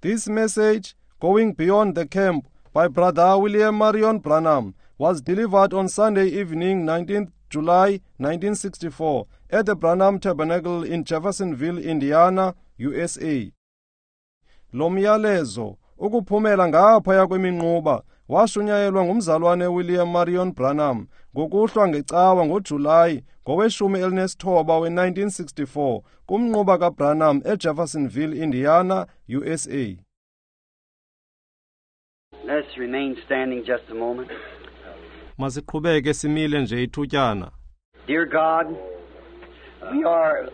This message, Going Beyond the Camp, by Brother William Marion Branham, was delivered on Sunday evening, 19th July 1964, at the Branham Tabernacle in Jeffersonville, Indiana, USA. Lo myalezo, ukuphumela ngaphaya kweminquba, washunyayelwa ngumzalwane William Marion Branham ngokuhlwa ngecawa ngoJulayi ngowe-19 we-1964 kumnquba kaBranham eJeffersonville, Indiana, USA. Let's remain standing just a moment. Masiqhubeke simile nje ithutyana. Dear God, we are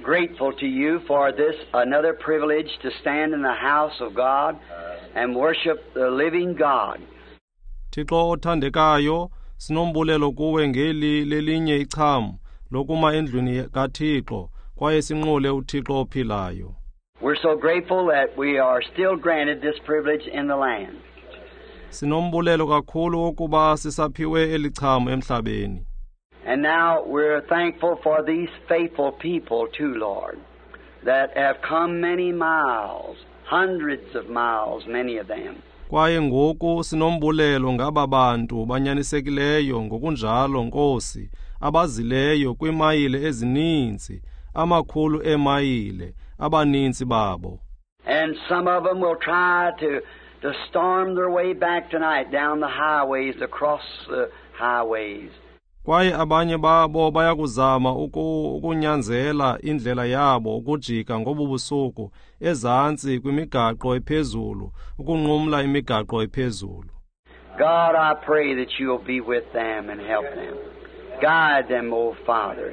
grateful to you for this another privilege to stand in the house of God and worship the living God. Thixo othandekayo, sinombulelo kuwe ngeli lelinye icham lokuma endlwini kaThixo kwaye sinqule uThixo ophilayo. We're so grateful that we are still granted this privilege in the land. Sinombulelo kakhulu wokuba sisaphiwe eli cham emhlabeni. And now we're thankful for these faithful people too, Lord, that have come many miles, hundreds of miles, many of them. Kwaye ngoku sinombulelo ngaba bantu banyanisekileyo ngokunjalo, Nkosi, abazileyo kwiimayile ezininzi, amakhulu eemayile, abaninzi babo. And some of them will try to storm their way back tonight down the highways, across the highways. Kwaye abanye babo bayakuzama ukunyanzela indlela yabo ukujika ngobu busuku ezantsi kwimigaqo ephezulu, ukunqumla imigaqo ephezulu. God, I pray that you'll be with them and help them. Guide them, O Father.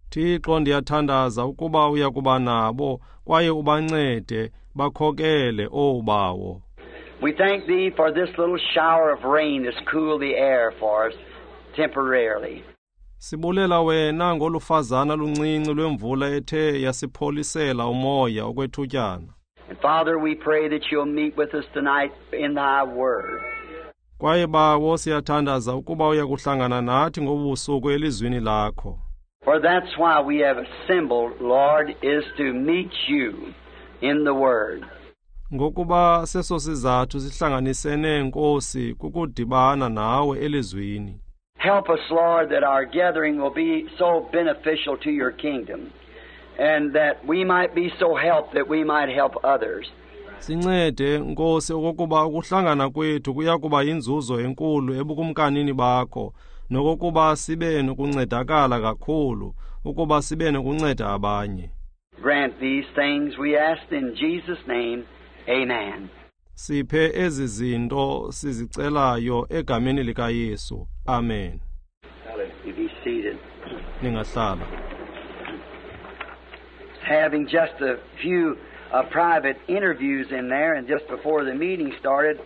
Thixo, ndiyathandaza ukuba uyakuba nabo kwaye ubancede bakhokele, O Bawo. We thank thee for this little shower of rain that's cooled the air for us temporarily. Sibulela wena ngolufazana luncinci lwemvula ethe yasipholisela umoya okwethutyana. And Father, we pray that you'll meet with us tonight in thy word. Kwaye Bawo, siyathandaza ukuba uyakuhlangana nathi ngobusuku elizwini lakho. For that's why we have assembled, Lord, is to meet you in the word. Ngokuba seso sizathu sihlanganisene, Nkosi, kukudibana nawe elizwini. Help us, Lord, that our gathering will be so beneficial to your kingdom, and that we might be so helped that we might help others. Sincede, Nkosi, okokuba ukuhlangana kwethu kuya kuba yinzuzo enkulu ebukumkanini bakho, nokokuba sibe nokuncedakala kakhulu, ukuba sibe nokunceda abanye. Grant these things, we ask in Jesus' name. Amen. Siphe ezi zinto sizicelayo egameni likaYesu. Amen. You be seated. Ningahlala. Having just a few private interviews in there, and just before the meeting started,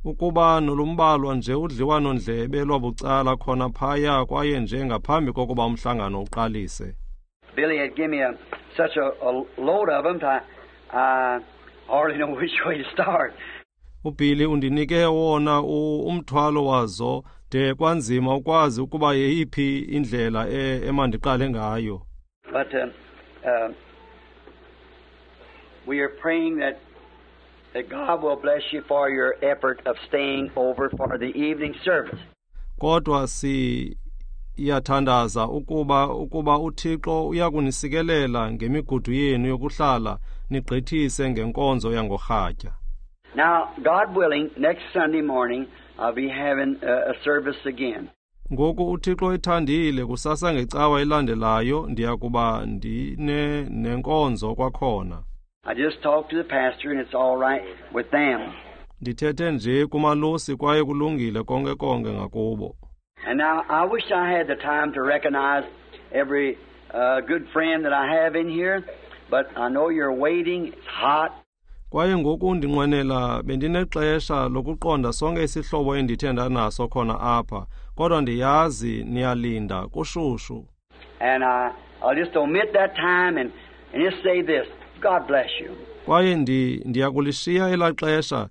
Ukuba nolumbalwa nje udliwano-ndlebe lwabucala khona phaya kwaye nje ngaphambi kokuba umhlangano uqalise. Billy had given me such a load of them, I hardly know which way to start. UBilly undinike wona umthwalo wazo de kwanzima ukwazi ukuba yeyiphi indlela emandiqale ngayo. But we are praying that God will bless you for your effort of staying over for the evening service. Kodwa siyathandaza ukuba uThixo uyakunisikelela ngemigudu yenu yokuhlala nigqithise ngenkonzo yangorhatya. Now, God willing, next Sunday morning I'll be having a service again. Ngoku uThixo ethandile, kusasa ngecawa elandelayo ndiyakuba ndine nenkonzo kwakhona. I just talked to the pastor and it's all right with them. Ndithethe nje kumalusi kwaye kulungile konke konke ngakubo. And now I wish I had the time to recognize every good friend that I have in here, but I know you're waiting. It's hot. Kwaye ngoku ndinqwenela bendinexesha lokuqonda sonke isihlobo endithe ndanaso khona apha, kodwa ndiyazi niyalinda kushushu. And I'll just omit that time and just say this. God bless you. Kwaye ndiyakulishiya elaa xesha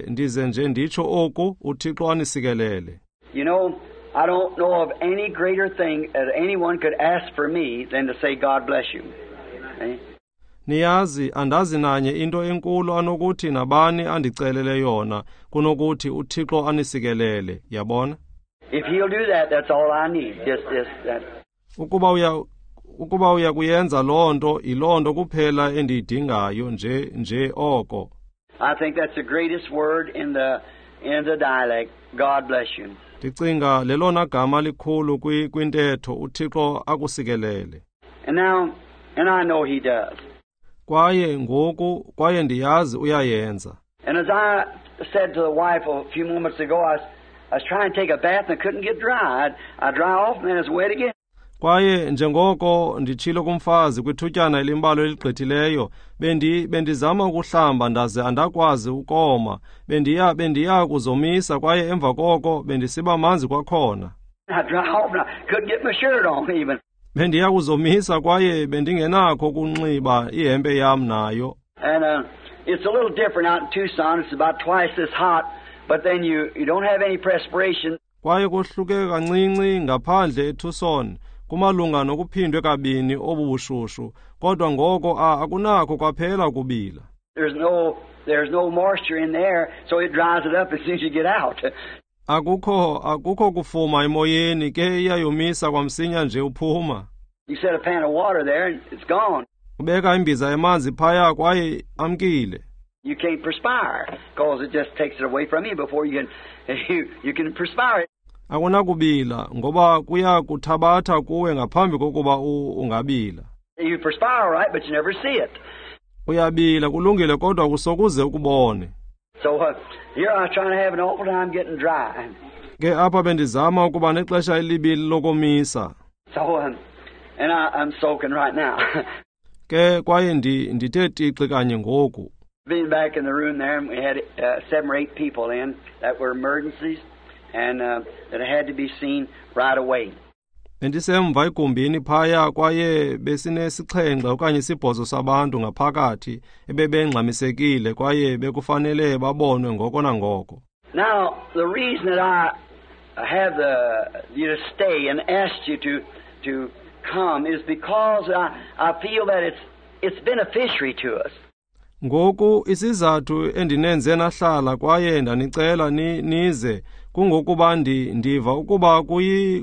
ndize nje nditsho oku, uThixo anisikelele. You know, I don't know of any greater thing that anyone could ask for me than to say God bless you. Niyazi, andazi nanye into enkulu anokuthi nabani andicelele yona kunokuthi uThixo anisikelele, yabona? If he'll do that, that's all I need. Just that. Ukuba uya kuyenza loo nto, yiloo nto kuphela endiyidingayo nje oko. I think that's the greatest word in the dialect. God bless you. Ndicinga lelona gama likhulu kwintetho, uThixo akusikelele. And now, and I know he does. Kwaye ngoku, kwaye ndiyazi uyayenza. And as I said to the wife a few moments ago, I was trying to take a bath and I couldn't get dry. I dry off and then it's wet again. Kwaye njengoko nditshilo kumfazi kwithutyana elimbalwa eligqithileyo, bendizama ukuhlamba ndaze andakwazi ukoma. Bendiya kuzomisa kwaye emva koko bendisiba manzi kwakhona. I dry off and I couldn't get my shirt on even. Bendiya kuzomisa kwaye bendingenakho ukunxiba ihempe yam nayo. And it's a little different out in Tucson. It's about twice as hot, but then you don't have any perspiration. Kwaye kohluke kancinci ngaphandle eTucson, kumalunga nokuphindwe kabini obubushushu, kodwa ngoko akunakho kwaphela ukubila. There's no moisture in there, so it dries it up as soon as you get out. Akukho kufuma emoyeni, ke iyayomisa kwamsinya nje uphuma. You set a pan of water there and it's gone. Ubeka imbiza yamanzi phaya kwaye amkile. You can't perspire because it just takes it away from you before you can perspire. Akunakubila ngoba kuya kuthabatha kuwe ngaphambi kokuba ungabila. You perspire, right, but you never see it. Uyabila kulungile kodwa kusokuze ukubone. So here I was trying to have an awful time getting dry. Ke apha bendizama ukuba nexesha elibi lokomisa. So and I'm soaking right now. Ke kwaye ndithe tixi kanye ngoku. Being back in the room there, and we had 7 or 8 people in that were emergencies and that had to be seen right away. Bendisemva egumbini phaya kwaye besinesixhenxe okanye isibhozo sabantu ngaphakathi ebebengxamisekile kwaye bekufanele babonwe ngoko nangoko. Now, the reason that I have you to stay and asked you to come is because I feel that it's beneficiary to us. Ngoku isizathu endinenze nahlala kwaye ndanicela nize kungokuba ndiva ukuba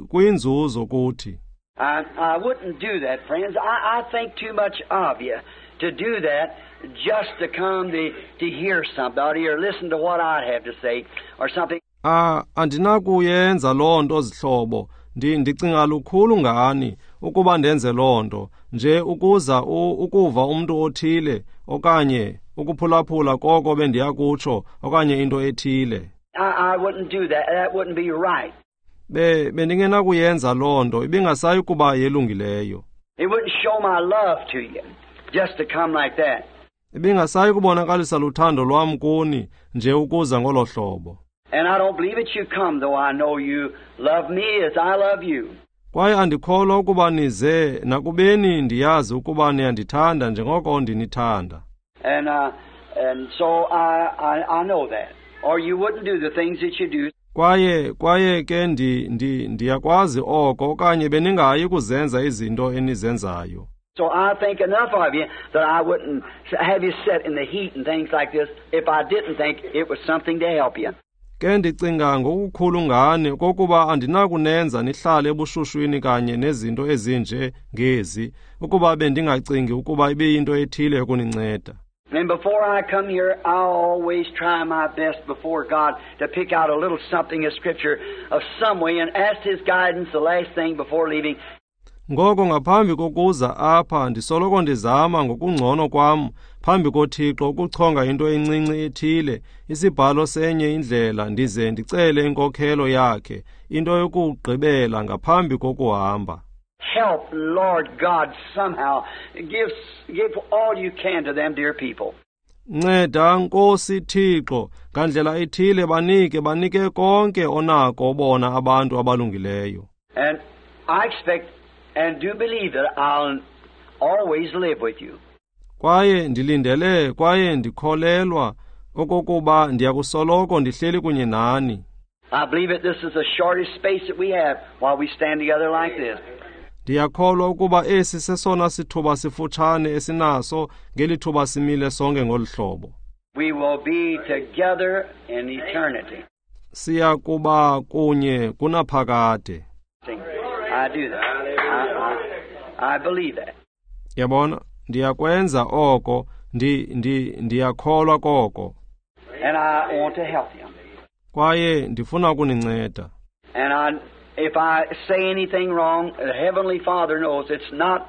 kuyinzuzo kuthi. I wouldn't do that, friends. I think too much of you to do that just to come to hear somebody or listen to what I have to say or something. Andinakuyenza loo nto zihlobo. Ndicinga lukhulu ngani ukuba ndenze loo nto nje ukuza ukuva umntu othile okanye ukuphulaphula koko bendiya kutsho okanye into ethile. I wouldn't do that. That wouldn't be right. Bendingenakuyenza loo nto, ibingasayi kuba yelungileyo. It wouldn't show my love to you just to come like that. Ibingasayi kubonakalisa luthando lwam kuni nje ukuza ngolo hlobo. And I don't believe it you come, though I know you love me as I love you. Kwaye andikholwa ukuba nize nakubeni ndiyazi ukuba niyandithanda njengoko ndinithanda. And so I know that. Or you wouldn't do the things that you do. Kwaye ke ndiyakwazi oko okanye beningayi kuzenza izinto enizenzayo. So I think enough of you that I wouldn't have you sit in the heat and things like this if I didn't think it was something to help you. Ke ndicinga ngokukhulu ngani kokuba andinakunenza nihlale ebushushwini kanye nezinto ezinje ngezi ukuba bendingacingi ukuba ibiyinto ethile yokuninceda. And before I come here, I always try my best before God to pick out a little something of Scripture of some way and ask His guidance the last thing before leaving. Ngoko ngaphambi kokuza apha ndisoloko ndizama ngokungcono kwam phambi koThixo ukuchonga into encinci ethile, isibhalo senye indlela, ndize ndicele inkokhelo yakhe, into yokugqibela ngaphambi kokuhamba. Help, Lord God, somehow. Give all you can to them, dear people. Nceda Nkosi Thixo, ngandlela ethile banike konke onako bona abantu abalungileyo. And I expect and do believe that I'll always live with you. Kwaye ndilindele kwaye ndikholelwa okokuba ndiyakusoloko ndihleli kunye nani. I believe that this is the shortest space that we have while we stand together like this. Ndiyakholwa ukuba esi sesona sithuba sifutshane esinaso ngeli thuba simile sonke ngolu hlobo. We will be together in eternity. Siya kuba kunye kunaphakade. I do that. I believe that. Yabona, ndiyakwenza oko, ndiyakholwa koko. And I want to help you. Kwaye ndifuna ukuninceda. And if I say anything wrong, the Heavenly Father knows it's not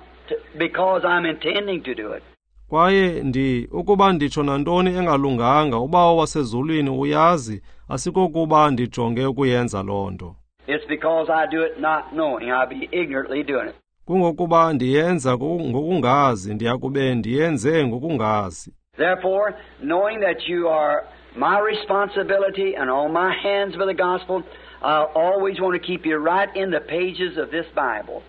because I'm intending to do it. Kwaye ukuba nditsho nantoni engalunganga, uBawo wasezulwini uyazi, asikokuba ndijonge ukuyenza loo nto. It's because I do it not knowing. I'll be ignorantly doing it. Kungokuba ndiyenza ngokungazi, ndiyakube ndiyenze ngokungazi. Therefore, knowing that you are my responsibility and on my hands for the gospel, I always want to keep you right in the pages of this Bible.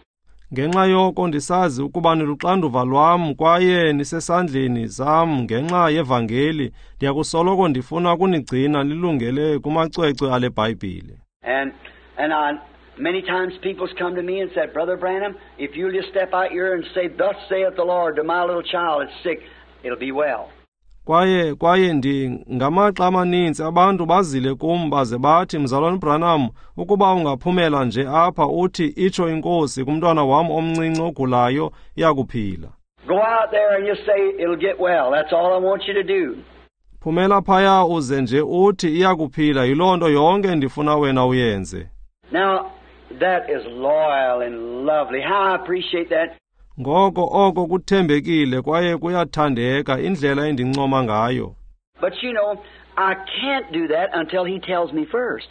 Ngenxa yoko ndisazi ukuba niluxanduva lwam kwaye nisesandleni sam ngenxa yevangeli, ndiyakusoloko ndifuna ukunigcina nilungele kumacwecwe ale Bhayibhile. And many times people's come to me and said, Brother Branham, if you'll just step out here and say, Thus saith the Lord to my little child that's sick, it'll be well. Kwaye ngamaxa amaninzi abantu bazile kum baze bathi, Mzalwana Branham, ukuba ungaphumela nje apha uthi itsho inkosi kumntwana wam omncinci ogulayo, iyakuphila. Go out there and just say it'll get well. That's all I want you to do. Phumela phaya uze nje uthi iyakuphila, yiloo nto yonke ndifuna wena uyenze. Now that is loyal and lovely. How I appreciate that. Ngoko oko kuthembekile kwaye kuyathandeka indlela endincoma ngayo. But you know, I can't do that until he tells me first.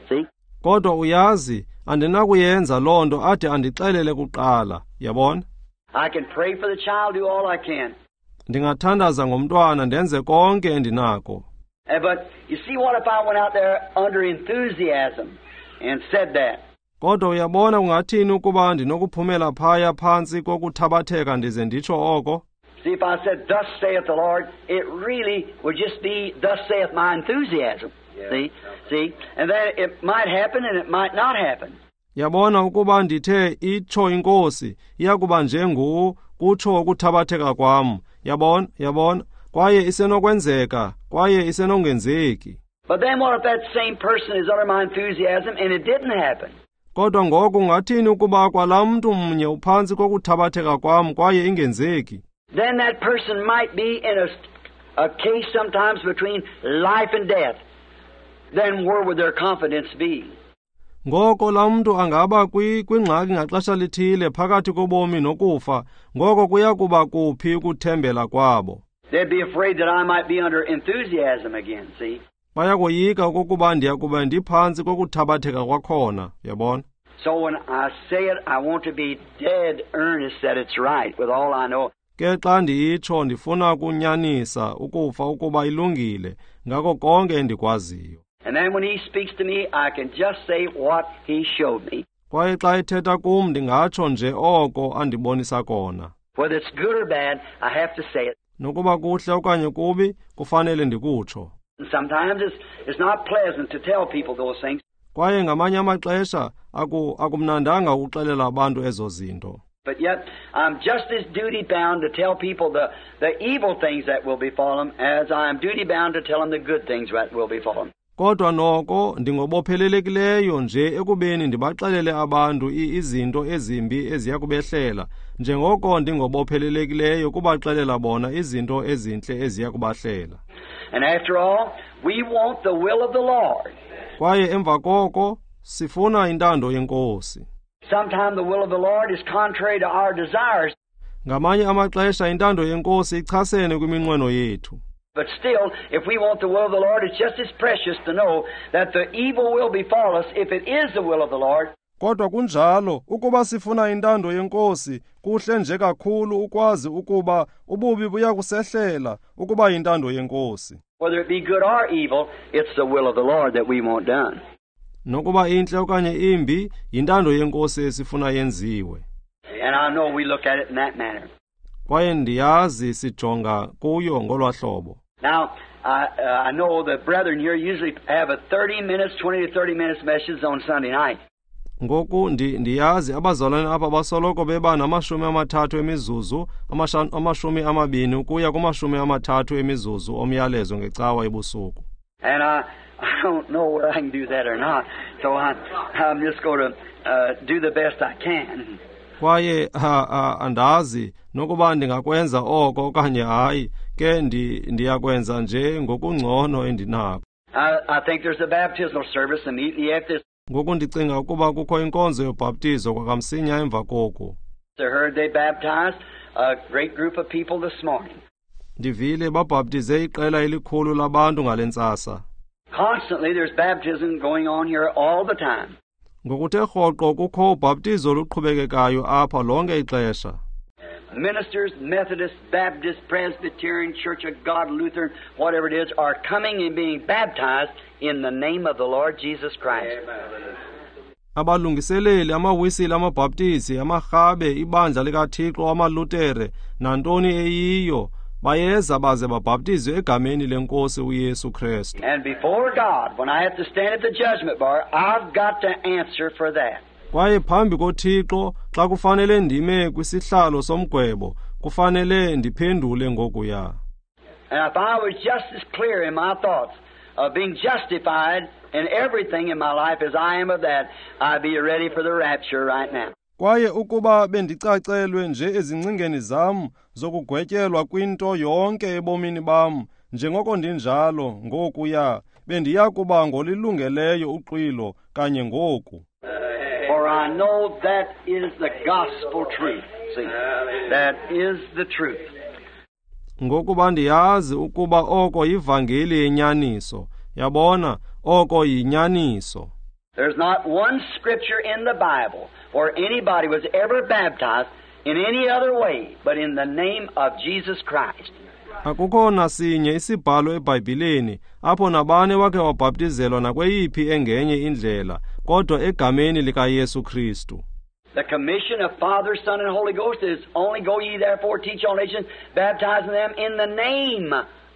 See? Kodwa uyazi, andinakuyenza loo nto ade andixelele kuqala, yabona? I can pray for the child, do all I can. Ndingathandaza ngomntwana ndenze konke endinako. But you see, what if I went out there under enthusiasm and said that? Kodwa uyabona kungathini ukuba ndinokuphumela phaya phantsi kokuthabatheka ndize nditsho oko? See, if I said, Thus saith the Lord, it really would just be, Thus saith my enthusiasm. Yeah. See? See? And then it might happen and it might not happen. Yabona ukuba ndithe itsho inkosi, iyakuba njengu kutsho ukuthabatheka kwam. Yabona, yabona, kwaye isenokwenzeka, kwaye isenongenzeki. But then what if that same person is under my enthusiasm and it didn't happen? Kodwa ngoku ungathini ukuba kwalaa mntu mnye uphantsi kokuthabatheka kwam kwaye ingenzeki? Then that person might be in a case sometimes between life and death. Then where would their confidence be? Ngoko laa mntu angaba kwingxaki ngaxesha lithile phakathi kobomi nokufa, ngoko kuya kuba kuphi ukuthembela kwabo? They'd be afraid that I might be under enthusiasm again, see? Bayakoyika okokuba ndiyakuba ndiphantsi kokuthabatheka kwakhona, yabona? So when I say it, I want to be dead earnest that it's right with all I know. Ke xa ndiyitsho ndifuna ukunyanisa ukufa ukuba ilungile ngako konke endikwaziyo. And then when he speaks to me, I can just say what he showed me. Kwaye xa ethetha kum ndingatsho nje oko andibonisa kona. Whether it's good or bad, I have to say it. Nokuba kuhle okanye kubi, kufanele ndikutsho. And sometimes it's not pleasant to tell people those things. Kwaye ngamanye amaxesha akumnandanga ukuxelela abantu ezo zinto. But yet I'm just as duty bound to tell people the evil things that will befall them as I am duty bound to tell them the good things that will befall them. Kodwa noko ndingobophelelekileyo nje ekubeni ndibaxelele abantu izinto ezimbi eziya kubehlela, njengoko ndingobophelelekileyo kubaxelela bona izinto ezintle eziya kubahlela. And after all, we want the will of the Lord. Kwaye emva koko sifuna intando yenkosi. Sometimes the will of the Lord is contrary to our desires. Ngamanye amaxesha intando yenkosi ichasene kwiminqweno yethu. But still, if we want the will of the Lord, it's just as precious to know that the evil will befall us if it is the will of the Lord. Kodwa kunjalo, ukuba sifuna intando yenkosi, kuhle nje kakhulu ukwazi ukuba ububi buyakusehlela ukuba intando yenkosi. Whether it be good or evil, it's the will of the Lord that we want done. Nokuba intle okanye imbi, yintando yenkosi esifuna yenziwe. And I know we look at it in that manner. Kwaye ndiyazi sijonga kuyo ngolwahlobo. Now, I know the brethren here usually have a 30 minutes, 20 to 30 minutes message on Sunday night. Ngoku ndiyazi abazalwane apha basoloko beba nama-30 emizuzu, 20 ukuya kuma-30 emizuzu omyalezo ngecawa ebusuku. And I don't know whether I can do that or not, so I'm just going to do the best I can. Kwaye andazi nokuba ndingakwenza oko okanye hayi, ke ndiyakwenza nje ngokungcono endinako. I think there's a baptismal service immediately after this. Ngoku ndicinga ukuba kukho inkonzo yobhaptizo kwakamsinya emva koku. I heard they baptized a great group of people this morning. Ndivile babhaptize iqela elikhulu labantu ngale ntsasa. Constantly there's baptism going on here all the time. Ngokuthe rhoqo kukho ubhaptizo oluqhubekekayo apha lonke ixesha. Ministers, Methodists, Baptists, Presbyterian, Church of God, Lutheran, whatever it is, are coming and being baptized in the name of the Lord Jesus Christ. Amen. Abalungiseleli, amawisile, amabhaptizi, amarhabe, ibandla likaThixo, amalutere, nantoni eyiyo, bayeza baze babhaptizwe egameni lenkosi uYesu Kristu. And before God, when I have to stand at the judgment bar, I've got to answer for that. Kwaye phambi koThixo, xa kufanele ndime kwisihlalo somgwebo, kufanele ndiphendule ngokuya. And if I was just as clear in my thoughts of being justified in everything in my life as I am of that, I'd be ready for the rapture right now. Kwaye ukuba bendicacelwe nje ezingcingeni zam zokugwetyelwa kwinto yonke ebomini bam, njengoko ndinjalo ngokuya, bendiya kuba ngolilungeleyo uxwilo kanye ngoku. For I know that is the gospel truth. See, that is the truth. Ngokuba ndiyazi ukuba oko yivangeli yenyaniso. Yabona, oko yinyaniso. There's not one scripture in the Bible where anybody was ever baptized in any other way but in the name of Jesus Christ. Akukho nasinye isibhalo eBhayibhileni apho nabani wakhe wabhaptizelwa nakweyiphi engenye indlela kodwa egameni likaYesu Kristu. The commission of Father, Son, and Holy Ghost is only go ye therefore teach all nations, baptizing them in the name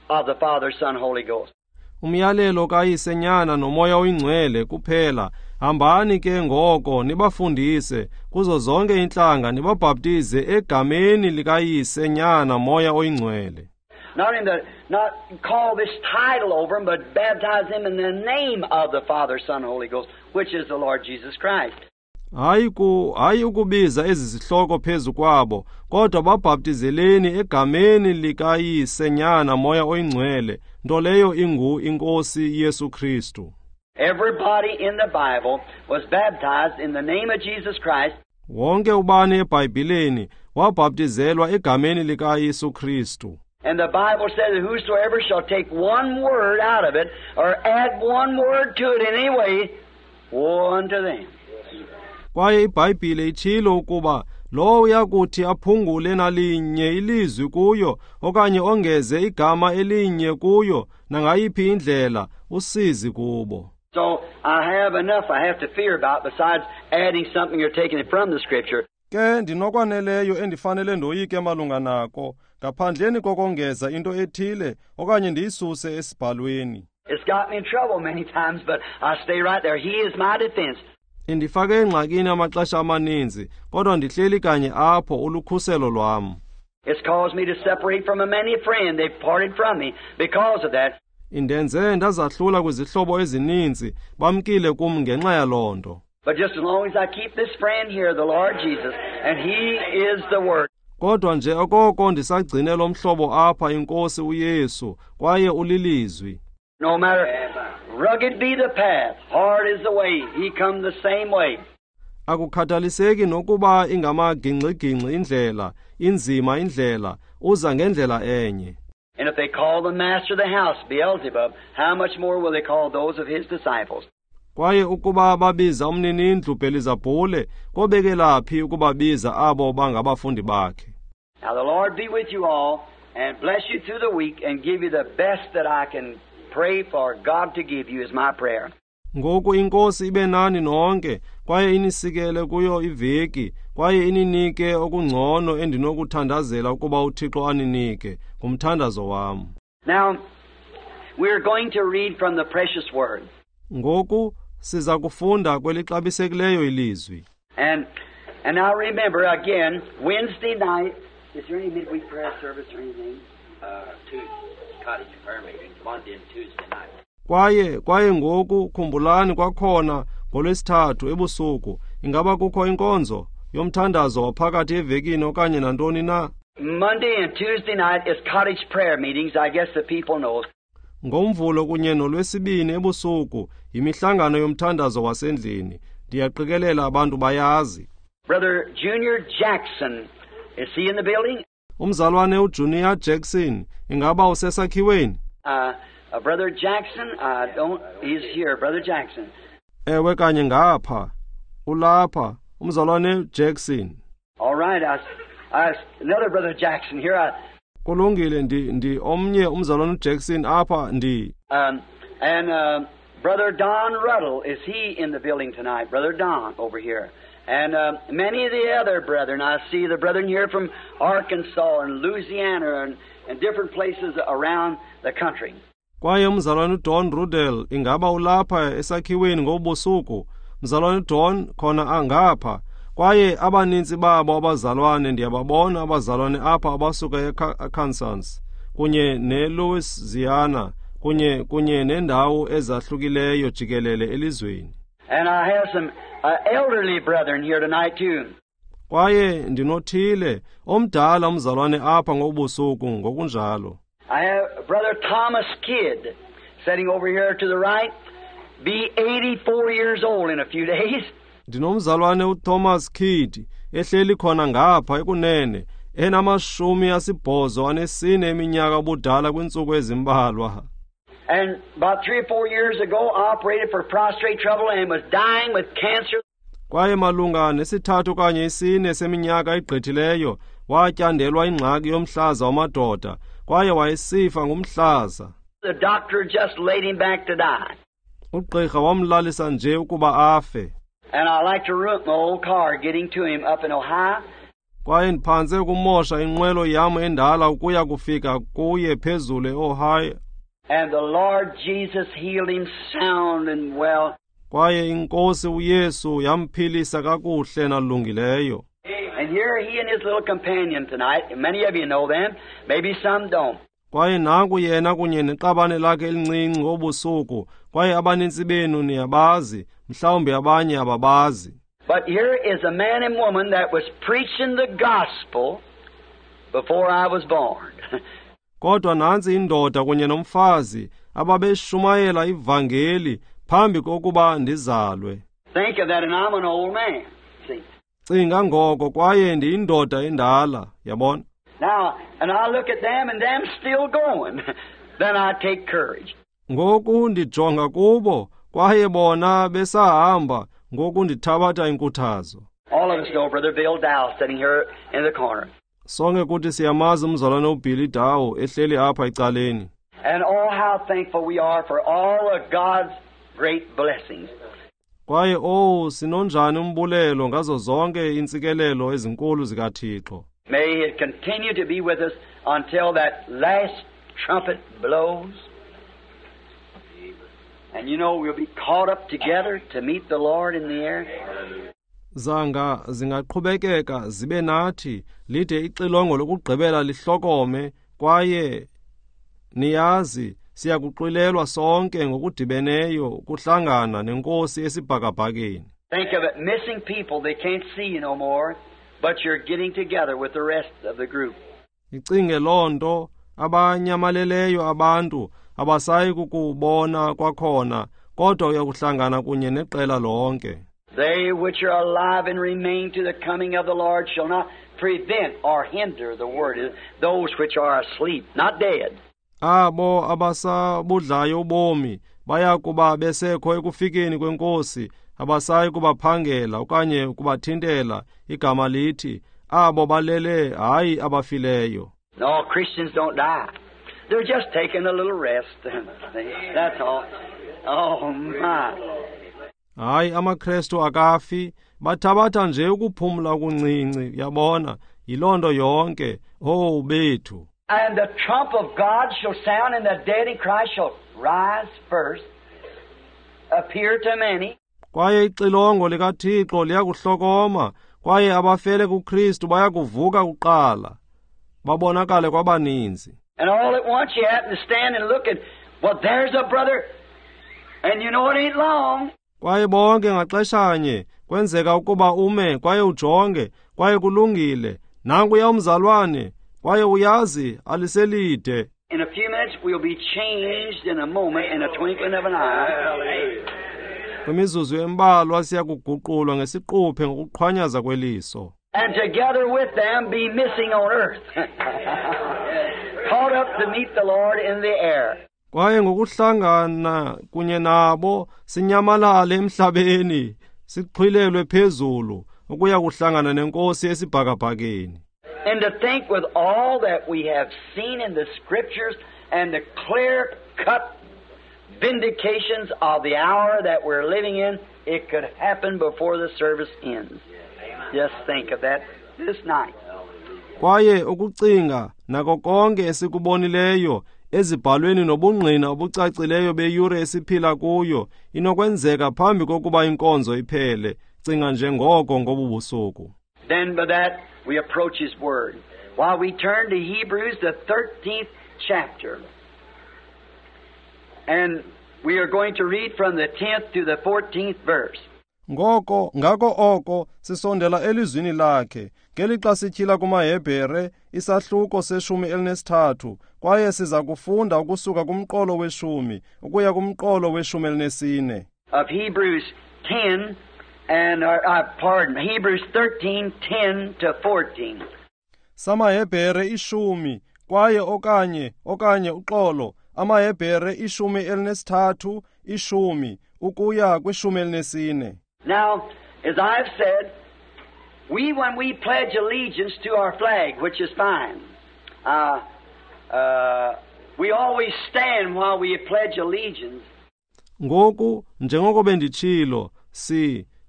of the Father, Son, Holy Ghost. Umyalelo kaYise, Nyana noMoya oyiNgcwele kuphela. Hambani ke ngoko nibafundise kuzo zonke iintlanga nibabhaptize egameni likaYise, Nyana, Moya oyiNgcwele. Not call this title over them, but baptize them in the name of the Father, Son, Holy Ghost, which is the Lord Jesus Christ. Hayi ukubiza ezi zihloko phezu kwabo, kodwa babhaptizeleni egameni likaYise, Nyana, Moya oyiNgcwele, nto leyo ingu iNkosi Yesu Kristu. Everybody in the Bible was baptized in the name of Jesus Christ. Wonke ubani eBhayibhileni wabhaptizelwa egameni likaYesu Kristu. And the Bible says that whosoever shall take one word out of it or add one word to it in any way, woe unto them. Kwaye iBhayibhile itshilo ukuba lowo uyakuthi aphungule nalinye ilizwi kuyo okanye ongeze igama elinye kuyo nangayiphi indlela, usizi kubo. So I have enough I have to fear about besides adding something or taking it from the Scripture. Ke ndinokwaneleyo endifanele ndoyike malunga nako ngaphandleni kokongeza into ethile okanye ndiyisuse esibhalweni. It's got me in trouble many times, but I stay right there. He is my defense. Indifake engxakini amaxesha amaninzi, kodwa ndihleli kanye apho ulukhuselo lwam. It's caused me to separate from a many friend. They've parted from me because of that. Indenze ndazahlula kwizihlobo ezininzi, bamkile kum ngenxa yaloo nto. But just as long as I keep this friend here, the Lord Jesus, and He is the Word. Kodwa nje okoko ndisagcine lo mhlobo apha, iNkosi uYesu, kwaye ulilizwi. No matter rugged be the path, hard is the way, He come the same way. Akukhathaliseki nokuba ingamagingxigingxi indlela, inzima indlela, uza ngendlela enye. And if they call the master of the house Beelzebub, how much more will they call those of his disciples? Kwaye ukuba babiza umninindlu Belizabhule, kobekelaphi ukubabiza abo bangabafundi bakhe? Now the Lord be with you all and bless you through the week and give you the best that I can pray for God to give you is my prayer. Ngoku iNkosi ibe nani nonke, kwaye inisikele kuyo iveki, kwaye ininike okungcono endinokuthandazela ukuba uThixo aninike, ngumthandazo wam. Now we are going to read from the precious word. Ngoku Siza kufunda kwelixabisekileyo ilizwi. And now remember again, Wednesday night, is there any midweek prayer service or anything? Two cottage prayer meetings, Monday and Tuesday night. Kwaye ngoku khumbulani kwakhona ngoLwesithathu ebusuku, ingaba kukho inkonzo yomthandazo waphakathi evekini okanye nantoni na? Monday and Tuesday night is cottage prayer meetings, I guess the people know. NgoMvulo kunye noLwesibini ebusuku yimihlangano yomthandazo wasendlini. Ndiyaqikelela abantu bayazi. Brother Junior Jackson, is he in the building? Umzalwane uJunior Jackson, ingaba usesakhiweni? Brother Jackson, I don't, he's here, Brother Jackson. Ewe kanye ngapha, ulapha, umzalwane Jackson. All right, another Brother Jackson here. Kulungile, ndi omnye umzalwane Jackson apha ndi. And Brother Don Ruddell, is he in the building tonight? Brother Don over here. And many of the other brethren, I see the brethren here from Arkansas and Louisiana and different places around the country. Kwaye umzalwane Don Ruddell ingaba ulapha esakhiweni ngobusuku. Mzalwane Don khona angapha. Kwaye abaninzi babo abazalwane ndiyababona abazalwane apha abasuka eArkansas kunye neLouisiana kunye nendawo ezahlukileyo jikelele elizweni. And I have some elderly brethren here tonight too. Kwaye ndinothile omdala umzalwane apha ngobusuku ngokunjalo. I have Brother Thomas Kidd sitting over here to the right, be 84 years old in a few days. Ndinomzalwane uThomas Kidd ehleli khona ngapha ekunene enama-84 eminyaka ubudala kwiintsuku ezimbalwa. And about 3 or 4 years ago, operated for prostrate trouble and was dying with cancer. Kwaye malunga ne-3 okanye 4 seminyaka egqithileyo watyandelwa ingxaki yomhlaza wamadoda kwaye wayesifa ngumhlaza. The doctor just laid him back to die. Ugqirha wamlalisa nje ukuba afe. And I like to ruin my old car getting to him up in Ohio. Kwaye ndiphantse ukumosha inqwelo yam endala ukuya kufika kuye phezulu eOhio. And the Lord Jesus healed him sound and well. Kwaye inkosi uYesu yamphilisa kakuhle nalungileyo. And here he and his little companion tonight, and many of you know them, maybe some don't. Kwaye nanku yena kunye neqabane lakhe elincinci ngobusuku, kwaye abanintsi benu niyabazi, mhlawumbi abanye ababazi. But here is a man and woman that was preaching the gospel before I was born. Kodwa nantsi indoda kunye nomfazi ababeshumayela ivangeli phambi kokuba ndizalwe. Think of that, and I'm an old man. See. Cinga ngoko, kwaye ndiyindoda endala, yabona. Now, and I look at them and them still going. Then I take courage. Ngoku ndijonga kubo, kwaye bona besahamba, ngoku ndithabatha inkuthazo. All of us know Brother Bill Dow sitting here in the corner. Sonke kuthi siyamazi umzalwane uBilly Dow ehleli apha ecaleni. And oh, how thankful we are for all of God's great blessings. Kwaye oh, sinonjani umbulelo ngazo zonke intsikelelo ezinkulu zikaThixo. May it continue to be with us until that last trumpet blows. And you know we'll be caught up together to meet the Lord in the air. Zanga zingaqhubekeka zibe nathi lide ixilongo lokugqibela lihlokome, kwaye niyazi siyakuxwilelwa sonke ngokudibeneyo ukuhlangana nenkosi esibhakabhakeni. Think of it, missing people, they can't see you no more, but you're getting together with the rest of the group. Icinge loo nto, abanyamaleleyo abantu abasayi kukubona kwakhona, kodwa uyakuhlangana kunye neqela lonke. They which are alive and remain to the coming of the Lord shall not prevent or hinder the word, those which are asleep, not dead. Abo abasabudlayo ubomi bayakuba besekho ekufikeni kwenkosi, abasayi kubaphangela okanye kubathintela. Igama lithi abo balele, hayi abafileyo. No, Christians don't die. They're just taking a little rest. That's all. Oh my. Hayi, amaKrestu akafi, bathabatha nje ukuphumla okuncinci, yabona, yiloo nto yonke. Oh bethu. And the trump of God shall sound, and the dead in Christ shall rise first. appear to many. Kwaye ixilongo likaThixo liyakuhlokoma, kwaye abafele kuKristu bayakuvuka kuqala, babonakale kwabaninzi. And all at once you happen to stand and look and, well, there's a brother, and you know it ain't long. Kwaye bonke ngaxeshanye kwenzeka ukuba ume kwaye ujonge, kwaye kulungile, nankuya umzalwane, kwaye uyazi aliselide. In a few minutes we'll be changed in a moment, in a twinkling of an eye. Kwimizuzu embalwa siyakuguqulwa ngesiquphe ngokuqhwanyaza kweliso. And together with them be missing on earth. Caught up to meet the Lord in the air. Kwaye ngokuhlangana kunye nabo sinyamalale emhlabeni, sixhwilelwe phezulu ukuya kuhlangana nenkosi esibhakabhakeni. And to think with all that we have seen in the Scriptures and the clear-cut vindications of the hour that we're living in, it could happen before the service ends. Just think of that this night. Kwaye ukucinga nako konke esikubonileyo ezibhalweni nobungqina obucacileyo beyure esiphila kuyo inokwenzeka phambi kokuba inkonzo iphele. Cinga nje ngoko ngobu busuku. Then by that we approach His Word. While we turn to Hebrews, the 13th chapter. And we are going to read from the 10th to the 14th verse. Ngoko ngako oko sisondela elizwini lakhe ngelixa sityhila kumaHebhere isahluko se-13, kwaye siza kufunda ukusuka kumqolo we-10 ukuya kumqolo we-14. Of Hebrews 10 and pardon, Hebrews 13:10 to 14. SamaHebhere 10 kwaye okanye uxolo amaHebhere 13 10 ukuya kwi-14. Now, as I've said, we, when we pledge allegiance to our flag, which is fine, we always stand while we pledge allegiance. Ngoku, njengoko benditshilo,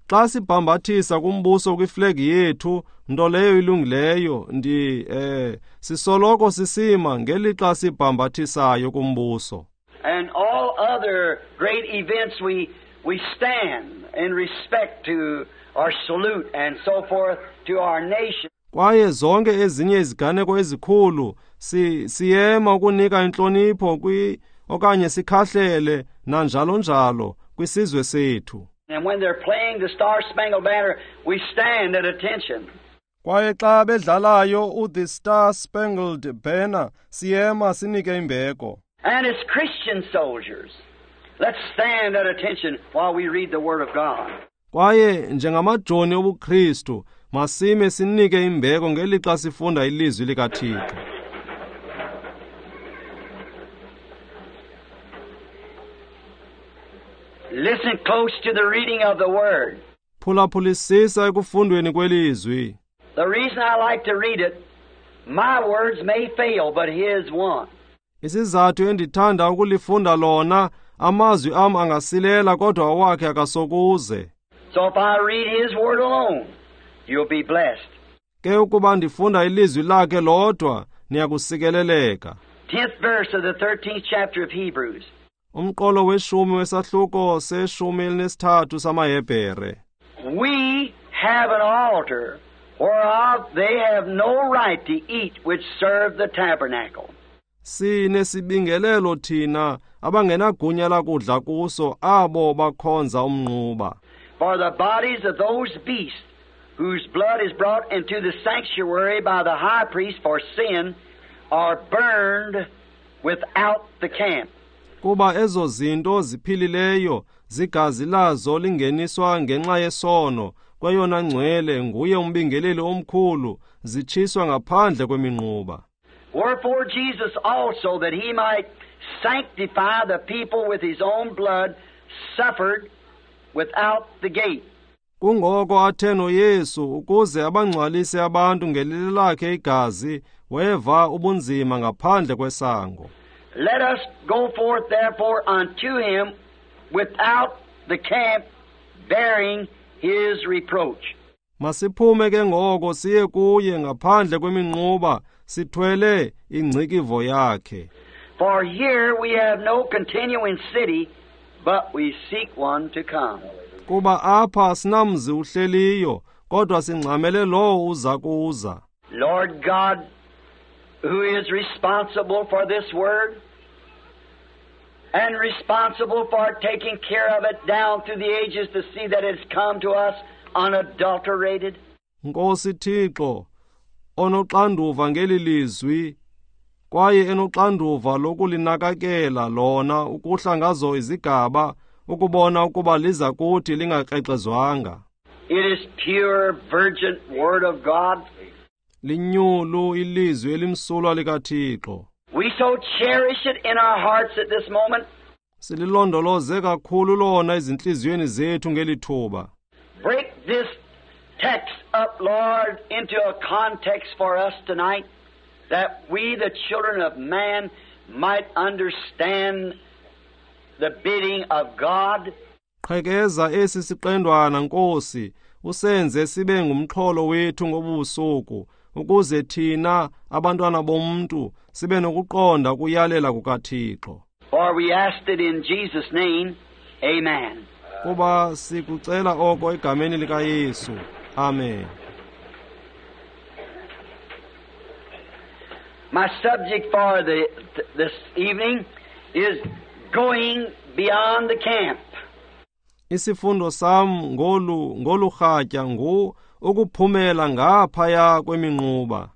xa sibhambathisa kumbuso kwiflegi yethu, nto leyo ilungileyo, sisoloko sisima ngelixa sibhambathisayo kumbuso. And all other great events we stand in respect to our salute and so forth to our nation. Kwaye zonke ezinye iziganeko ezikhulu siyema ukunika intlonipho okanye sikhahlele nanjalo njalo kwisizwe sethu. And when they're playing the Star Spangled Banner, we stand at attention. Kwaye xa bedlalayo the Star Spangled Banner, siyema sinike imbeko. And as Christian soldiers, let's stand at attention while we read the Word of God. Kwaye njengamajoni obuKristu, masime sinike imbeko ngelixa sifunda ilizwi likaThixo. Listen close to the reading of the Word. Phulaphulisisa ekufundweni kwelizwi. The reason I like to read it, my words may fail, but His won't. Isizathu endithanda ukulifunda lona, amazwi am angasilela kodwa awakhe akasokuze. So if I read His Word alone, you'll be blessed. Ke ukuba ndifunda ilizwi lakhe lodwa, niyakusikeleleka. 10th verse of the 13th chapter of Hebrews. Umqolo we-10 wesahluko se-13 samaHebhere. We have an altar whereof they have no right to eat which serve the tabernacle. Sinesibingelelo thina abangenagunya lakudla kuso abo bakhonza umnquba. For the bodies of those beasts whose blood is brought into the sanctuary by the high priest for sin are burned without the camp. Kuba ezo zinto ziphilileyo zigazi lazo lingeniswa ngenxa yesono kweyona ngcwele nguye umbingeleli omkhulu zitshiswa ngaphandle kweminquba. Wherefore Jesus also, that he might sanctify the people with his own blood, suffered without the gate. Kungoko athe noYesu ukuze abangcwalise abantu ngelili lakhe igazi, weva ubunzima ngaphandle kwesango. Let us go forth therefore unto him without the camp, bearing his reproach. Masiphume ke ngoko siye kuye ngaphandle kweminquba, sithwele ingcikivo yakhe. For here we have no continuing city, but we seek one to come. Kuba apha sinamzi uhleliyo, kodwa singxamele lowo uza kuza. Lord God, who is responsible for this word and responsible for taking care of it down through the ages to see that it's come to us unadulterated. Nkosi Thixo, onoxanduva ngeli lizwi kwaye enoxanduva lokulinakakela lona ukuhla ngazo izigaba ukubona ukuba liza kuthi lingakrexezwanga. It is pure virgin word of God. Linyulu ilizwi elimsulwa likaThixo. We so cherish it in our hearts at this moment. Sililondoloze kakhulu lona ezintliziyweni zethu ngeli thuba. Break this text up, Lord, into a context for us tonight, that we, the children of man, might understand the bidding of God. Qhekeza esi siqendwana, Nkosi, usenze sibe ngumxholo wethu ngobusuku, ukuze thina abantwana bomntu sibe nokuqonda ukuyalela kukaThixo. For we asked it in Jesus' name. Amen. Kuba sikucela oko egameni likaYesu. Amen. My subject for this evening is going beyond the camp. Isifundo sam ngolu rhatya ngu ukuphumela ngaphaya kweminquba.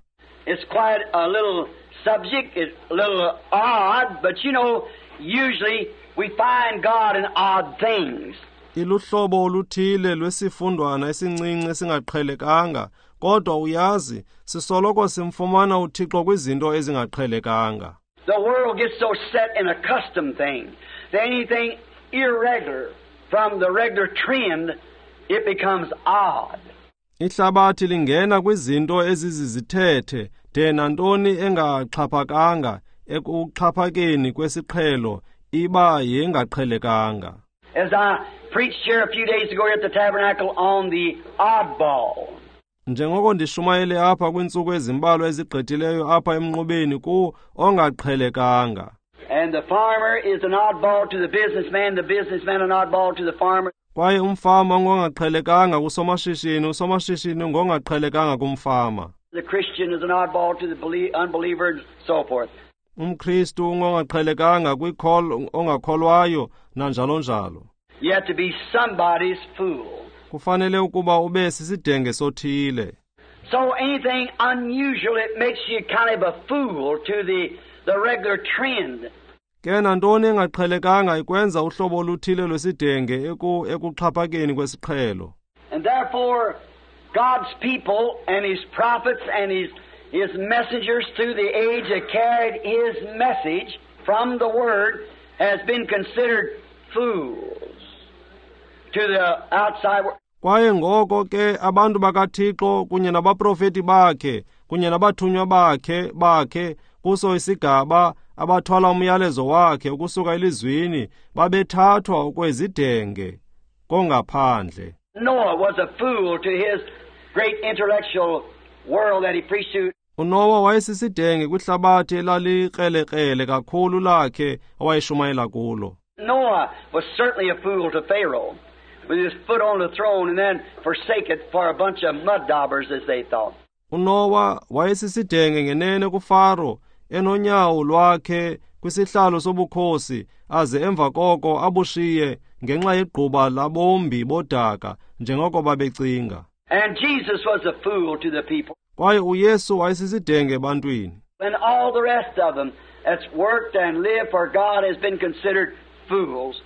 It's quite a little subject, it's a little odd, but you know, usually we find God in odd things. Iluhlobo oluthile lwesifundwana esincinci esingaqhelekanga, kodwa uyazi, sisoloko simfumana uThixo kwizinto ezingaqhelekanga. The world gets so set in a custom thing that anything irregular from the regular trend, it becomes odd. Ihlabathi lingena kwizinto ezizizithethe de nantoni engaxhaphakanga ekuxhaphakeni kwesiqhelo iba yengaqhelekanga. As I preached here a few days ago at the tabernacle on the oddball. Njengoko ndishumayele apha kwiintsuku ezimbalwa ezigqithileyo apha emnqubeni ku ongaqhelekanga. And the farmer is an oddball to the businessman an oddball to the farmer. Kwaye umfama ngongaqhelekanga kusomashishini, usomashishini ngongaqhelekanga kumfama. The Christian is an oddball to the unbeliever and so forth. UmKristu ungongaqhelekanga kwikholo ongakholwayo nanjalo njalo. You have to be somebody's fool. Kufanele ukuba ube sisidenge sothile. So anything unusual, it makes you kind of a fool to the regular trend. Ke nantoni engaqhelekanga ikwenza uhlobo oluthile lwesidenge ekuxhaphakeni kwesiqhelo. And therefore God's people and his prophets and his messengers through the age that carried his message from the Word has been considered fools to the outside world. Kwaye ngoko ke abantu bakaThixo kunye nabaprofeti bakhe kunye nabathunywa bakhe kuso isigaba abathwala umyalezo wakhe ukusuka elizwini babethathwa okwezidenge kongaphandle. Noah was a fool to his great intellectual world that he preached to. uNoah wayesisidenge kwihlabathi elalikrelekrele kakhulu lakhe awayeshumayela kulo. Noah was certainly a fool to Pharaoh, with his foot on the throne and then forsake it for a bunch of mud daubers, as they thought. uNoah wayesisidenge ngenene kuFaro enonyawo lwakhe kwisihlalo sobukhosi aze emva koko abushiye ngenxa yegquba labombi bodaka njengoko babecinga. And Jesus was a fool to the people. Kwaye uYesu wayesisidenge ebantwini. And all the rest of them that's worked and lived for God has been considered fools.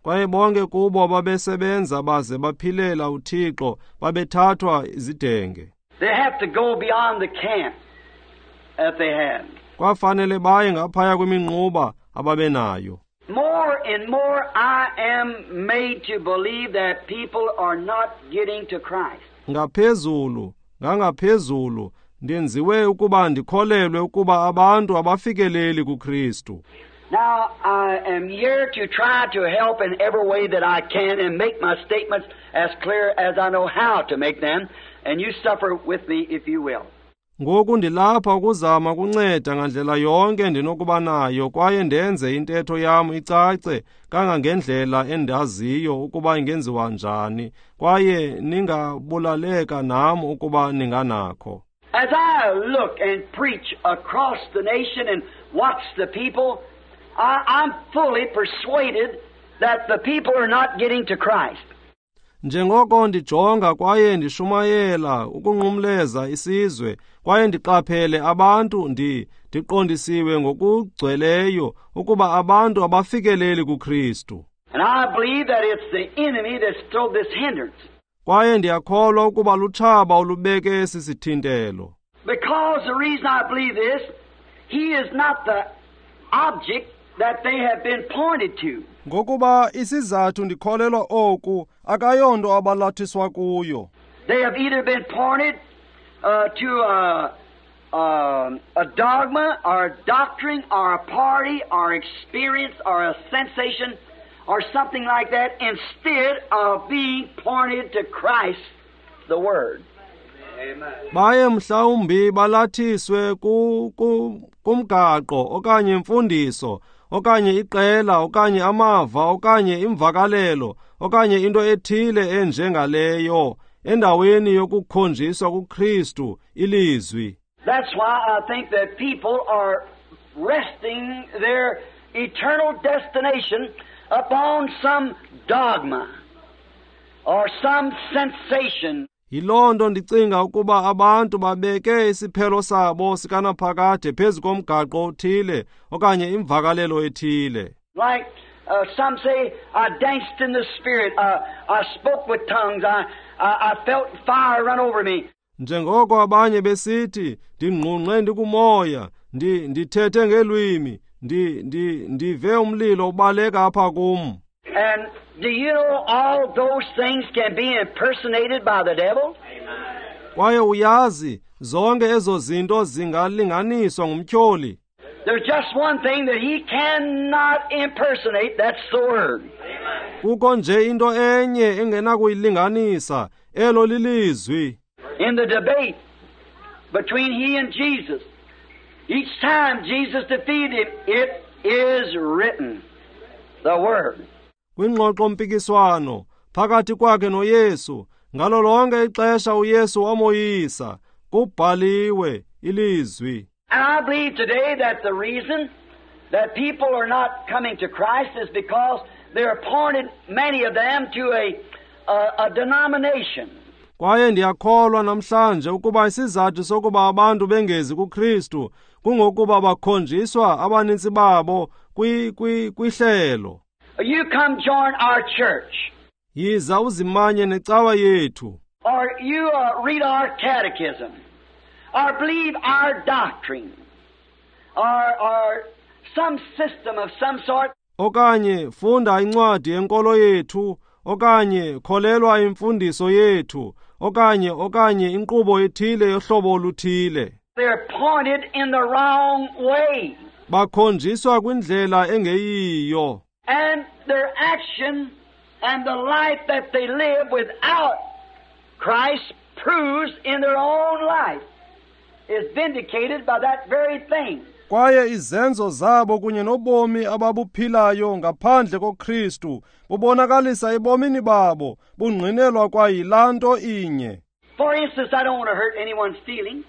Kwaye bonke kubo ababesebenza baze baphilela uThixo babethathwa izidenge. They have to go beyond the camp that they had. Kwafanele baye ngaphaya kweminquba ababenayo. More and more I am made to believe that people are not getting to Christ. Ngaphezulu, ngangaphezulu ndenziwe ukuba ndikholelwe ukuba abantu abafikeleli kuKristu. Now I am here to try to help in every way that I can and make my statements as clear as I know how to make them, and you suffer with me if you will. Ngoku ndilapha ukuzama ukunceda ngandlela yonke ndinokuba nayo kwaye ndenze intetho yam icace kangangendlela endaziyo ukuba ingenziwa njani, kwaye ningabulaleka nam ukuba ninganakho. As I look and preach across the nation and watch the people, I'm fully persuaded that the people are not getting to Christ. Njengoko ndijonga kwaye ndishumayela ukunqumleza isizwe kwaye ndiqaphele abantu, ndiqondisiwe ngokugcweleyo ukuba abantu abafikeleli kuKristu. And I believe that it's the enemy that's thrown this hindrance. Kwaye ndiyakholwa ukuba lutshaba olubeke esi sithintelo. Because the reason I believe this, he is not the object that they have been pointed to. Ngokuba isizathu ndikholelwa oku akayonto abalathiswa kuyo. They have either been pointed to a dogma or a doctrine or a party or experience or a sensation or something like that instead of being pointed to Christ, the Word. Amen. Baye mhlawumbi balathiswe kumgaqo okanye imfundiso okanye iqela okanye amava okanye imvakalelo okanye into ethile enjengaleyo endaweni yokukhonjiswa kuKristu ilizwi. That's why I think that people are resting their eternal destination upon some dogma or some sensation. Yiloo nto ndicinga ukuba abantu babeke isiphelo sabo sikanaphakade phezu komgaqo othile okanye imvakalelo ethile. Like some say, I danced in the Spirit, I spoke with tongues, I felt fire run over me. Njengoko abanye besithi, ndingqungqe ndikumoya, ndithethe ngeelwimi, ndive umlilo ubaleka apha kum. And do you know all those things can be impersonated by the devil? Kwaye uyazi, zonke ezo zinto zingalinganiswa ngumtyholi. There's just one thing that he cannot impersonate, that's the Word. Kukho nje into enye engenakuyilinganisa, elo lilizwi. In the debate between he and Jesus, each time Jesus defeated him, it is written, the Word. Kwingxoxo-mpikiswano phakathi kwakhe noYesu, ngalo lonke ixesha uYesu wamoyisa, kubhaliwe ilizwi. And I believe today that the reason that people are not coming to Christ is because they're pointed, many of them, to a denomination. Kwaye ndiyakholwa namhlanje ukuba isizathu sokuba abantu bengezi kuKristu kungokuba bakhonjiswa abanintsi babo kwihlelo. You come join our church. Yiza uzimanye necawa yethu. Or you read our catechism. Or believe our doctrine. Or some system of some sort. Okanye funda incwadi yenkolo yethu, okanye kholelwa imfundiso yethu, okanye inkqubo ethile yohlobo oluthile. They're pointed in the wrong way. Bakhonjiswa kwindlela engeyiyo. And their action and the life that they live without Christ proves in their own life is vindicated by that very thing. Kwaye izenzo zabo kunye nobomi ababuphilayo ngaphandle koKristu bubonakalisa ebomini babo bungqinelwa kwayilaa nto inye. For instance, I don't want to hurt anyone's feelings.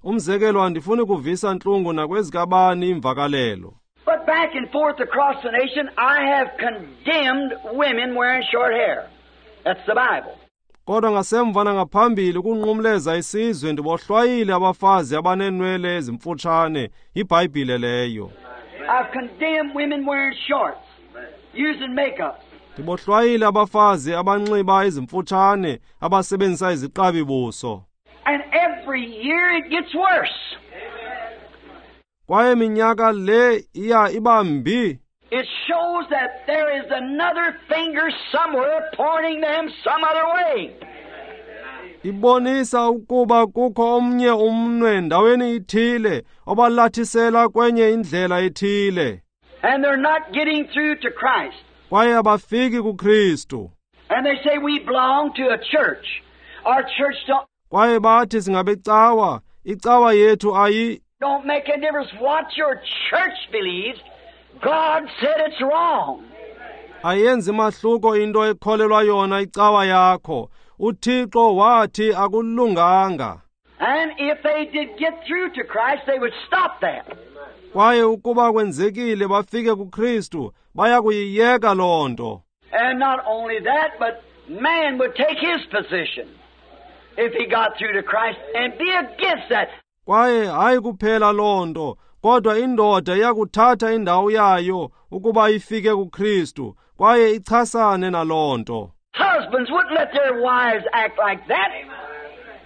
Umzekelo, andifuni kuvisa ntlungu nakwezikabani imvakalelo. But back and forth across the nation, I have condemned women wearing short hair. That's the Bible. Kodwa ngasemva nangaphambili ukunqumleza isizwe ndibohlwayile abafazi abaneenwele ezimfutshane, yiBhayibhile leyo. I've condemned women wearing shorts, using makeup. Ndibohlwayile abafazi abanxiba ezimfutshane, abasebenzisa iziqabi buso. And every year it gets worse. Kwaye minyaka le iya iba mbi. It shows that there is another finger somewhere pointing them some other way. Ibonisa ukuba kukho omnye umnwe ndaweni ithile obalathisela kwenye indlela ethile. And they're not getting through to Christ. Kwaye abafiki kuKristu. And they say we belong to a church. Our church don't. Kwaye bathi singabecawa, Icawa yethu ayi Don't make a difference what your church believes. God said it's wrong. Ayenzi mahluko into ekholelwa yona icawa yakho. UThixo wathi akulunganga. And if they did get through to Christ, they would stop that. Kwaye ukuba kwenzekile bafike kuKristu, baya kuyiyeka loo nto. And not only that, but man would take his position if he got through to Christ and be against that. Kwaye hayi kuphela loo nto, kodwa indoda iyakuthatha indawo yayo ukuba ifike kuKristu, kwaye ichasane naloo nto. Husbands wouldn't let their wives act like that.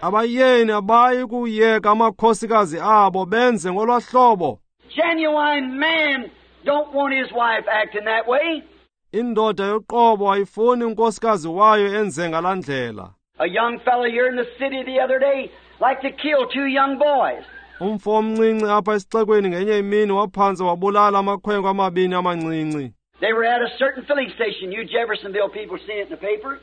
Abayeni abayi kuyeka amakhosikazi abo benze ngolwa hlobo. Genuine man don't want his wife acting that way. Indoda yoqobo ayifuni unkosikazi wayo enze ngalaa ndlela. A young fellow here in the city the other day liked to kill two young boys. Umfo omncinci apha esixekweni ngenye imini waphantse wabulala amakhwenkwe amabini amancinci. They were at a certain filling station. You Jeffersonville people seen it in the paper.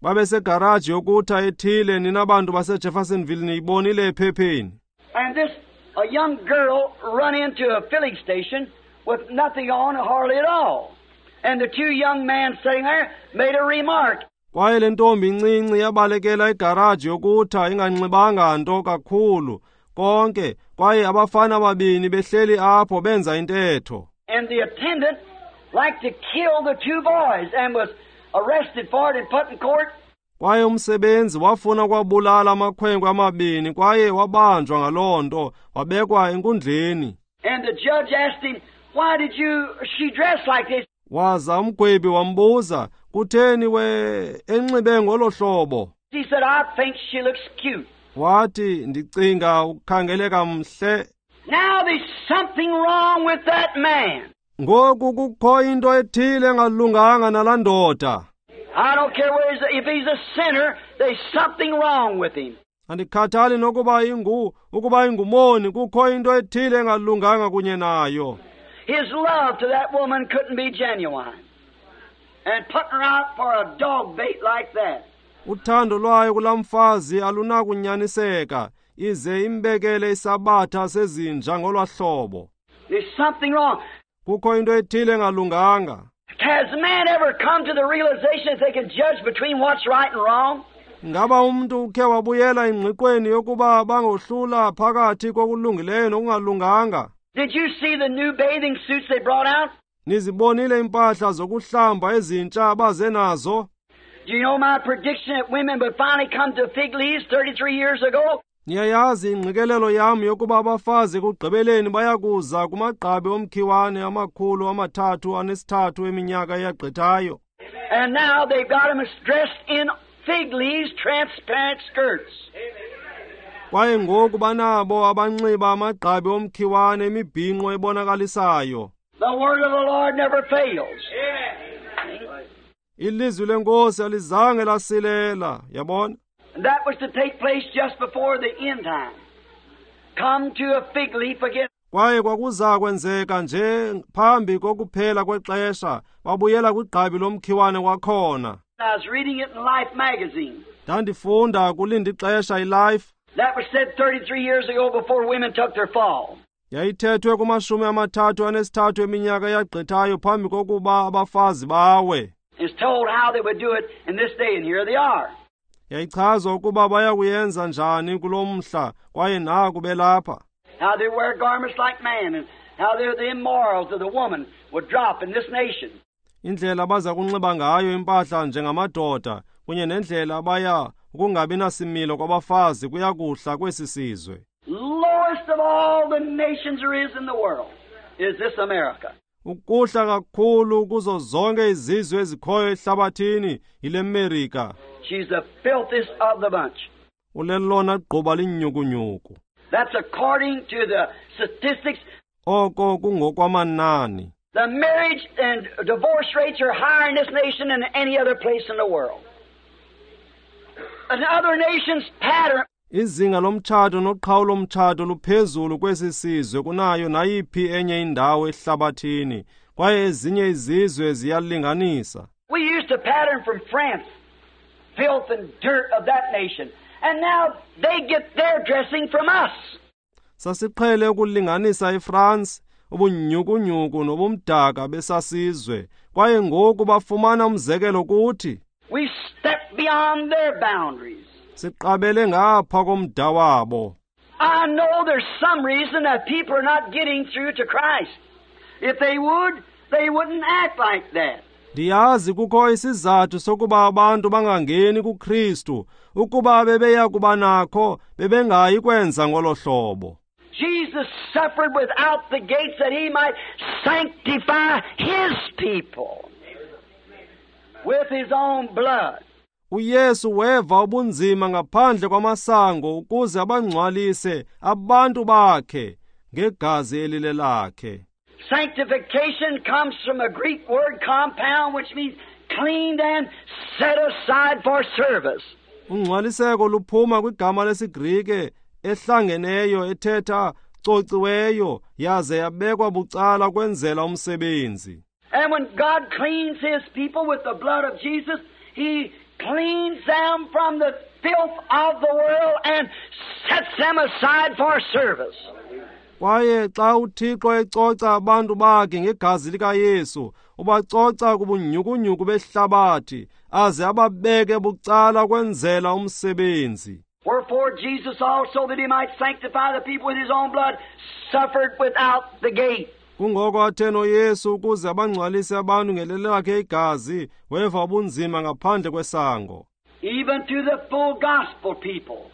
Babesegaraji yokutha ethile, nina bantu baseJeffersonville niyibonile ephepheni. And this a young girl run into a filling station with nothing on hardly at all. And the two young men sitting there made a remark. Kwaye le ntombi incinci yabalekela igaraji yokutha inganxibanga nto kakhulu konke, kwaye abafana ababini behleli apho benza intetho. And the attendant liked to kill the two boys and was arrested for it and put in court. Kwaye umsebenzi wafuna kwabulala amakhwenkwe amabini, kwaye wabanjwa ngaloo nto, wabekwa enkundleni. And the judge asked him, "Why did you she dress like this?" Waza umgwebi wambuza, "Kutheni we enxibe ngolo hlobo?" He said, "I think she looks cute." Wathi, "Ndicinga ukukhangeleka mhle." Now there's something wrong with that man. Ngoku kukho into ethile engalunganga nalaa ndoda. I don't care where he's, if he's a sinner, there's something wrong with him. Andikhathali nokuba ukuba ingumoni, kukho into ethile engalunganga kunye nayo. His love to that woman couldn't be genuine. And putting her out for a dog bait like that. Uthando lwayo kulaa mfazi alunakunyaniseka, ize imbekele isabatha sezinja ngolwa hlobo. There's something wrong. Kukho into ethile engalunganga. Has man ever come to the realization that they can judge between what's right and wrong? Ngaba umntu ukhe wabuyela engqiqweni yokuba bangohlula phakathi kokulungileyo nokungalunganga? Did you see the new bathing suits they brought out? Nizibonile impahla zokuhlamba ezintsha abaze nazo? Do you know my prediction that women would finally come to fig leaves 33 years ago? Niyayazi ingqikelelo yam yokuba abafazi ekugqibeleni bayakuza kumagqabi omkhiwane 333 eminyaka eyagqithayo. And now they've got them dressed in fig leaves, transparent skirts. Kwaye ngoku banabo abanxiba amagqabi omkhiwane imibhinqo ebonakalisayo. The word of the Lord never fails. Ilizwi lenkosi alizange lasilela, yabona? And that was to take place just before the end time. Come to a fig leaf again. Kwaye kwakuza kwenzeka nje phambi kokuphela kwexesha, babuyela kwigqabi lomkhiwane kwakhona. I was reading it in Life magazine. Ndandifunda kulinda ixesha iLife. That was said 33 years ago before women took their fall. Yayithethwe kuma-33 eminyaka eyagqithayo phambi kokuba abafazi bawe. It's told how they would do it in this day, and here they are. Yayichazwa ukuba bayakuyenza njani kulo mhla, kwaye naku belapha. How they wear garments like man, and how the immorals of the woman would drop in this nation. Indlela abaza kunxiba ngayo impahla njengamadoda, kunye nendlela abaya ukungabi nasimilo kwabafazi kuyakuhla kwesi sizwe. Lowest of all the nations there is in the world is this America. Ukuhla kakhulu kuzo zonke izizwe ezikhoyo ehlabathini yile Amerika. She's the filthiest of the bunch. Ulelona gquba linyukunyuku. That's according to the statistics. Oko kungokwamanani. The marriage and divorce rates are higher in this nation than any other place in the world. And other nations pattern. Izinga lomtshato noqhawulo lomtshato luphezulu kwesi sizwe kunayo nayiphi enye indawo ehlabathini, kwaye ezinye izizwe ziyalinganisa. We used to pattern from France, filth and dirt of that nation, and now they get their dressing from us. Sasiqhele ukulinganisa iFrance, ubunyhukunyhuku nobumdaka besasizwe, kwaye ngoku bafumana umzekelo kuthi. We stepped beyond their boundaries. Siqabele ngapha komda wabo. I know there's some reason that people are not getting through to Christ. If they would, they wouldn't act like that. Ndiyazi kukho isizathu sokuba abantu bangangeni kuKristu. Ukuba bebeya kuba nakho, bebengayi kwenza ngolo hlobo. Jesus suffered without the gates that he might sanctify his people with his own blood. UYesu weva ubunzima ngaphandle kwamasango ukuze abangcwalise abantu bakhe ngegazi elilelakhe. Sanctification comes from a Greek word compound which means cleaned and set aside for service. Ungcwaliseko luphuma kwigama lesiGrike ehlangeneyo ethetha cociweyo yaze yabekwa bucala kwenzela umsebenzi. And when God cleans his people with the blood of Jesus, he cleans them from the filth of the world and sets them aside for service. Kwaye xa uThixo ecoca abantu bakhe ngegazi likaYesu, ubacoca kubunyhukunyhuku behlabathi aze ababeke bucala kwenzela umsebenzi. Wherefore Jesus also, that he might sanctify the people with his own blood, suffered without the gate. Kungoko athe noYesu ukuze abangcwalise abantu ngelelakhe igazi, weva ubunzima ngaphandle kwesango. Even to the full gospel people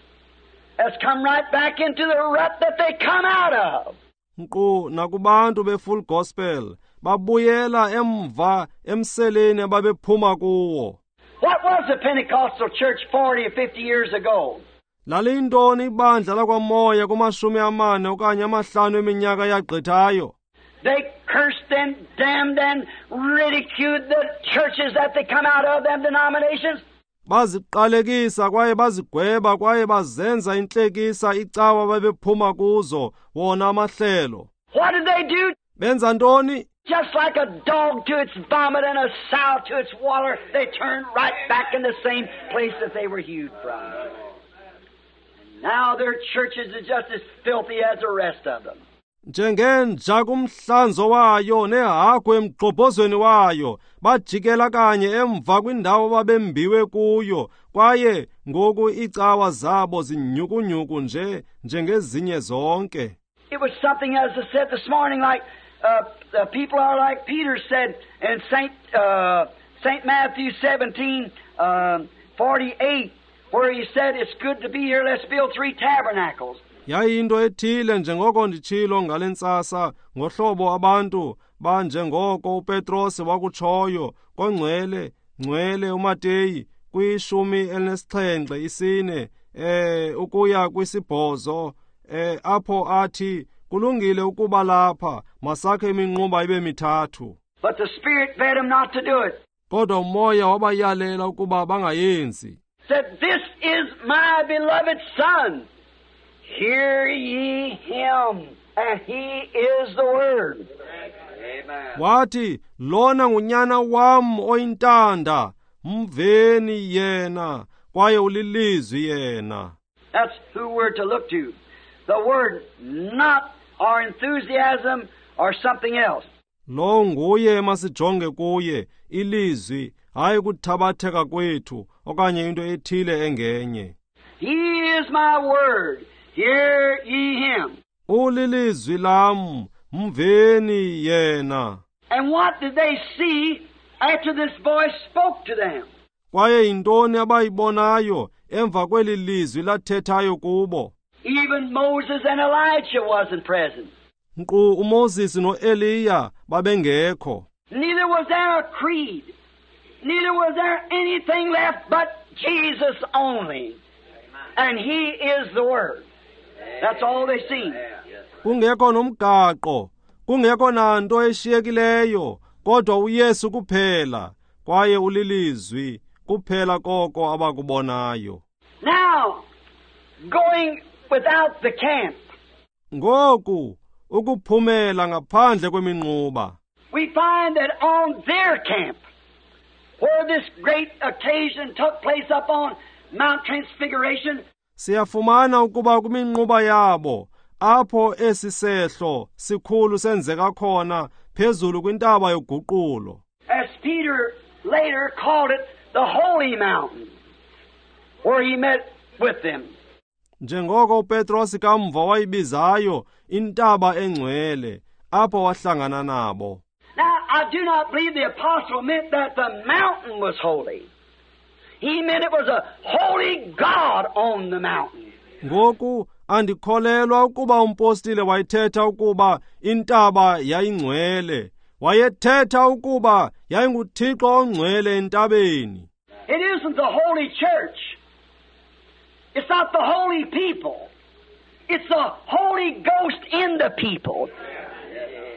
has come right back into the rut that they come out of. Nkqu nakubantu be-full gospel babuyela emva emseleni ababephuma kuwo. What was the Pentecostal church 40 or 50 years ago? Laliyintoni ibandla lakwaMoya kuma-40 okanye 50 eminyaka yagqithayo? They cursed and damned and ridiculed the churches that they come out of, them denominations. Baziqalekisa kwaye bazigweba kwaye bazenza intlekisa icawa babephuma kuzo wona amahlelo. What did they do? Benza ntoni? Just like a dog to its vomit and a sow to its water, they turned right back in the same place that they were hewed from. And now their churches are just as filthy as the rest of them. Njengenja kumhlanzo wayo nehagu emgxobhozweni wayo, bajikela kanye emva kwindawo babembiwe kuyo, kwaye ngoku iicawa zabo zinyhukunyhuku nje njengezinye zonke. It was something, as I said this morning, like the people are like Peter said in Saint Matthew 17:48, where he said, "It's good to be here. Let's build 3 tabernacles." Yayinto ethile njengoko nditshilo ngale ntsasa ngohlobo abantu banjengoko uPetros wakutshoyo kongcwele ngcwele uMateyu kwi-17 ukuya kwi-8 apho athi kulungile ukuba lapha masakhe iminquba ibe 3. But the Spirit bade him not to do it. Kodwa uMoya wabayalela ukuba bangayenzi. Said, "This is my beloved Son. Hear ye him, and he is the Word." Amen. Wathi, lona ngunyana wam oyintanda, mveni yena, kwaye ulilizwi yena. That's who we're to look to. The Word, not our enthusiasm or something else. Lo nguye masijonge kuye, ilizwi, hayi kuthabatheka kwethu okanye into ethile engenye. He is my Word. Hear ye him. Ulilizwi lam, mveni yena. And what did they see after this voice spoke to them? Kwaye yintoni abayibonayo emva kweli lizwi lathethayo kubo? Even Moses and Elijah wasn't present. Nkqu uMoses noEliya babengekho. Neither was there a creed. Neither was there anything left but Jesus only. And he is the Word. That's all they seen. Kungekho nomgaqo, kungekho nanto eshiyekileyo, kodwa uYesu kuphela, kwaye ulilizwi kuphela koko abakubonayo. Now, going without the camp. Ngoku ukuphumela ngaphandle kweminquba. We find that on their camp, where this great occasion took place up on Mount Transfiguration, siyafumana ukuba kwiminquba yabo Apho esi sehlo sikhulu senzeka khona phezulu kwintaba yoguqulo. As Peter later called it the Holy Mountain, where he met with them. Njengoko uPetros kamva wayibizayo intaba engcwele, apho wahlangana nabo. Now, I do not believe the apostle meant that the mountain was holy. He meant it was a holy God on the mountain. Ngoku andikholelwa ukuba umpostile wayethetha ukuba intaba yayingcwele. Wayethetha ukuba yayinguThixo ongcwele entabeni. It isn't the holy church. It's not the holy people. It's the Holy Ghost in the people.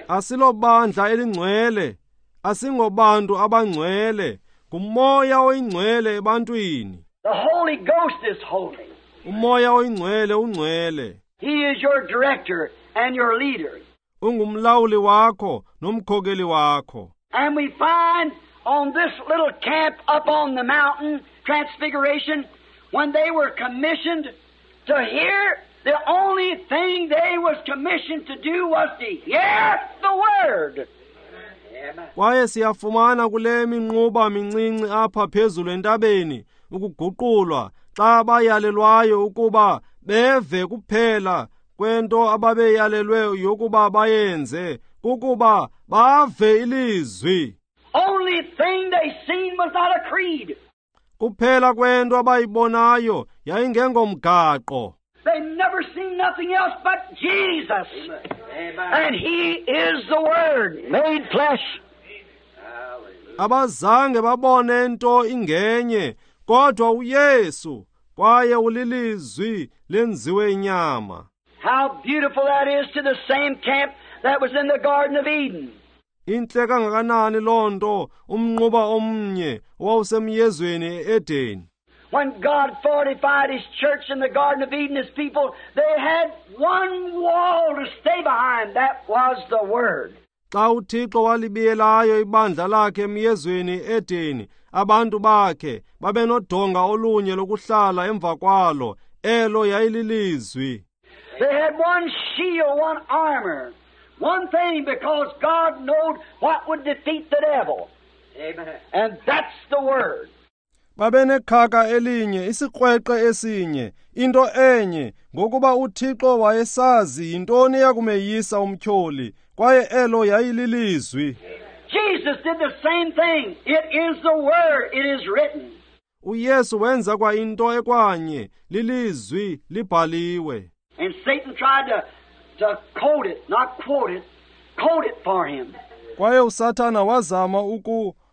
Asilobandla elingcwele, asingobantu abangcwele, ngumoya oyingcwele ebantwini. The Holy Ghost is holy. Umoya oyingcwele ungcwele. He is your director and your leader. Ungumlawuli wakho nomkhokeli wakho. And we find on this little camp up on the mountain, Transfiguration, when they were commissioned to hear, the only thing they was commissioned to do was to hear the Word. Kwaye siyafumana kule minquba mincinci apha phezulu entabeni ukuguqulwa xa bayalelwayo ukuba beve kuphela kwento ababeyalelwe yokuba bayenze kukuba bave ilizwi. Only thing they seen was not a creed. Kuphela kwento abayibonayo yayingengomgaqo. They never seen nothing else but Jesus. Amen. And He is the Word made flesh. Abazange babone nto ingenye kodwa uYesu, kwaye ulilizwi lenziwe inyama. How beautiful that is to the same camp that was in the Garden of Eden. Intle kangakanani loo nto umnquba omnye owawusemyezweni e-Edeni. When God fortified His church in the Garden of Eden, His people, they had one wall to stay behind. That was the Word. Xa uThixo walibiyelayo ibandla lakhe emyezweni e-Edeni, abantu bakhe babenodonga olunye lokuhlala emva kwalo, elo yayililizwi. They had one shield, one armor, one thing, because God knowed what would defeat the devil. Amen. And that's the Word. Babenekhaka elinye, isikrweqe esinye, into enye, ngokuba uThixo wayesazi yintoni eyakumeyisa umtyholi, kwaye elo yayililizwi. Jesus did the same thing. It is the Word. It is written. uYesu wenza kwa into ekwanye, lilizwi libhaliwe. And Satan tried to quote it, not quote it, quote it for him. Kwaye uSathana wazama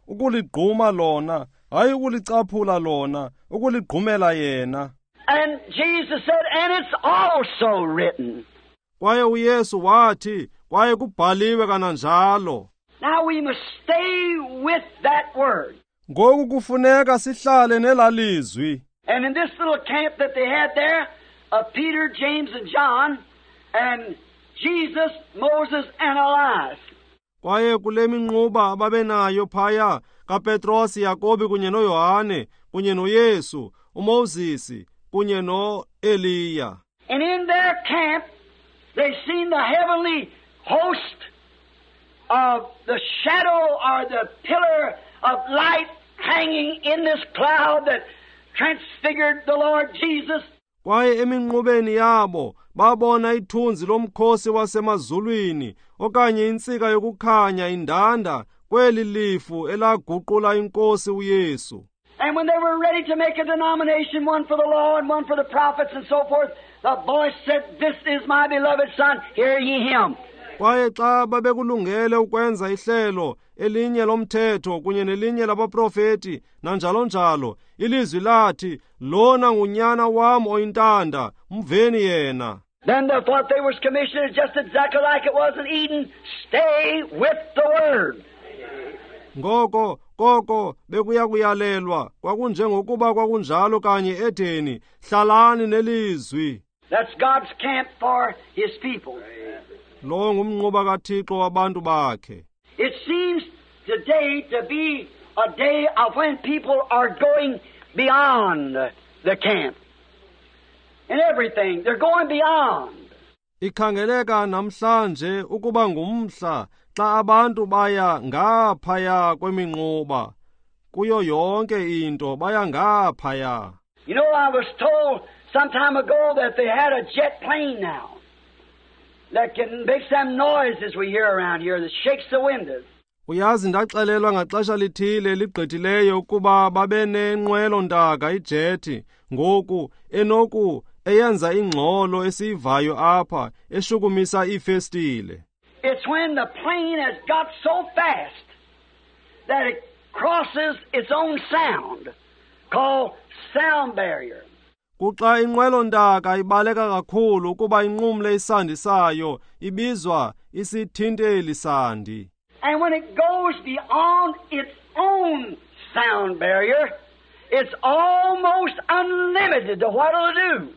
ukuligquma lona, hayi ukulicaphula lona, ukuligqumela yena. And Jesus said, and it's also written. Kwaye uYesu wathi, kwaye kubhaliwe kananjalo. Now we must stay with that word. Ngoku kufuneka sihlale nelalizwi. And in this little camp that they had there, of Peter, James, and John, and Jesus, Moses, and Elias. Kwaye kule minquba ababenayo phaya kaPetros, Yakobi kunye noYohane kunye noYesu, uMoses kunye noEliya. And in their camp, they seen the heavenly host of the shadow or the pillar of light hanging in this cloud that transfigured the Lord Jesus. Kwaye eminqubeni yabo babona ithunzi lomkhosi wasemazulwini okanye intsika yokukhanya indanda kweli lifu elaguqula inkosi uYesu. And when they were ready to make a denomination, one for the law and one for the prophets and so forth, the voice said, "This is my beloved Son, hear ye him." Kwaye xa babekulungele ukwenza ihlelo elinye lomthetho kunye nelinye labaprofeti nanjalo njalo, ilizwi lathi, lona ngunyana wam oyintanda, mveni yena. Then the what they was commissioned is just exactly like it was in Eden, stay with the Word. Ngoko koko bekuya kuyalelwa kwakunjengokuba kwakunjalo kanye eEdeni, hlalani nelizwi. That's God's camp for His people. Lo ngumnquba kaThixo wabantu bakhe. It seems today to be a day of when people are going beyond the camp. And everything, they're going beyond. Ikhangeleka namhlanje ukuba ngumhla xa abantu baya ngaphaya kweminquba. Kuyo yonke into baya ngaphaya. You know, I was told some time ago that they had a jet plane now that can make some noises we hear around here that shakes the windows. Uyazi, ndaxelelwa ngaxesha lithile ligqithileyo ukuba babe nenqwelo-ntaka ijethi ngoku enoku eyenza ingxolo esiyivayo apha eshukumisa iifestile. It's when the plane has got so fast that it crosses its own sound, called sound barrier. Kuxa inqwelo-ntaka ibaleka kakhulu ukuba inqumle isandi sayo, ibizwa isithinteli sandi. And when it goes beyond its own sound barrier, it's almost unlimited to what it'll do.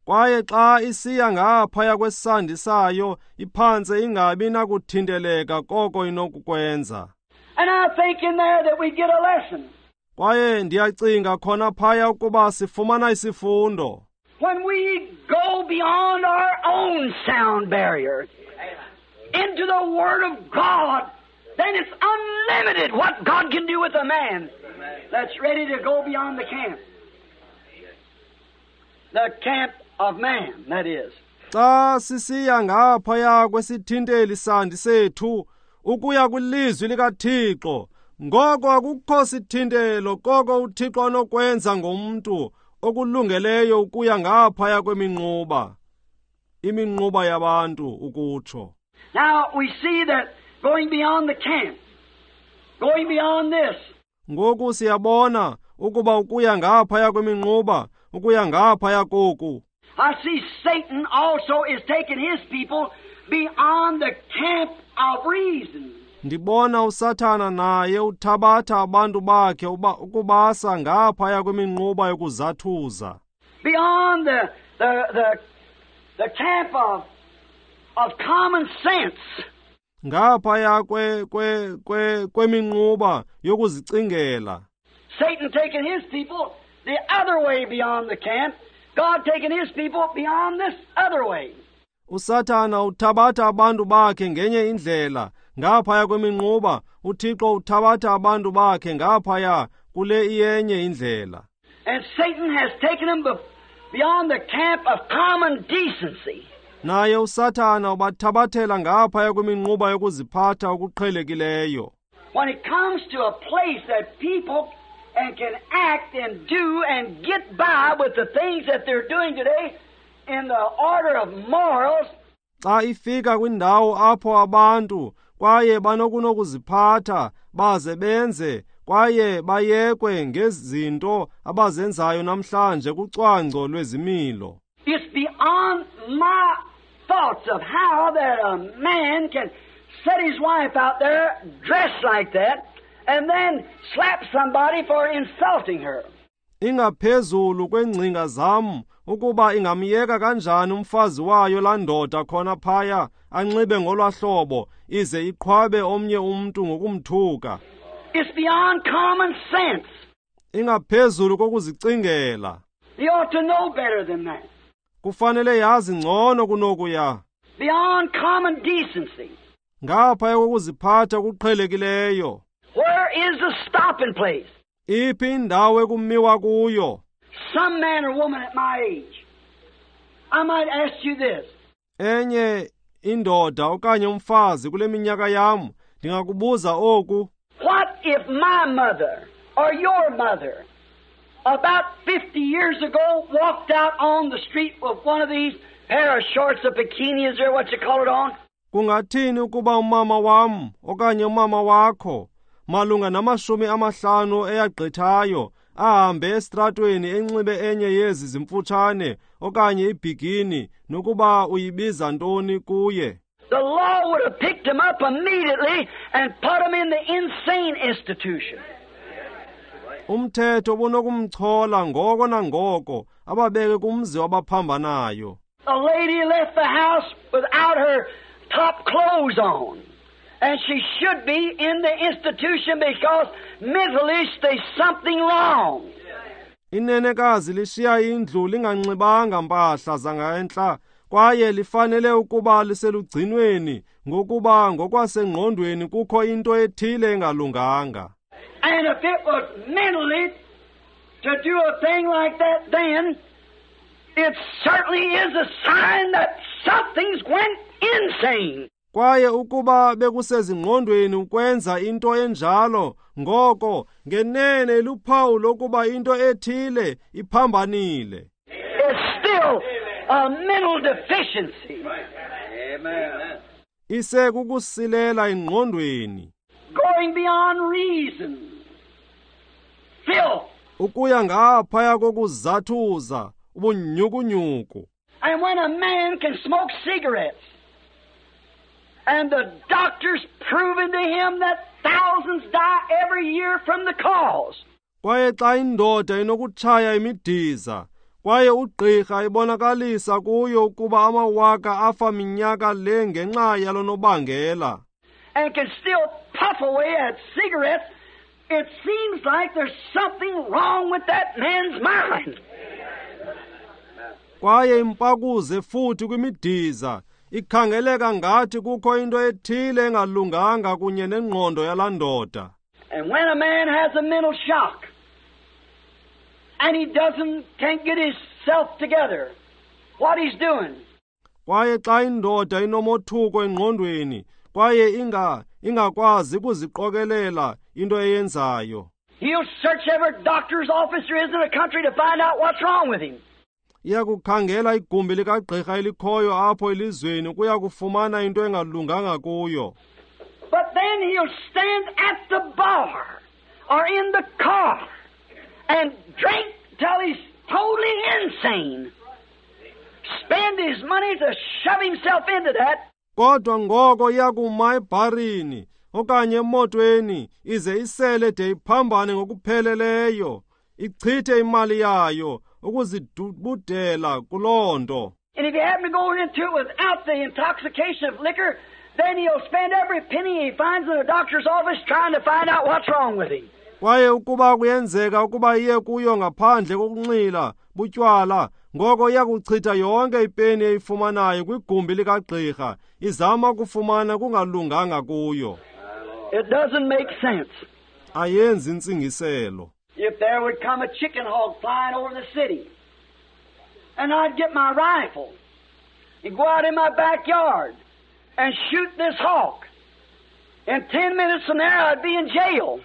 Kwaye xa isiya ngaphaya kwesandi sayo, iphantse ingabi nakuthinteleka koko inokukwenza. And I think in there that we get a lesson. Kwaye ndiyacinga khona phaya ukuba sifumana isifundo. When we go beyond our own sound barrier into the Word of God, then it's unlimited what God can do with a man that's ready to go beyond the camp. The camp of man, that is. Xa sisiya ngaphaya kwesithinteli sandi sethu ukuya kwilizwi likaThixo, ngoko akukho sithintelo koko uThixo anokwenza ngomntu okulungeleyo ukuya ngaphaya kweminquba, iminquba yabantu ukutsho. Now we see that going beyond the camp, going beyond this. Ngoku siyabona ukuba ukuya ngaphaya kweminquba, ukuya ngaphaya koku. I see Satan also is taking his people beyond the camp of reason. Ndibona uSathana naye uthabatha abantu bakhe ukubasa ngaphaya kweminquba yokuzathuza. Beyond the camp of common sense. Ngaphaya kweminquba yokuzicingela. Satan taking his people the other way beyond the camp. God taking his people beyond this other way. uSathana uthabatha abantu bakhe ngenye indlela ngaphaya kweminquba, uThixo uthabatha abantu bakhe ngaphaya kule iyenye indlela. And Satan has taken them beyond the camp of common decency. Naye uSathana ubathabathela ngaphaya kweminquba yokuziphatha okuqhelekileyo. When it comes to a place that people and can act and do and get by with the things that they're doing today in the order of morals. Xa ifika kwindawo apho abantu kwaye banokunokuziphatha baze benze kwaye bayekwe ngezinto abazenzayo namhlanje kucwangco lwezimilo. It's beyond my thoughts of how that a man can set his wife out there dressed like that and then slap somebody for insulting her. Ingaphezulu kwengcinga zam ukuba ingamyeka kanjani umfazi wayo laa ndoda khona phaya anxibe ngolwahlobo ize iqhwabe omnye umntu ngokumthuka. It's beyond common sense. Ingaphezulu kokuzicingela. You ought to know better than that. Kufanele yazi ngcono kunokuya. Beyond common decency. Ngaphaya kokuziphatha okuqhelekileyo. Where is the stopping place? Iphi indawo ekumiwa kuyo? Some man or woman at my age, I might ask you this. Enye indoda okanye umfazi kule minyaka yam, ndingakubuza oku. What if my mother or your mother about 50 years ago walked out on the street with one of these pair of shorts or bikinis or what you call it on? Kungathini ukuba umama wam okanye umama wakho malunga nama-50 eyagqithayo ahambe esitratweni enxibe enye yezi zimfutshane okanye ibhikini nokuba uyibiza ntoni kuye? The law would have picked him up immediately and put him in the insane institution. Umthetho ubunokumchola ngoko nangoko ababeke kumzi wabaphambanayo. A lady left the house without her top clothes on, and she should be in the institution because mentally there's something wrong. Inenekazi lishiya indlu linganxibanga mpahla zangentla Kwaye lifanele ukuba liselugcinweni ngokuba ngokwasengqondweni kukho into ethile engalunganga. And if it was mentally to do a thing like that then, it certainly is a sign that something's went insane. Kwaye ukuba bekusezingqondweni ukwenza into enjalo, ngoko ngenene luphawu lokuba into ethile iphambanile. It's still a mental deficiency. Amen. Isekukusilela engqondweni. Going beyond reason. Filth. Ukuya ngaphaya kokuzathuza, ubunyhukunyhuku. And when a man can smoke cigarettes, and the doctors proving to him that thousands die every year from the cause. Kwaye xa indoda inokutshaya imidiza, kwaye ugqirha ibonakalisa kuyo ukuba amawaka afa minyaka le ngenxa yalo nobangela. And can still puff away at cigarettes, it seems like there's something wrong with that man's mind. Kwaye impakuze futhi kwimidiza, ikhangeleka ngathi kukho into ethile engalunganga kunye nengqondo yalaa ndoda. And when a man has a mental shock, and he can't get himself together, what he's doing. Kwaye xa indoda inomothuko engqondweni, kwaye ingakwazi ukuziqokelela into eyenzayo. He'll search every doctor's office there is in the country to find out what's wrong with him. Iyakukhangela igumbi likagqirha elikhoyo apho elizweni ukuya kufumana into engalunganga kuyo. But then he'll stand at the bar or in the car and drink till he's totally insane. Spend his money to shove himself into that. Kodwa ngoko iyakuma ebharini okanye emotweni ize isele de iphambane ngokupheleleyo, ichithe imali yayo ukuzidubudela kuloo nto. And if you happen to go into it without the intoxication of liquor, then he'll spend every penny he finds in the doctor's office trying to find out what's wrong with him. Kwaye ukuba kuyenzeka ukuba iye kuyo ngaphandle kokunxila butywala, ngoko iyakuchitha yonke ipeni eyifumanayo kwigumbi likagqirha izama ukufumana kungalunganga kuyo. It doesn't make sense. Ayenzi intsingiselo. If there would come a chicken hawk flying over the city, and I'd get my rifle and go out in my backyard and shoot this hawk, in 10 minutes from there I'd be in jail.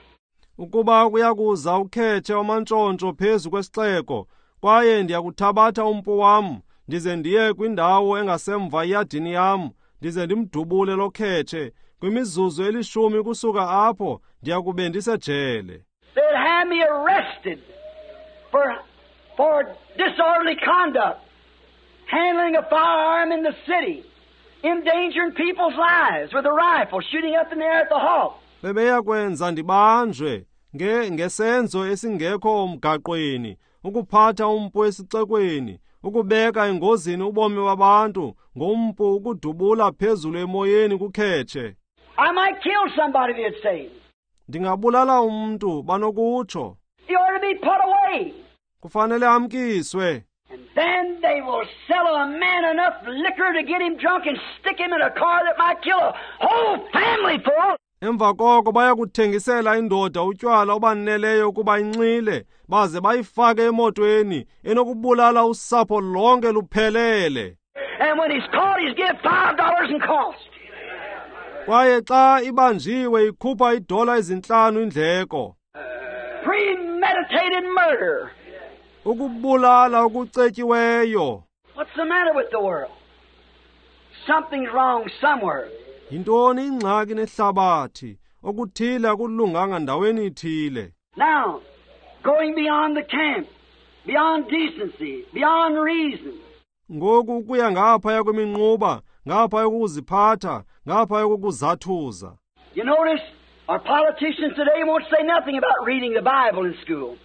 Ukuba kuyakuza ukhethe wamantshontsho phezu kwesixeko, kwaye ndiyakuthabatha umpu wam ndize ndiye kwindawo engasemva iyadini yam ndize ndimdubule lo khetshe, kwimizuzu 10 kusuka apho ndiyakube ndisejele. They'd have me arrested for disorderly conduct, handling a firearm in the city, endangering people's lives with a rifle, shooting up in the air at the hawk. Bebeyakwenza ndibanjwe ngesenzo esingekho mgaqweni, ukuphatha umpu esixekweni, ukubeka engozini ubomi babantu ngompu ukudubula phezulu emoyeni kukhetshe. I might kill somebody, they'd say. Ndingabulala umntu, banokutsho. He ought to be put away. Kufanele amkiswe. And then they will sell a man enough liquor to get him drunk and stick him in a car that might kill a whole family full. Emva koko bayakuthengisela indoda utywala obaneleyo ukuba inxile, baze bayifake emotweni enokubulala usapho lonke luphelele. And when he's caught, he's give $5 in cost. Kwaye xa ibanjiwe ikhupha $5 indleko. Premeditated murder. Ukubulala okucetyiweyo. What's the matter with the world? Something's wrong somewhere. Yintoni ingxaki nehlabathi? Okuthile akulunganga ndaweni ithile. Now, going beyond the camp, beyond decency, beyond reason. Ngoku ukuya ngaphaya kweminquba, ngaphaya kokuziphatha, ngaphaya kokuzathuza. You notice our politicians today won't say nothing about reading the Bible in school.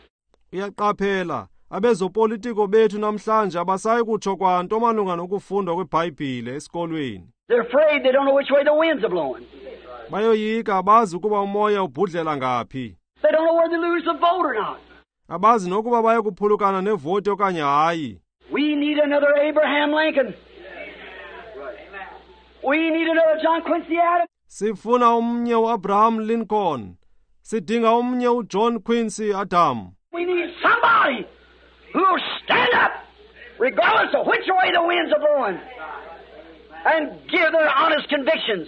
Uyaqaphela, abezopolitiko bethu namhlanje abasayi kutsho kwanto malunga nokufundwa kweBhayibhile esikolweni. They're afraid they don't know which way the winds are blowing. Bayoyika abazi ukuba umoya ubhudlela ngaphi. They don't know whether to lose the vote or not. Abazi nokuba bayakuphulukana nevoti okanye hayi. We need another Abraham Lincoln. We need another John Quincy Adams. Sifuna omnye uAbraham Lincoln. Sidinga omnye uJohn Quincy Adam. We need somebody who will stand up, regardless of which way the winds are blowing, and give their honest convictions.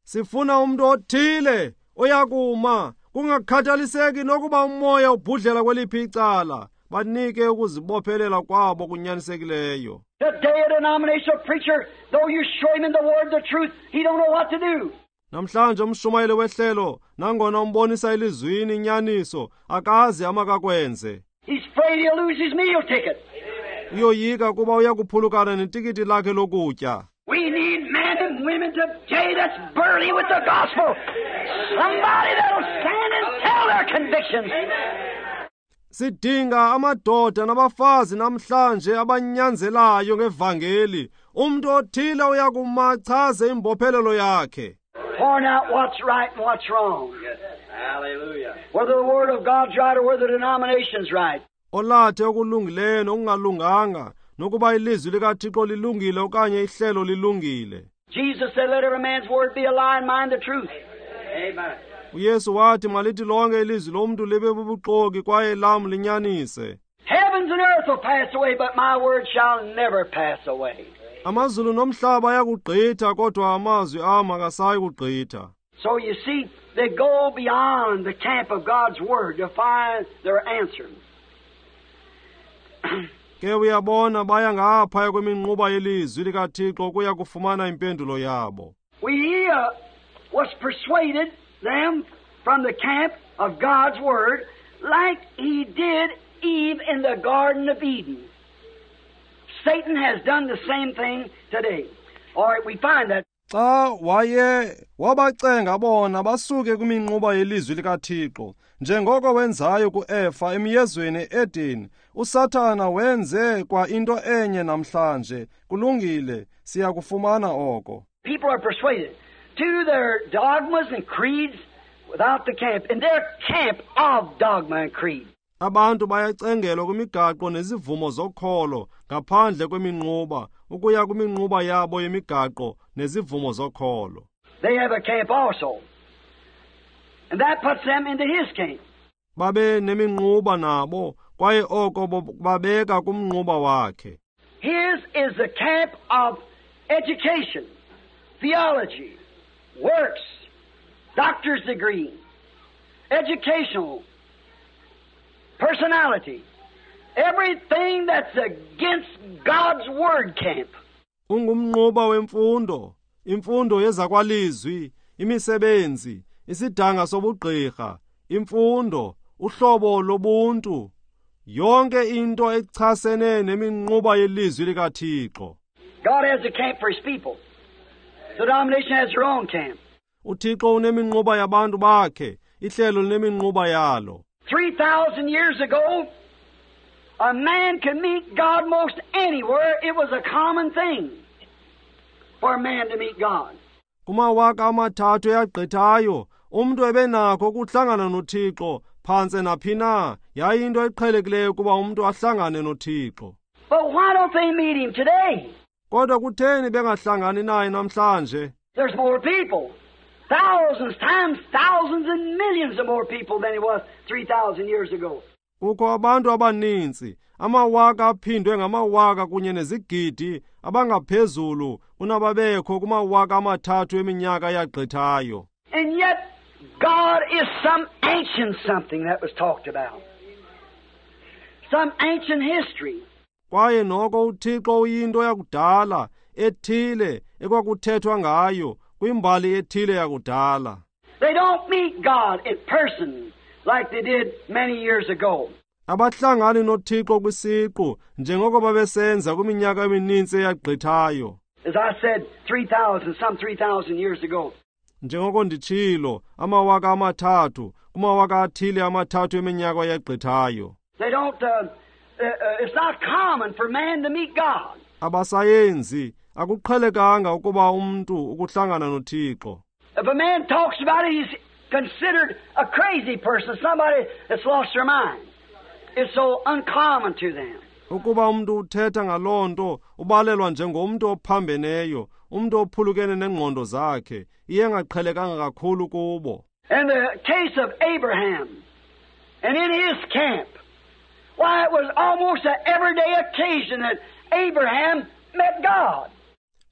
Sifuna umuntu othile oyakuma kungakhathaliseki nokuba umoya ubhudlela kweliphi icala, banike ukuzibophelela kwabo kunyanisekileyo. Today a denominational preacher, though you show him in the word the truth, he don't know what to do. Namhlanje umshumayeli wehlelo nangona umbonisa elizwini inyaniso akazi amakakwenze. He's afraid he'll lose his meal ticket. Uyoyika kuba uyakuphulukana netikiti lakhe lokutya. We need men and women today that's burly with the gospel. Somebody that'll stand and tell their convictions. Sidinga amadoda nabafazi namhlanje abanyanzelayo ngevangeli. Umuntu othile uyakuma achaze imbophelelo yakhe. Point out what's right and what's wrong. Yes. Hallelujah. Whether the Word of God's right or whether the denomination's right. Olathe okulungileyo nokungalunganga, nokuba ilizwi likaThixo lilungile okanye ihlelo lilungile. Jesus said, let every man's word be a lie and mine the truth. Amen. uYesu wathi malithi lonke ilizwi lomntu libe bubuxoki kwaye lam linyanise. Heavens and earth will pass away, but my word shall never pass away. Amazulu nomhlaba ayakugqitha kodwa amazwi am akasayi kugqitha. So you see, they go beyond the camp of God's word to find their answer. Ke uyabona baya ngaphaya kweminquba yelizwi likaThixo ukuya kufumana impendulo yabo. We was persuaded them from the camp of God's word like he did Eve in the Garden of Eden. Satan has done the same thing today. All right, we find that. Xa waye wabacenga bona basuke kwiminquba yelizwi likaThixo njengoko wenzayo kuEfa emyezweni eEden, uSathana wenze kwa into enye namhlanje. Kulungile, siyakufumana oko. People are persuaded to their dogmas and creeds without the camp, in their camp of dogma and creed. Abantu bayacengelwa kwimigaqo nezivumo zokholo ngaphandle kweminquba ukuya kwiminquba yabo yemigaqo nezivumo zokholo. They have a camp also. And that puts them into his camp. Babe neminquba nabo kwaye oko babeka kumnquba wakhe. His is the camp of education, theology, works, doctor's degree, educational, personality, everything that's against God's word camp. Ungumnquba wemfundo, imfundo yezakwalizwi, imisebenzi, isidanga sobugqirha, imfundo, uhlobo lobuntu, yonke into echasene neminquba yelizwi likaThixo. God has a camp for his people. The denomination has their own camp. uThixo uneminquba yabantu bakhe, ihlelo lineminquba yalo. 3,000 years ago, a man could meet God most anywhere. It was a common thing for a man to meet God. Kumawaka amathathu eyagqithayo, umntu ebenakho ukuhlangana noThixo phantse naphi na. Yayinto eqhelekileyo kuba umntu ahlangane noThixo. But why don't they meet him today? Kodwa kutheni bengahlangani naye namhlanje? There's more people. Thousands times thousands and millions of more people than it was 3,000 years ago. Kukho abantu abaninzi, amawaka aphindwe ngamawaka kunye nezigidi abangaphezulu kunababekho kumawaka amathathu eminyaka yagqithayo. And yet God is some ancient something that was talked about. Some ancient history. Kwaye noko uThixo uyinto yakudala ethile ekwakuthethwa ngayo kwimbali ethile yakudala. They don't meet God in person like they did many years ago. Abahlangani noThixo kwisiqu njengoko babesenza kwiminyaka emininzi eyagqithayo. As I said, 3,000, some 3,000 years ago. Njengoko nditshilo, amawaka amathathu, kumawaka athile amathathu eminyaka eyagqithayo. They don't it's not common for man to meet God. Abasayenzi akuqhelekanga ukuba umntu ukuhlangana noThixo. If a man talks about it, he's considered a crazy person, somebody that's lost their mind. It's so uncommon to them. Ukuba umntu uthetha ngaloo nto ubalelwa njengomntu ophambeneyo, umntu ophulukene nengqondo zakhe, iye engaqhelekanga kakhulu kubo. In the case of Abraham, and in his camp, why, it was almost an everyday occasion that Abraham met God.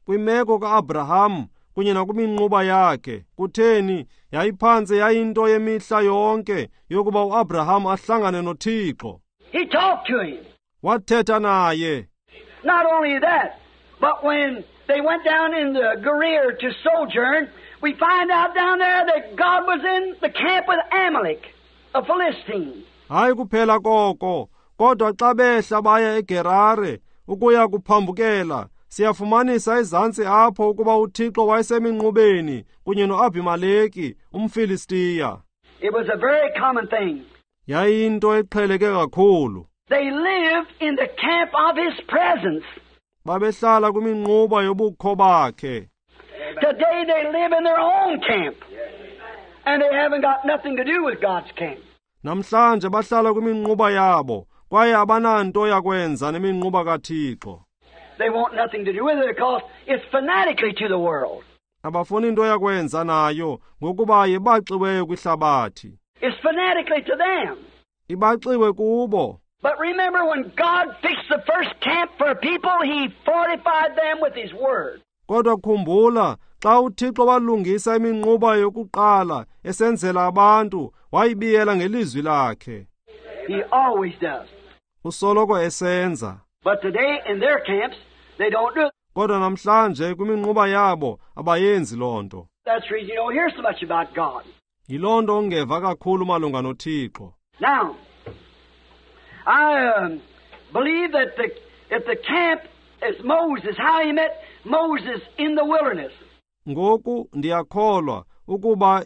Kwimeko ka-Abraham kunye nakwiminquba yakhe, kutheni yayiphantse yayinto yemihla yonke yokuba uAbraham ahlangane noThixo. He talked to him. Wathetha naye. Not only that, but when they went down in the Gerar to sojourn, we find out down there that God was in the camp with Amalek, a Philistine. Hayi kuphela koko, kodwa xa behla baya eGerare ukuya kuphambukela, siyafumanisa ezantsi apho ukuba uThixo wayeseminqubeni kunye noAbimeleki umFilistiya. It was a very common thing. Yayiyinto eqheleke kakhulu. They lived in the camp of his presence. Babehlala kwiminquba yobukho bakhe. Today they live in their own camp. And they haven't got nothing to do with God's camp. Namhlanje bahlala kwiminquba yabo, kwaye abananto yakwenza neminquba kaThixo. They want nothing to do with it because it's fanatically to the world. Abafuni into yakwenza nayo ngokuba yebaxiweyo kwihlabathi. It's fanatically to them. Ibaxiwe kubo. But remember, when God fixed the first camp for people, He fortified them with His Word. Kodwa khumbula, xa uThixo walungisa iminquba yokuqala esenzela abantu, wayibiyela ngelizwi lakhe. He always does. Usoloko esenza. But today, in their camps, they don't do it. Kodwa namhlanje kwiminquba yabo abayenzi loo nto. That's the reason you don't hear so much about God. Yiloo nto ungeva kakhulu malunga noThixo. Now, I believe that if the camp is Moses, how he met Moses in the wilderness. Ngoku ndiyakholwa ukuba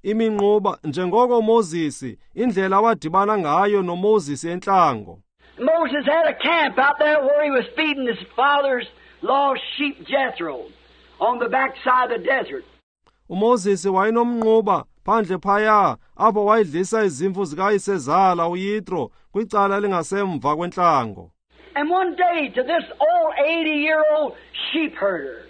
iminquba njengoko Moses, indlela awadibana ngayo noMoses entlango. Moses had a camp out there where he was feeding his father's lost sheep Jethro on the backside of the desert. uMoses wayenomnquba phandle phaya apho wayedlisa izimvu zikayisezala uYitro kwicala elingasemva kwentlango. And one day to this old 80-year-old sheep herder,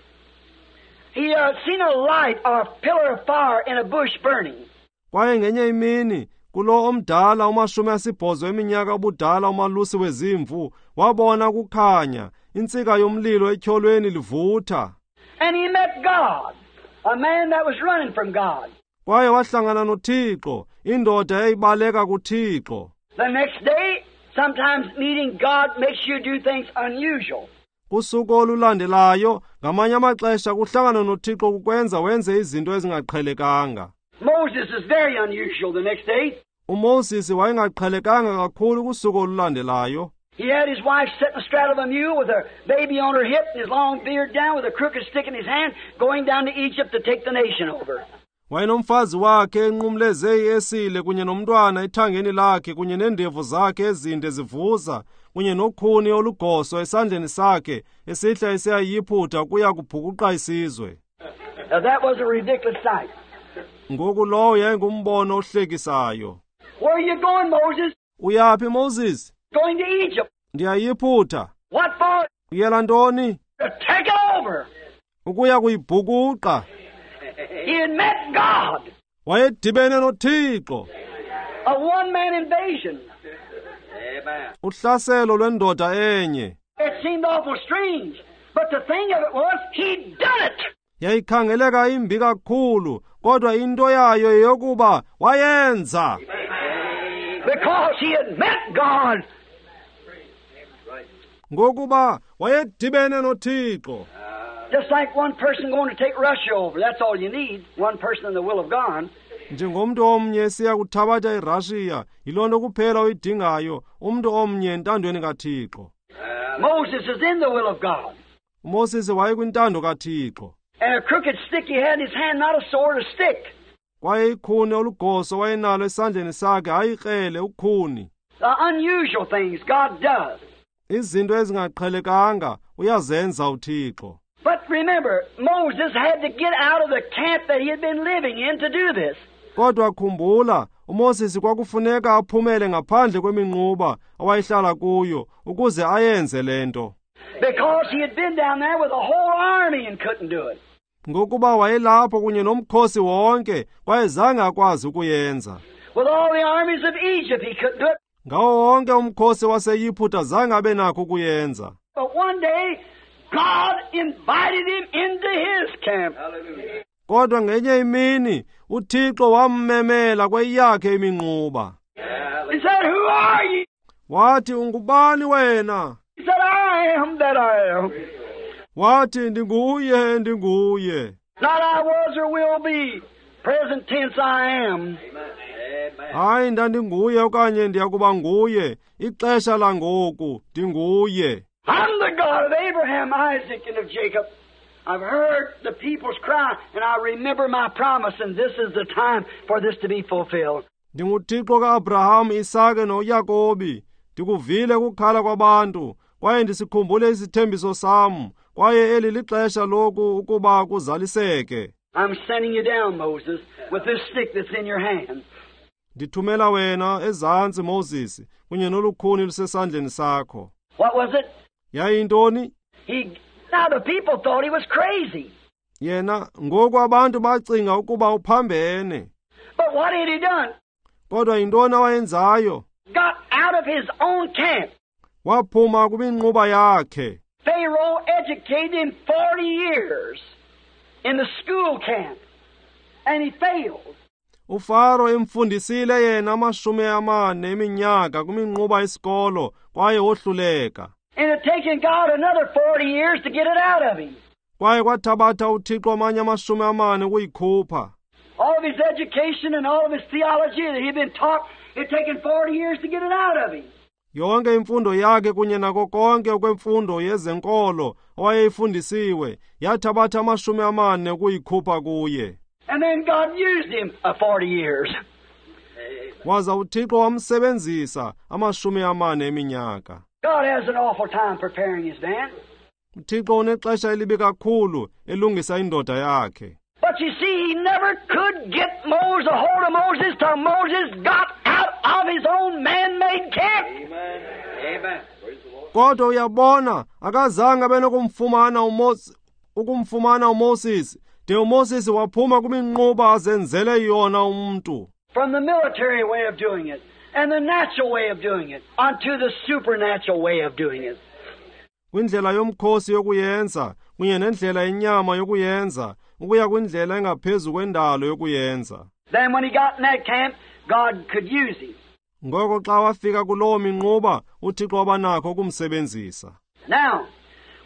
he seen a light or a pillar of fire in a bush burning. Kwaye ngenye imini kulo omdala 80 eminyaka ubudala umalusi wezimvu wabona ukukhanya intsika yomlilo etyholweni livutha. And he met God, a man that was running from God. Kwaye wahlangana noThixo, indoda eyayibaleka kuThixo. The next day, sometimes meeting God makes you do things unusual. Kusuku olulandelayo, ngamanye amaxesha kuhlangana noThixo kukwenza wenze izinto ezingaqhelekanga. Moses is very unusual the next day. uMoses wayengaqhelekanga kakhulu kusuku olulandelayo. He had his wife sitting astraddle of a mule with her baby on her hip and his long beard down with a crooked stick in his hand, going down to Egypt to take the nation over. Wayenomfazi wakhe enqumleze iesile kunye nomntwana ethangeni lakhe kunye neendevu zakhe ezinde zivuza kunye nokhuni olugoso esandleni sakhe esihla esiyayiphutha kuya kubhukuqa isizwe. Now that was a ridiculous sight. Ngoku lowo yayingumbono ohlekisayo. Where are you going, Moses? Uyaphi, Moses? Going to Egypt. Ndiyayiphutha. What for? Uyela ntoni? To take it over. Ukuya kuyibhukuqa. He had met God. Wayedibene noThixo. A one-man invasion. Amen. Uhlaselo lwendoda enye. It seemed awful strange, but the thing of it was, he'd done it. Yayikhangeleka imbi kakhulu, kodwa into yayo yeyokuba wayenza. Because he had met God. Ngokuba wayedibene noThixo. Just like one person going to take Russia over. That's all you need. One person in the will of God. Njengomntu omnye siya kuthabatha iRussia, yiloo nto kuphela oyidingayo, umntu omnye entandweni kaThixo. Moses is in the will of God. uMoses wayekwintando kaThixo. And a crooked stick he had in his hand, not a sword, a stick. Kwaye ikhuni olugoso wayenalo esandleni sakhe, hayi ikrele, ukhuni. The unusual things God does. Izinto ezingaqhelekanga uyazenza uThixo. But remember, Moses had to get out of the camp that he had been living in to do this. Kodwa khumbula, uMoses kwakufuneka aphumele ngaphandle kweminquba awayehlala kuyo ukuze ayenze le nto. Because he had been down there with a whole army and couldn't do it. Ngokuba wayelapho kunye nomkhosi wonke kwaye zange akwazi ukuyenza. With all the armies of Egypt, he couldn't do it. Ngawo wonke umkhosi waseYiphutha zange abe nakho ukuyenza. But one day, God invited him into his camp. Hallelujah. Kodwa ngenye imini uThixo wammemela kweyakhe iminquba. He said, "Who are you?" Wathi, "Ungubani wena?" He said, "I am that I am." Wathi, "Ndinguye, ndinguye." Not I was or will be. Present tense, I am. Amen. Hayi, ndandinguye okanye ndiyakuba nguye. Ixesha langoku, ndinguye. I'm the God of Abraham, Isaac, and of Jacob. I've heard the people's cry, and I remember my promise, and this is the time for this to be fulfilled. NdinguThixo kaAbraham, Isake noYakobi. Ndikuvile ukukhala kwabantu, kwaye ndisikhumbule isithembiso sam, kwaye eli lixesha loku ukuba kuzaliseke. I'm sending you down, Moses, with this stick that's in your hand. Ndithumela wena ezantsi, Moses, kunye nolukhuni lusesandleni sakho. What was it? Yayintoni? Now the people thought he was crazy. Yena ngoku abantu bacinga ukuba uphambene. But what had he done? Kodwa yintoni awayenzayo? Got out of his own camp. Waphuma kwiminquba yakhe. Pharaoh educated him 40 years in the school camp, and he failed. uFaro emfundisile yena 40 eminyaka kwiminquba yesikolo kwaye wohluleka. And it taken God another 40 years to get it out of him. Kwaye kwathabatha uThixo amanye 40 ukuyikhupha. All of his education and all of his theology that he'd been taught, it taken 40 years to get it out of him. Yonke imfundo yakhe kunye nako konke okwemfundo yezenkolo awayeyifundisiwe yathabatha 40 ukuyikhupha kuye. And then God used him 40 years. Waza uThixo wamsebenzisa 40 eminyaka. God has an awful time preparing his man. uThixo unexesha elibi kakhulu elungisa indoda yakhe. But you see, he never could get Moses, a hold of Moses, till Moses got out of his own man-made camp. Amen. Amen. Praise the Lord. Kodwa uyabona, akazange abe nokumfumana uMoses, de uMoses waphuma kwiminquba azenzele yona umntu. From the military way of doing it and the natural way of doing it onto the supernatural way of doing it. Kwindlela yomkhosi yokuyenza kunye nendlela yenyama yokuyenza ukuya kwindlela engaphezu kwendalo yokuyenza. Then when he got in that camp, God could use him. Ngoko xa wafika kuloo minquba, uThixo wabanakho ukumsebenzisa. Now,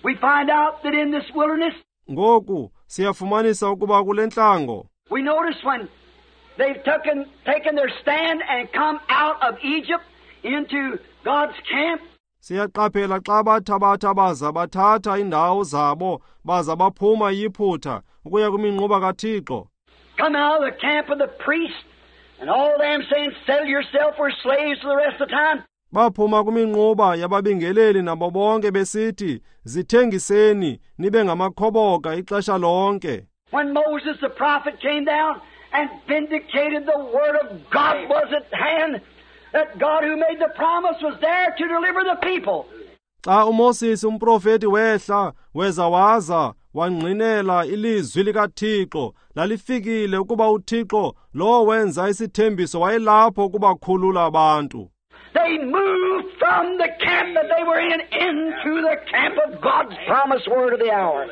we find out that in this wilderness, Ngoku siyafumanisa ukuba kule ntlango, we notice when they've taken their stand and come out of Egypt into God's camp. Siyaqaphela xa bathabatha baza bathatha indawo zabo baza baphuma eYiphutha ukuya kwiminquba kaThixo. Come out of the camp of the priest and all them saying, sell yourself, we're slaves for the rest of the time. Baphuma kwiminquba yababingeleli nabo bonke besithi, zithengiseni nibe ngamakhoboka ixesha lonke. When Moses the prophet came down and vindicated the word of God was at hand, that God who made the promise was there to deliver the people. Xa uMoses umprofeti wehla weza waza wangqinela ilizwi likaThixo lalifikile ukuba uThixo lo wenza isithembiso wayelapho ukubakhulula abantu. They moved from the camp that they were in into the camp of God's promised word of the hour.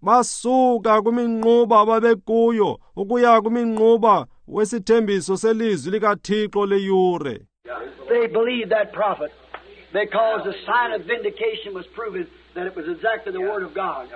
Basuka kwiminquba ababekuyo ukuya kwiminquba wesithembiso selizwi likaThixo leyure. They believed that prophet because the sign of vindication was proven that it was exactly the word of God.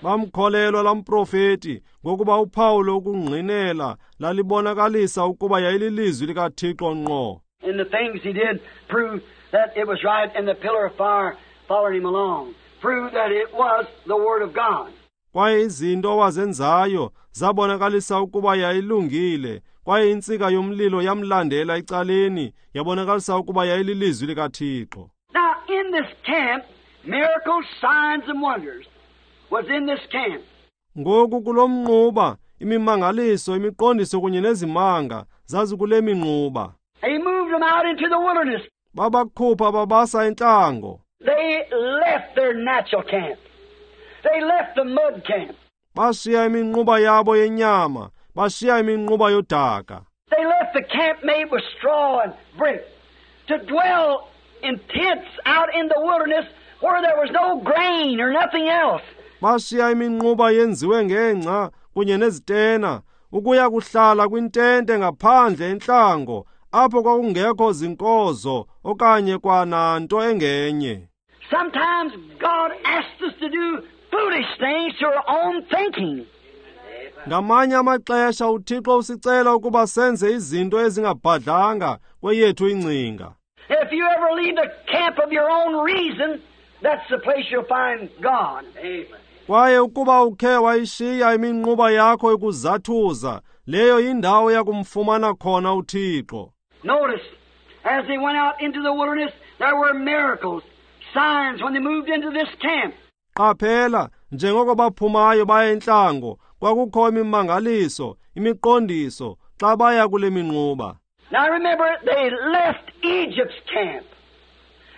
Bamkholelwa lamprofeti ngokuba uphawu lokungqinela lalibonakalisa ukuba yayililizwi likaThixo ngqo. And the things he did proved that it was right, and the pillar of fire followed him along, proved that it was the word of God. Kwaye izinto awazenzayo zabonakalisa ukuba yayilungile, kwaye intsika yomlilo yamlandela ecaleni yabonakalisa ukuba yayililizwi likaThixo. Now in this camp, miracles, signs and wonders was in this camp. Ngoku kulo mnquba imimangaliso, imiqondiso kunye nezimanga zazikule minquba. He moved them out into the wilderness. Babakhupha babasa entlango. They left their natural camp. They left the mud camp. Bashiya iminquba yabo yenyama, bashiya iminquba yodaka. They left the camp made with straw and brick to dwell in tents out in the wilderness where there was no grain or nothing else. Bashiya iminquba yenziwe ngengca kunye nezitena ukuya kuhlala kwintente ngaphandle entlango apho kwakungekho zinkozo okanye kwananto engenye. Sometimes God asks us to do foolish things to our own thinking. Ngamanye amaxesha uThixo usicela ukuba senze izinto ezingabhadlanga kweyethu ingcinga. If you ever leave the camp of your own reason, that's the place you'll find God. Amen. Kwaye ukuba ukhe wayishiya iminquba yakho ikuzathuza, leyo yindawo yakumfumana khona uThixo. Notice, as they went out into the wilderness, there were miracles, signs when they moved into this camp. Qaphela, njengoko baphumayo baya entlango, kwakukho imimangaliso, imiqondiso xa baya kule minquba. Now remember, they left Egypt's camp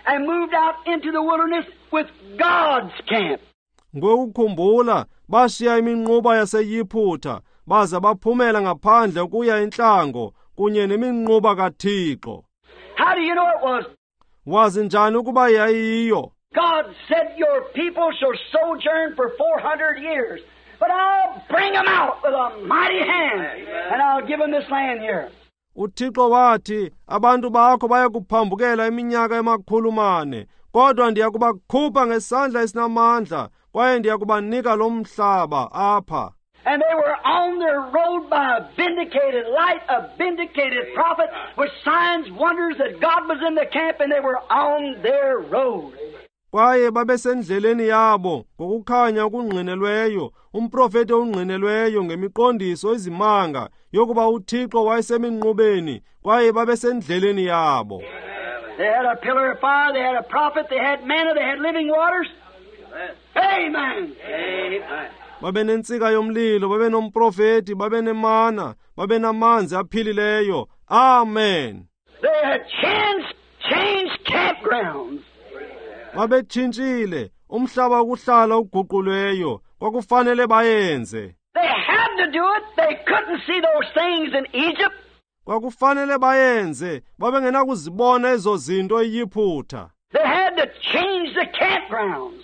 and moved out into the wilderness with God's camp. Ngokukhumbula, bashiya iminquba yaseYiphutha baza baphumela ngaphandle ukuya entlango kunye neminquba kaThixo. How do you know it was? Wazi njani ukuba yayiyo? God said, your people shall sojourn for 400 years, but I'll bring them out with a mighty hand, and I'll give them this land here. UThixo wathi, abantu bakho baya kuphambukela iminyaka ema-400, kodwa ndiya kubakhupha ngesandla esinamandla, kwaye ndiya kubanika lo mhlaba apha. And they were on their road by a vindicated light, a vindicated prophet, with signs, wonders that God was in the camp, and they were on their road. Kwaye babesendleleni yabo ngokukhanya okungqinelweyo, umprofeti ongqinelweyo ngemiqondiso izimanga yokuba uThixo wayeseminqubeni, kwaye babesendleleni yabo. They had a pillar of fire, they had a prophet, they had manna, they had living waters. Amen. Amen. Babenentsika yomlilo, babenomprofeti, babenemana, babenamanzi aphilileyo. Amen. They had changed campgrounds. Babetshintshile umhlaba wokuhlala uguqulweyo, kwakufanele bayenze. They had to do it. They couldn't see those things in Egypt. Kwakufanele bayenze, babengenakuzibona ezo zinto eYiphutha. They had to change the campgrounds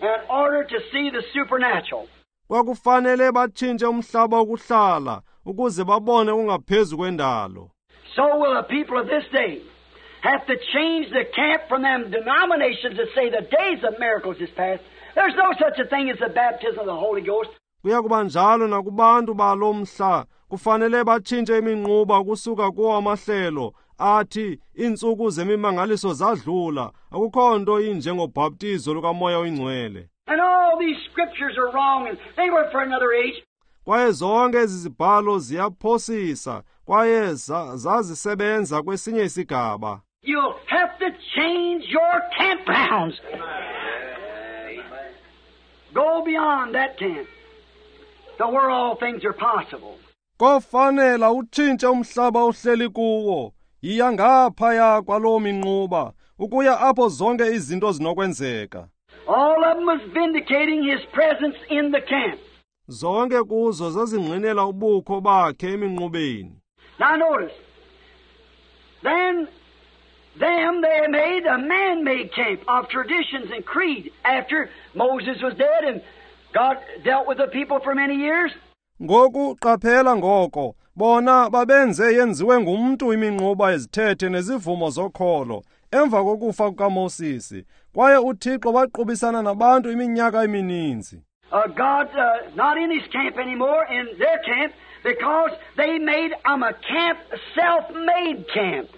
in order to see the supernatural. Kwakufanele batshintshe umhlaba wokuhlala ukuze babone ungaphezu kwendalo. So will the people of this day have to change the camp from them denominations that say the days of miracles is past. There's no such a thing as the baptism of the Holy Ghost. Kuya kuba njalo nakubantu balo mhla, kufanele batshintshe iminquba kusuka kuwo amahlelo athi iintsuku zemimangaliso zadlula, akukho nto injengobhaptizo lukaMoya oyiNgcwele. And all these scriptures are wrong, and they were for another age. Kwaye zonke ezi zibhalo ziyaphosisa, kwaye zazisebenza kwesinye isigaba. You'll have to change your campgrounds. Go beyond that camp to where all things are possible. Kofanela utshintshe umhlaba ohleli kuwo, yiya ngaphaya kwaloo minquba, ukuya apho zonke izinto zinokwenzeka. All of them was vindicating his presence in the camp. Zonke kuzo zazingqinela ubukho bakhe eminqubeni. Now notice, then them they made a man-made camp of traditions and creed after Moses was dead and God dealt with the people for many years. Ngoku qaphela ngoko, bona babenze yenziwe ngumntu iminquba ezithethe nezivumo zokholo emva kokufa kukaMoses, kwaye uThixo waqubisana nabantu iminyaka emininzi. God not in his camp anymore, in their camp, because they made a camp, self-made camp.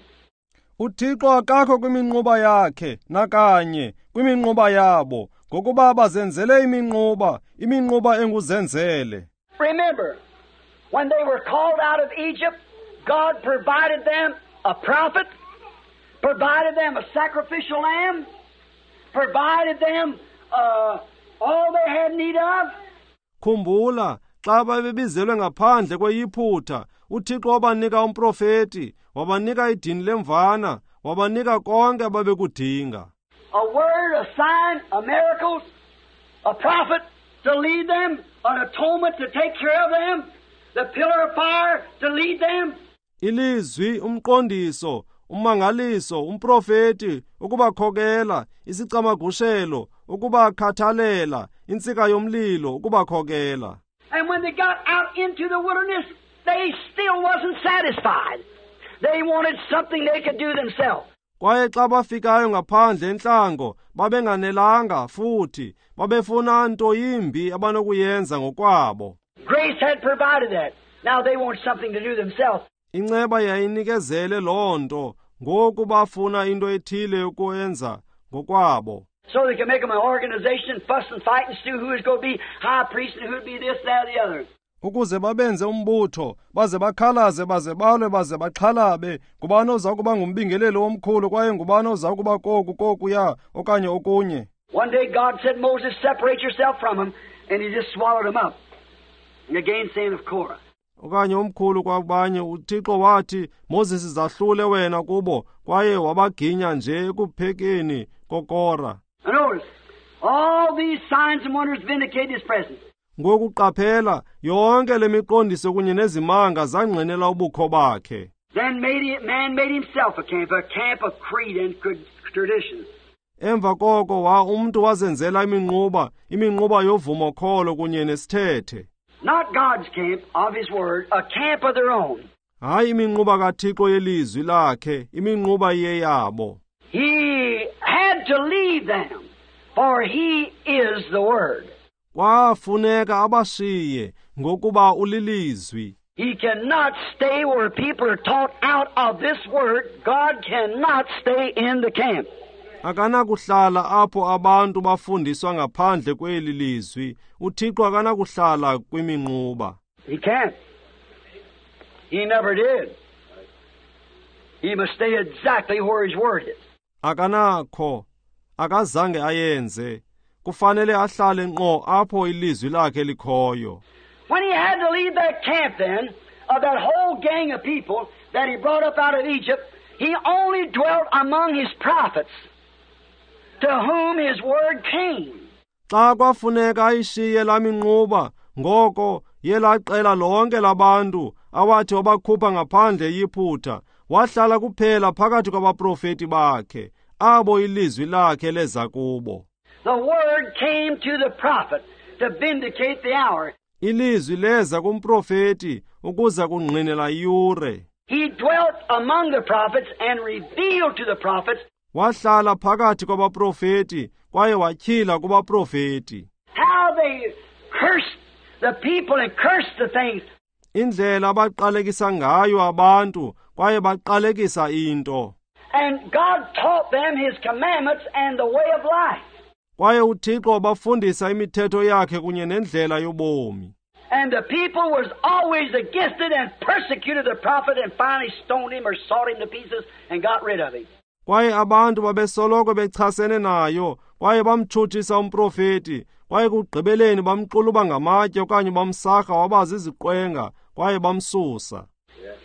uThixo akakho kwiminquba yakhe nakanye kwiminquba yabo, ngokuba bazenzele iminquba, iminquba enguzenzele. Remember, when they were called out of Egypt, God provided them a prophet, provided them a sacrificial lamb, provided them all they had need of. Khumbula, xa babebizelwe ngaphandle kweYiphutha, uThixo wabanika umprofeti, wabanika idini lemvana, wabanika konke ababekudinga. A word, a sign, a miracles, a prophet to lead them, an atonement to take care of them, the pillar of fire to lead them. Ilizwi, umqondiso, ummangaliso, umprofeti ukubakhokela, isicamagushelo ukubakhathalela, intsika yomlilo ukubakhokela. And when they got out into the wilderness, they still wasn't satisfied. They wanted something they could do themselves. Kwaye xa bafikayo ngaphandle entlango, babenganelanga futhi, babefuna nto yimbi abanokuyenza ngokwabo. Grace had provided that. Now they want something to do themselves. Inceba yayinikezele loo nto, ngoku bafuna into ethile yokuyenza ngokwabo. So they can make them an organization, fuss and fight and see who is going to be high priest and who would be this, that, or the other. Ukuze babenze umbutho, baze bakhalaze, baze balwe, baze baxhalabe, ngubani oza kuba ngumbingeleli omkhulu kwaye ngubani oza kuba koku, kokuya, okanye okunye. One day God said, Moses, separate yourself from him, and he just swallowed him up. And again saying of Korah. Okanye omkhulu kwabanye, uThixo wathi, Moses, zahlule wena kubo, kwaye wabaginya nje ekuphekeni koKora. And notice, all these signs and wonders vindicate his presence. Ngokuqaphela, yonke le miqondiso kunye nezimanga zangqinela ubukho bakhe. Then man made himself a camp of creed and tradition. Emva koko umntu wazenzela iminquba, iminquba yovumokholo kunye nesithethe. Not God's camp of his word, a camp of their own. Hayi iminquba kaThixo yelizwi lakhe, iminquba yeyabo. He had to leave them, for he is the word. Kwafuneka abashiye ngokuba ulilizwi. He cannot stay where people are taught out of this word. God cannot stay in the camp. Akanakuhlala apho abantu bafundiswa ngaphandle kweli lizwi. uThixo akanakuhlala kwiminquba. He can't. He never did. He must stay exactly where his word is. Akanakho, akazange ayenze. Kufanele ahlale ngqo apho ilizwi lakhe likhoyo. When he had to leave that camp then, of that whole gang of people that he brought up out of Egypt, he only dwelt among his prophets, to whom his word came. Xa kwafuneka ayishiye laa minquba, ngoko yelaa qela lonke labantu awathi wabakhupha ngaphandle eYiputa, wahlala kuphela phakathi kwabaprofeti bakhe, abo ilizwi lakhe leza kubo. The word came to the prophet to vindicate the hour. Ilizwi leza kumprofeti ukuza kungqinela iyure. He dwelt among the prophets and revealed to the prophets. Wahlala phakathi kwabaprofeti kwaye watyhila kubaprofeti. How they cursed the people and cursed the things. Indlela abaqalekisa ngayo abantu kwaye baqalekisa into. And God taught them his commandments and the way of life. Kwaye uThixo wabafundisa imithetho yakhe kunye nendlela yobomi. And the people was always against it and persecuted the prophet and finally stoned him or sawed him to pieces and got rid of him. Kwaye abantu babesoloko bechasene nayo, kwaye bamtshutshisa umprofeti, kwaye kugqibeleni bamxuluba ngamatye okanye bamsarha wabazi iziqwenga, kwaye bamsusa.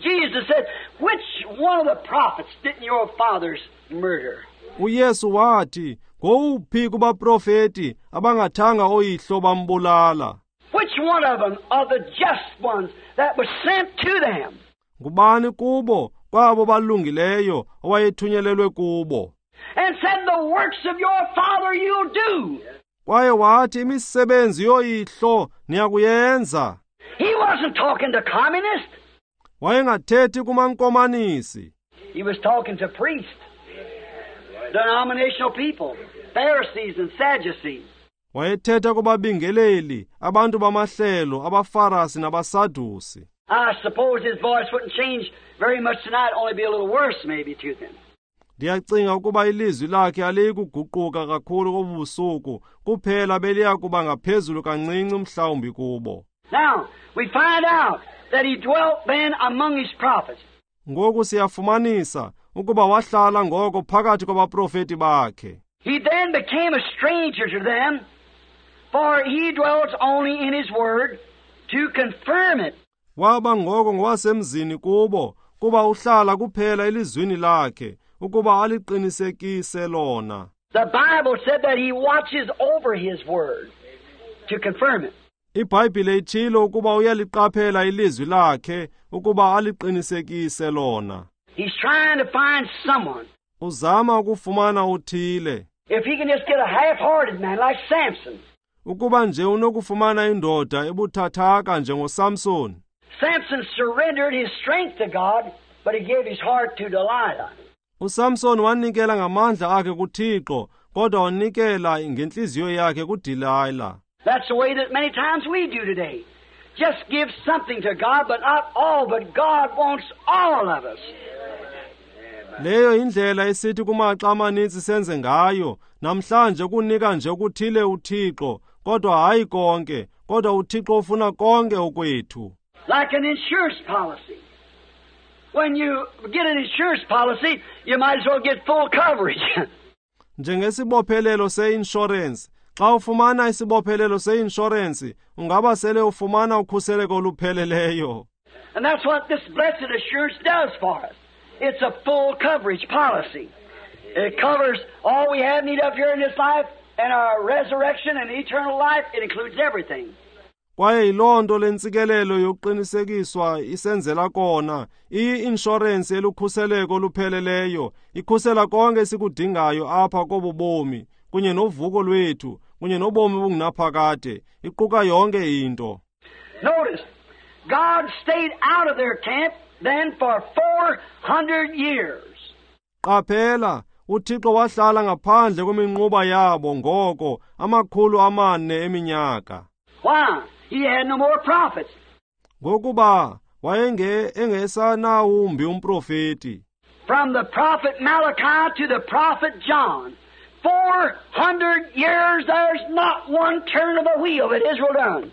Jesus said, which one of the prophets didn't your fathers murder? uYesu wathi, ngowuphi kubaprofeti abangathanga oyihlo bambulala? Which one of them are the just ones that was sent to them? Ngubani kubo kwabo balungileyo owayethunyelelwe kubo? And said, the works of your father you'll do. Kwaye wathi imisebenzi yoyihlo niyakuyenza. He wasn't talking to communists. Wayengathethi kumankomanisi. He was talking to priests, denominational people, Pharisees and Sadducees. Wayethetha kubabingeleli, abantu bamahlelo, abaFarasi nabaSadusi. I suppose his voice wouldn't change very much tonight, only be a little worse maybe to them. Ndiyacinga ukuba ilizwi lakhe aliyikuguquka kakhulu kobusuku, kuphela beliya kuba ngaphezulu kancinci mhlawumbi kubo. Now, we find out that he dwelt then among his prophets. Ngoku siyafumanisa ukuba wahlala ngoko phakathi kwabaprofeti bakhe. He then became a stranger to them, for he dwells only in his word to confirm it. Waba ngoko ngowasemzini kubo, kuba uhlala kuphela elizwini lakhe, ukuba aliqinisekise lona. The Bible said that he watches over his word to confirm it. IBhayibhile itshilo ukuba uyaliqaphela ilizwi lakhe ukuba aliqinisekise lona. He's trying to find someone. Uzama ukufumana uthile. If he can just get a half-hearted man like Samson. Ukuba nje unokufumana indoda ebuthathaka njengoSamson. Samson surrendered his strength to God, but he gave his heart to Delilah. USamson wanikela ngamandla akhe kuThixo, kodwa wanikela ngentliziyo yakhe kuDelilah. That's the way that many times we do today. Just give something to God, but not all, but God wants all of us. Leyo indlela esithi kumaxa amaninzi senze ngayo namhlanje, kunika nje okuthile uThixo, kodwa hayi konke, kodwa uThixo ufuna konke okwethu. Like an insurance policy. When you get an insurance policy, you might as well get full coverage. Njengesibophelelo se-insurance, xa ufumana isibophelelo se-insurance, ungaba sele ufumana ukhuseleko olupheleleyo. And that's what this blessed assurance does for us. It's a full coverage policy. It covers all we have need of here in this life and our resurrection and eternal life. It includes everything. Kwaye yiloo nto le ntsikelelo yokuqinisekiswa isenzela kona, iyi-inshorensi elukhuseleko olupheleleyo, ikhusela konke esikudingayo apha kobu bomi, kunye novuko lwethu, kunye nobomi obungunaphakade, iquka yonke into. Notice, God stayed out of their camp then for 400 years. Qaphela, uThixo wahlala ngaphandle kweminquba yabo ngoko 400 eminyaka. Why? He had no more prophets. Ngokuba wayenge engesanawumbi umprofeti. From the prophet Malachi to the prophet John, 400 years, there's not one turn of the wheel that Israel done.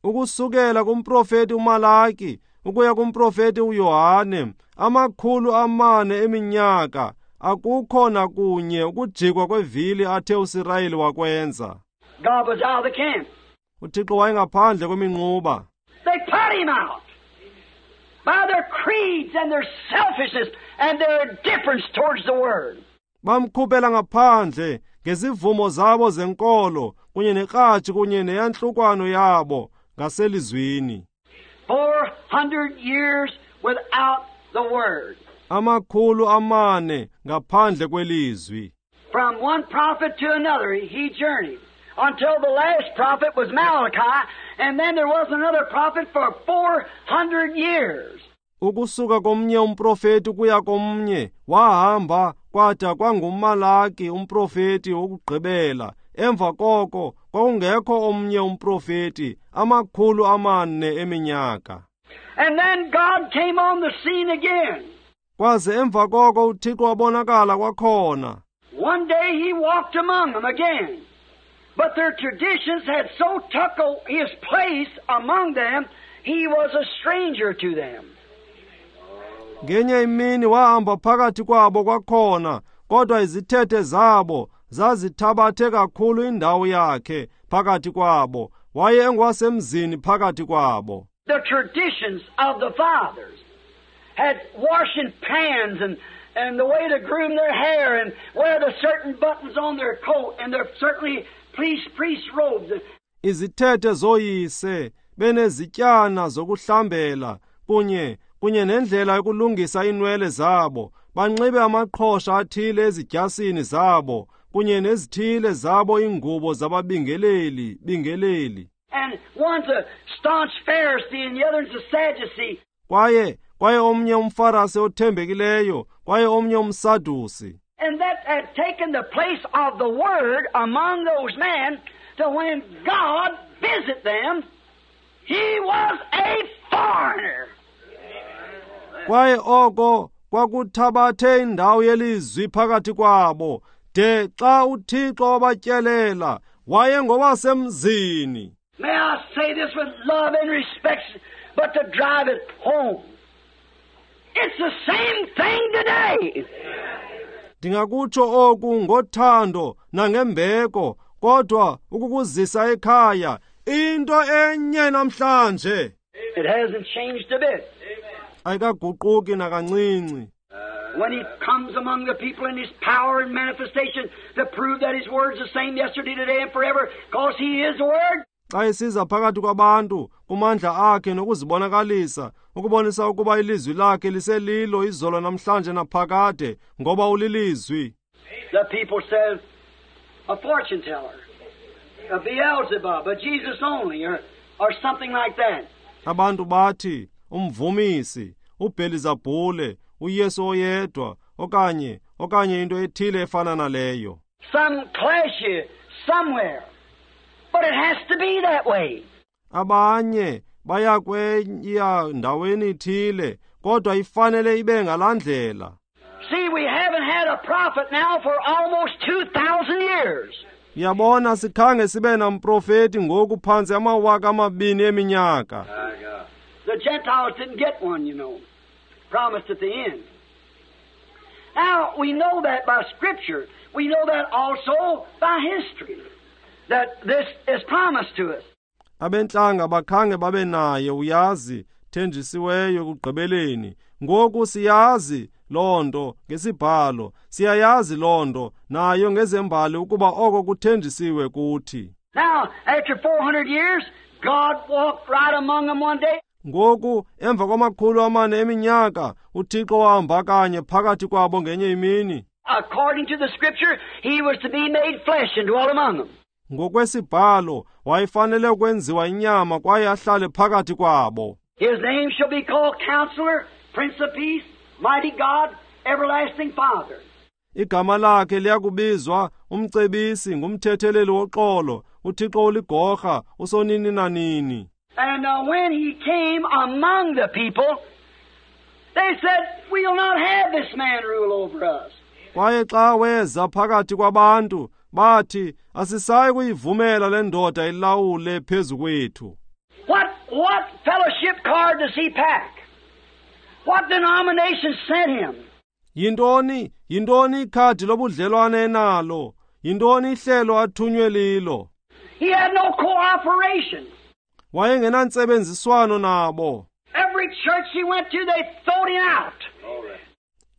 Ukusukela kumprofeti uMalaki ukuya kumprofeti uYohane, 400 eminyaka, akukho nakunye ukujikwa kwevili athe uSirayeli wakwenza. God was out of the camp. uThixo wayengaphandle kweminquba. They put him out by their creeds and their selfishness and their indifference towards the word. Bamkhuphela ngaphandle ngezivumo zabo zenkolo kunye nekratshi kunye neyantlukwano yabo ngaselizwini. 400 years without the word. 400 ngaphandle kwelizwi. From one prophet to another he journeyed until the last prophet was Malachi, and then there wasn't another prophet for 400 years. Ukusuka komnye umprofeti kuya komnye wahamba kwada kwanguMalaki umprofeti wokugqibela. Emva koko kwakungekho omnye umprofeti 400 eminyaka. And then God came on the scene again. Kwaze emva koko uThixo wabonakala kwakhona. One day he walked among them again. But their traditions had so took his place among them, he was a stranger to them. Ngenye imini wahamba phakathi kwabo kwakhona, kodwa izithethe zabo zazithabathe kakhulu indawo yakhe phakathi kwabo, waye engwasemzini phakathi kwabo. The traditions of the fathers had washing pans and the way to groom their hair and wear the certain buttons on their coat and their certainly priest robes. Izithethe zoyise benezityana zokuhlambela kunye nendlela yokulungisa inwele zabo, banxibe amaqhosha athile ezidyasini zabo kunye nezithile zabo ingubo zababingeleli bingeleli. And one's a staunch Pharisee and the other's a Sadducee. Kwaye omnye umFarisi othembekileyo, kwaye omnye umSadusi. And that had taken the place of the word among those men, to when God visit them, he was a foreigner. Kwaye oko kwakuthabathe indawo yelizwi phakathi kwabo, de xa uThixo wabatyelela wayengowasemzini. May I say this with love and respect, but to drive it home. It's the same thing today. Ndingakutsho oku ngothando nangembeko, kodwa ukukuzisa ekhaya into enye namhlanje. It hasn't changed a bit. Ayikaguquki nakancinci. When He comes among the people in His power and manifestation to prove that His Word's the same yesterday, today, and forever, because He is the Word. Xa esiza phakathi kwabantu kumandla akhe nokuzibonakalisa ukubonisa ukuba ilizwi lakhe liselilo izolo namhlanje naphakade ngoba ulilizwi. The people says, a fortune teller, a Beelzebub, a Jesus only, or something like that. Abantu bathi umvumisi, uBhelizabhule, uYesu oyedwa okanye into ethile efana naleyo. Some clash you somewhere. But it has to be that way. Abanye baya kweya ndaweni ithile, kodwa ifanele ibe ngalaa ndlela. See, we haven't had a prophet now for almost 2,000 years. Uyabona, sikhange sibe namprofeti ngoku phantsi 2,000 eminyaka. The Gentiles didn't get one, you know, promised at the end. Now, we know that by Scripture. We know that also by history, that this is promised to us. Abentlanga bakhange babe naye, uyazi, thenjisiweyo ekugqibeleni. Ngoku siyazi loo nto ngesibhalo, siyayazi loo nto nayo ngezembali ukuba oko kuthenjisiwe kuthi. Now, after 400 years, God walked right among them one day. Ngoku emva kwama-400 eminyaka, uThixo wahamba kanye phakathi kwabo ngenye imini. According to the Scripture, He was to be made flesh and dwell among them. Ngokwesibhalo, wayefanele ukwenziwa inyama kwaye ahlale phakathi kwabo. His name shall be called Counselor, Prince of Peace, Mighty God, Everlasting Father. Igama lakhe liyakubizwa umcebisi, ngumthetheleli woxolo, uThixo oligorha, usonini nanini. And when He came among the people, they said, we'll not have this man rule over us. Kwaye xa weza phakathi kwabantu, bathi, asisayi kuyivumela le ndoda ilawule phezu kwethu. What fellowship card does he pack? What denomination sent him? Yintoni ikhadi lobudlelwane enalo? Yintoni ihlelo athunywe lilo? He had no cooperation. Wayengenantsebenziswano nabo. Every church he went to, they threw him out.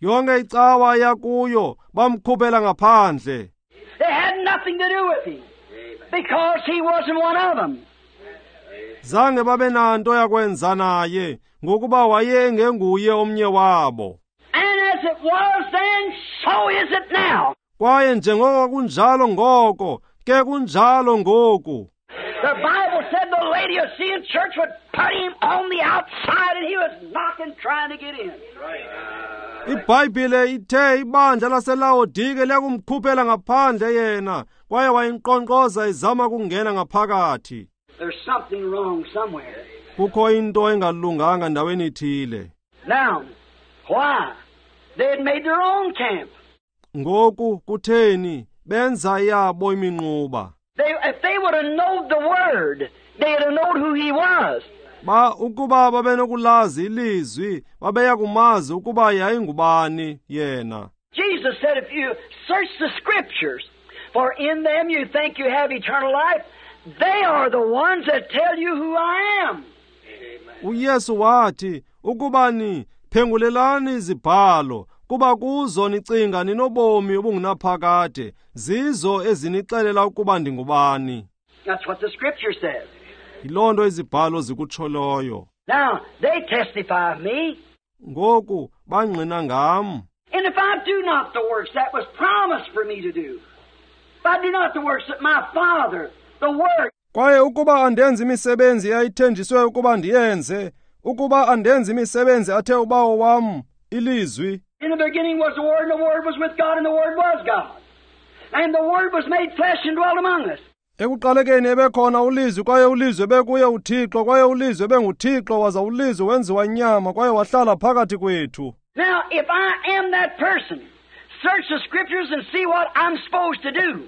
Yonke icawa yakuyo bamkhuphela ngaphandle. They had nothing to do with him because he wasn't one of them. Zange babe nanto yakwenza naye ngokuba wayengenguye omnye wabo. And as it was then, so is it now. Kwaye njengoko kunjalo ngoko, ke kunjalo ngoku. The Bible said the Laodicean church would put him on the outside, and he was knocking, trying to get in. IBhayibhile ithe ibandla laseLaodike liyakumkhuphela ngaphandle yena, kwaye wayinkqonkqoza izama kungena ngaphakathi. There's something wrong somewhere. Kukho into engalunganga ndaweni ithile. Now, why? They had made their own camp. Ngoku kutheni benza yabo iminquba? If they would have known the Word, they'd have known who He was. Ba ukuba babenokulazi ilizwi, babeyakumazi ukuba yayingubani yena. Jesus said, if you search the Scriptures, for in them you think you have eternal life, they are the ones that tell you who I am. uYesu wathi, ukuba ni phengulelani izibhalo, kuba kuzo nicinga ninobomi obungunaphakade, zizo ezinixelela ukuba ndingubani. That's what the Scripture says. Yiloo nto izibhalo zikutsholeyo. Now, they testify of me. Ngoku bangqina ngam. And if I do not the works that was promised for me to do, if I do not the works that my Father, the Word. Kwaye ukuba andenzi imisebenzi eyayithenjiswe ukuba ndiyenze, ukuba andenzi imisebenzi athe uBawo wam, ilizwi. In the beginning was the Word, and the Word was with God, and the Word was God. And the Word was made flesh and dwelt among us. Ekuqalekeni ebekhona ulizwi, kwaye ulizwi ebekuye uThixo, kwaye ulizwi ebenguThixo, waza ulizwi wenziwa inyama, kwaye wahlala phakathi kwethu. Now, if I am that person, search the Scriptures and see what I'm supposed to do.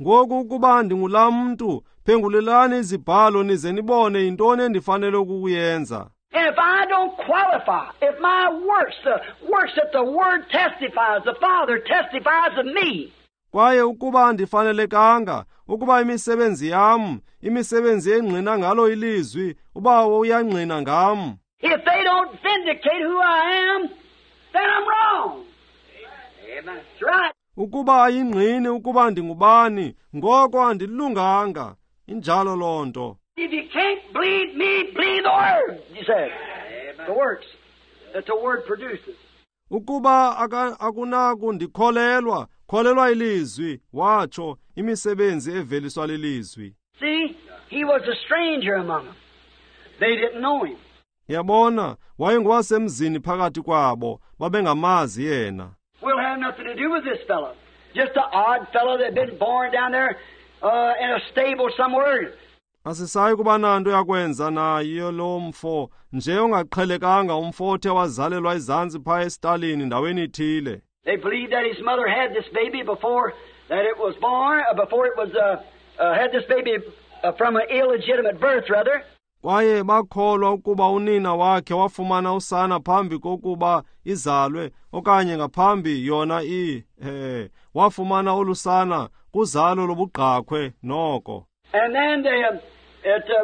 Ngoku ukuba ndingulaa mntu, phengulelani izibhalo nize nibone yintoni endifanele ukuyenza. And if I don't qualify, if my works, the works that the Word testifies, the Father testifies of me. Kwaye ukuba andifanelekanga, ukuba imisebenzi yam, imisebenzi engqina ngalo ilizwi, uBawo uyangqina ngam. If they don't vindicate who I am, then I'm wrong. Amen. That's right. Ukuba ayingqini ukuba ndingubani, ngoko andilunganga. Injalo loo nto. If you can't believe me, believe the Word, he said. Amen. The works that the Word produces. Ukuba akunakundikholelwa, kholelwa ilizwi, watsho, imisebenzi eveliswa lilizwi. See, he was a stranger among them. They didn't know him. Yabona, wayengowasemzini phakathi kwabo, babengamazi yena. We'll have nothing to do with this fellow. Just an odd fellow that had been born down there in a stable somewhere. Asisayi kuba nanto yakwenza naye lo mfo, nje ongaqhelekanga umfo othe wazalelwa ezantsi phaa esitalini ndaweni ithile. They believed that his mother had this baby before that it was born, before it was had this baby from an illegitimate birth, rather. Kwaye bakholwa ukuba unina wakhe wafumana usana phambi kokuba izalwe, okanye ngaphambi yona wafumana olusana kuzalo lobugqakhwe noko. And then they,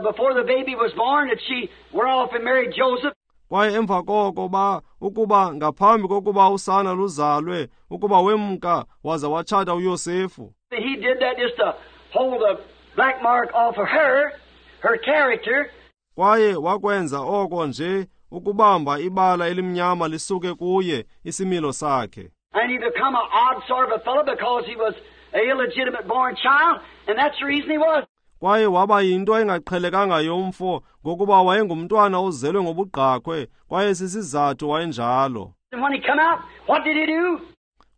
before the baby was born, that she went off and married Joseph. Kwaye emva koko ukuba ngaphambi kokuba usana luzalwe, ukuba wemka waza watshata uYosefu. He did that just to hold the black mark off of her, her character. Kwaye wakwenza oko nje ukubamba ibala elimnyama lisuke kuye isimilo sakhe. And he become an odd sort of a fellow because he was an illegitimate born child, and that's the reason he was. Kwaye waba yinto engaqhelekanga yomfo ngokuba wayengumntwana ozelwe ngobugqakhwe, kwaye sisizathu wayenjalo. And when he come out, what did he do?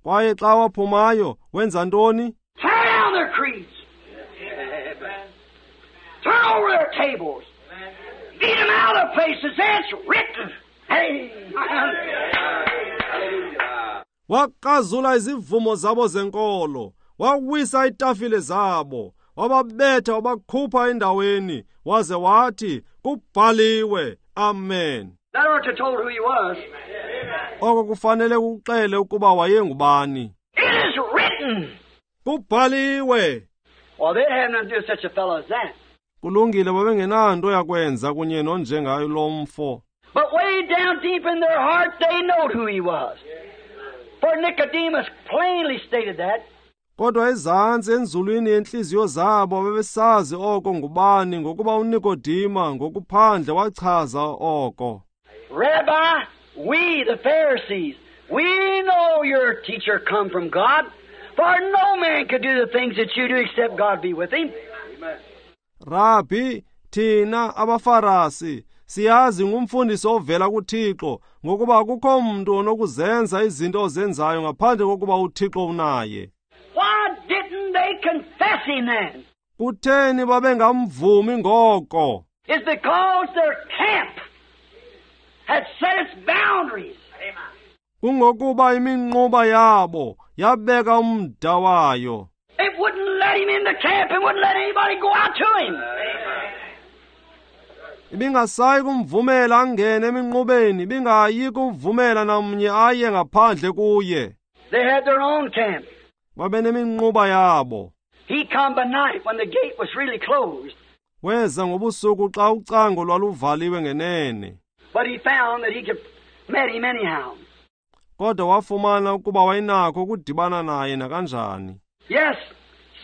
Kwaye xa waphumayo, wenza ntoni? Tear down their creeds. Turn over their tables. Beat them out of places. It's written. Hey. Wakazula izivumo zabo zenkolo, wawisa itafile zabo, wababetha wabakhupha endaweni, waze wathi kubhaliwe. Amen. That ought to told who he was. Oko kufanele kuxele ukuba wayengubani. It is written. Kubhaliwe. Well, they'd have nothing to do with such a fellow as that. Kulungile, babengenanto yakwenza kunye nonjengayo lo mfo. But way down deep in their heart, they knowed who he was. For Nicodemus plainly stated that. Kodwa ezantsi enzulwini yentliziyo zabo babesazi oko ngubani, ngokuba uNikodima ngokuphandle wachaza oko. Rabbi, we the Pharisees, we know your teacher come from God, for no man could do the things that you do except God be with him. Amen. Rabbi, thina abaFarasi siyazi ngumfundisi ovela kuThixo, ngokuba akukho mntu onokuzenza izinto ozenzayo ngaphandle kokuba uThixo unaye. Why didn't they confess him then? Kutheni babengamvumi ngoko? It's because their camp had set its boundaries. Kungokuba iminquba yabo yabeka umda wayo. It wouldn't let him in the camp and wouldn't let anybody go out to him. Ibingasayi kumvumela angene eminqubeni, ibingayi kuvumela namnye aye ngaphandle kuye. They had their own camp. Babeneminquba yabo. He come by night when the gate was really closed. Weza ngobusuku xa ucango lwaluvaliwe ngenene. But he found that he could met him anyhow. Kodwa wafumana ukuba wayenakho ukudibana naye nakanjani. Yes,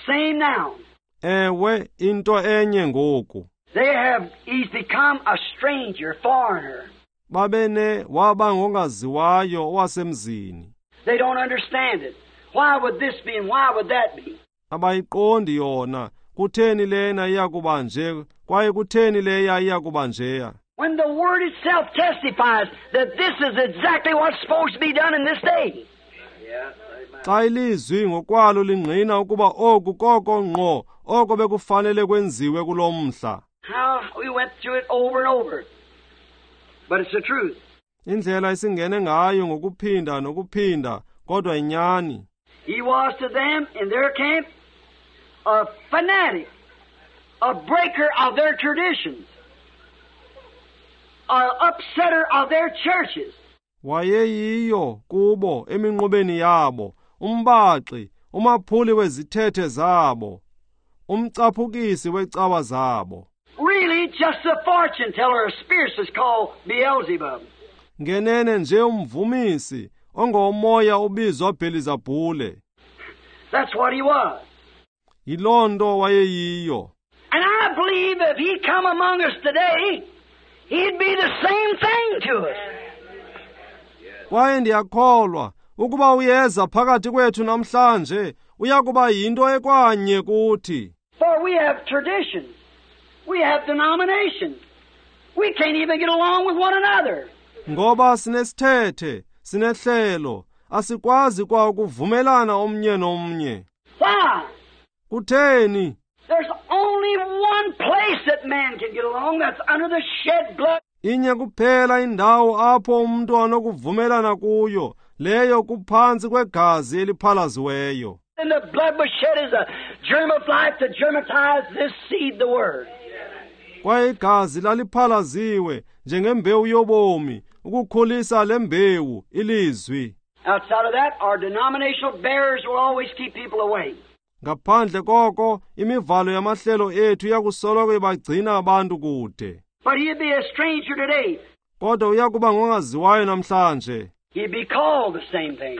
same now. Ewe, into enye ngoku. They have, he's become a stranger, foreigner. Babene waba ngongaziwayo owasemzini. They don't understand it. Why would this be and why would that be? Abayiqondi yona. Kutheni lena iyakuba nje kwaye kutheni leya iyakuba njeya? When the Word itself testifies that this is exactly what's supposed to be done in this day. Xa ilizwi ngokwalo lingqina ukuba oku koko ngqo oko bekufanele kwenziwe kulo mhla. How we went through it over and over. But it's the truth. Indlela esingene ngayo ngokuphinda nokuphinda, kodwa inyani. He was to them in their camp a fanatic, a breaker of their traditions, an upsetter of their churches. Wayeyiyo kubo eminqubeni yabo, umbaxi, umaphuli wezithethe zabo, umcaphukisi wecawa zabo. Really just a fortune teller, a spirit is called Beelzebub. Ngenene nje umvumisi ongomoya ubizwa Belizabhule. That's what he was. Yiloo nto wayeyiyo. And I believe if he come among us today, he'd be the same thing to us. Kwaye ndiyakholwa ukuba uyeza phakathi kwethu namhlanje uyakuba yinto ekwanye kuthi. For we have traditions. We have denominations. We can't even get along with one another. Ngoba sinesithethe, sinehlelo, asikwazi kwa ukuvumelana omnye nomnye. Why? Kutheni? There's only one place that man can get along, that's under the shed blood. Inye kuphela indawo apho umuntu anokuvumelana kuyo, leyo kuphantsi kwegazi eliphalaziweyo. And the blood was shed as a germ of life to germatize this seed, the Word. Kwaye igazi laliphalaziwe njengembewu yobomi ukukhulisa le mbewu, ilizwi. Outside of that, our denominational barriers will always keep people away. Ngaphandle koko, imivalo yamahlelo ethu iyakusoloko ibagcina abantu kude. But he'd be a stranger today. Kodwa uyakuba ngongaziwayo namhlanje. He'd be called the same thing.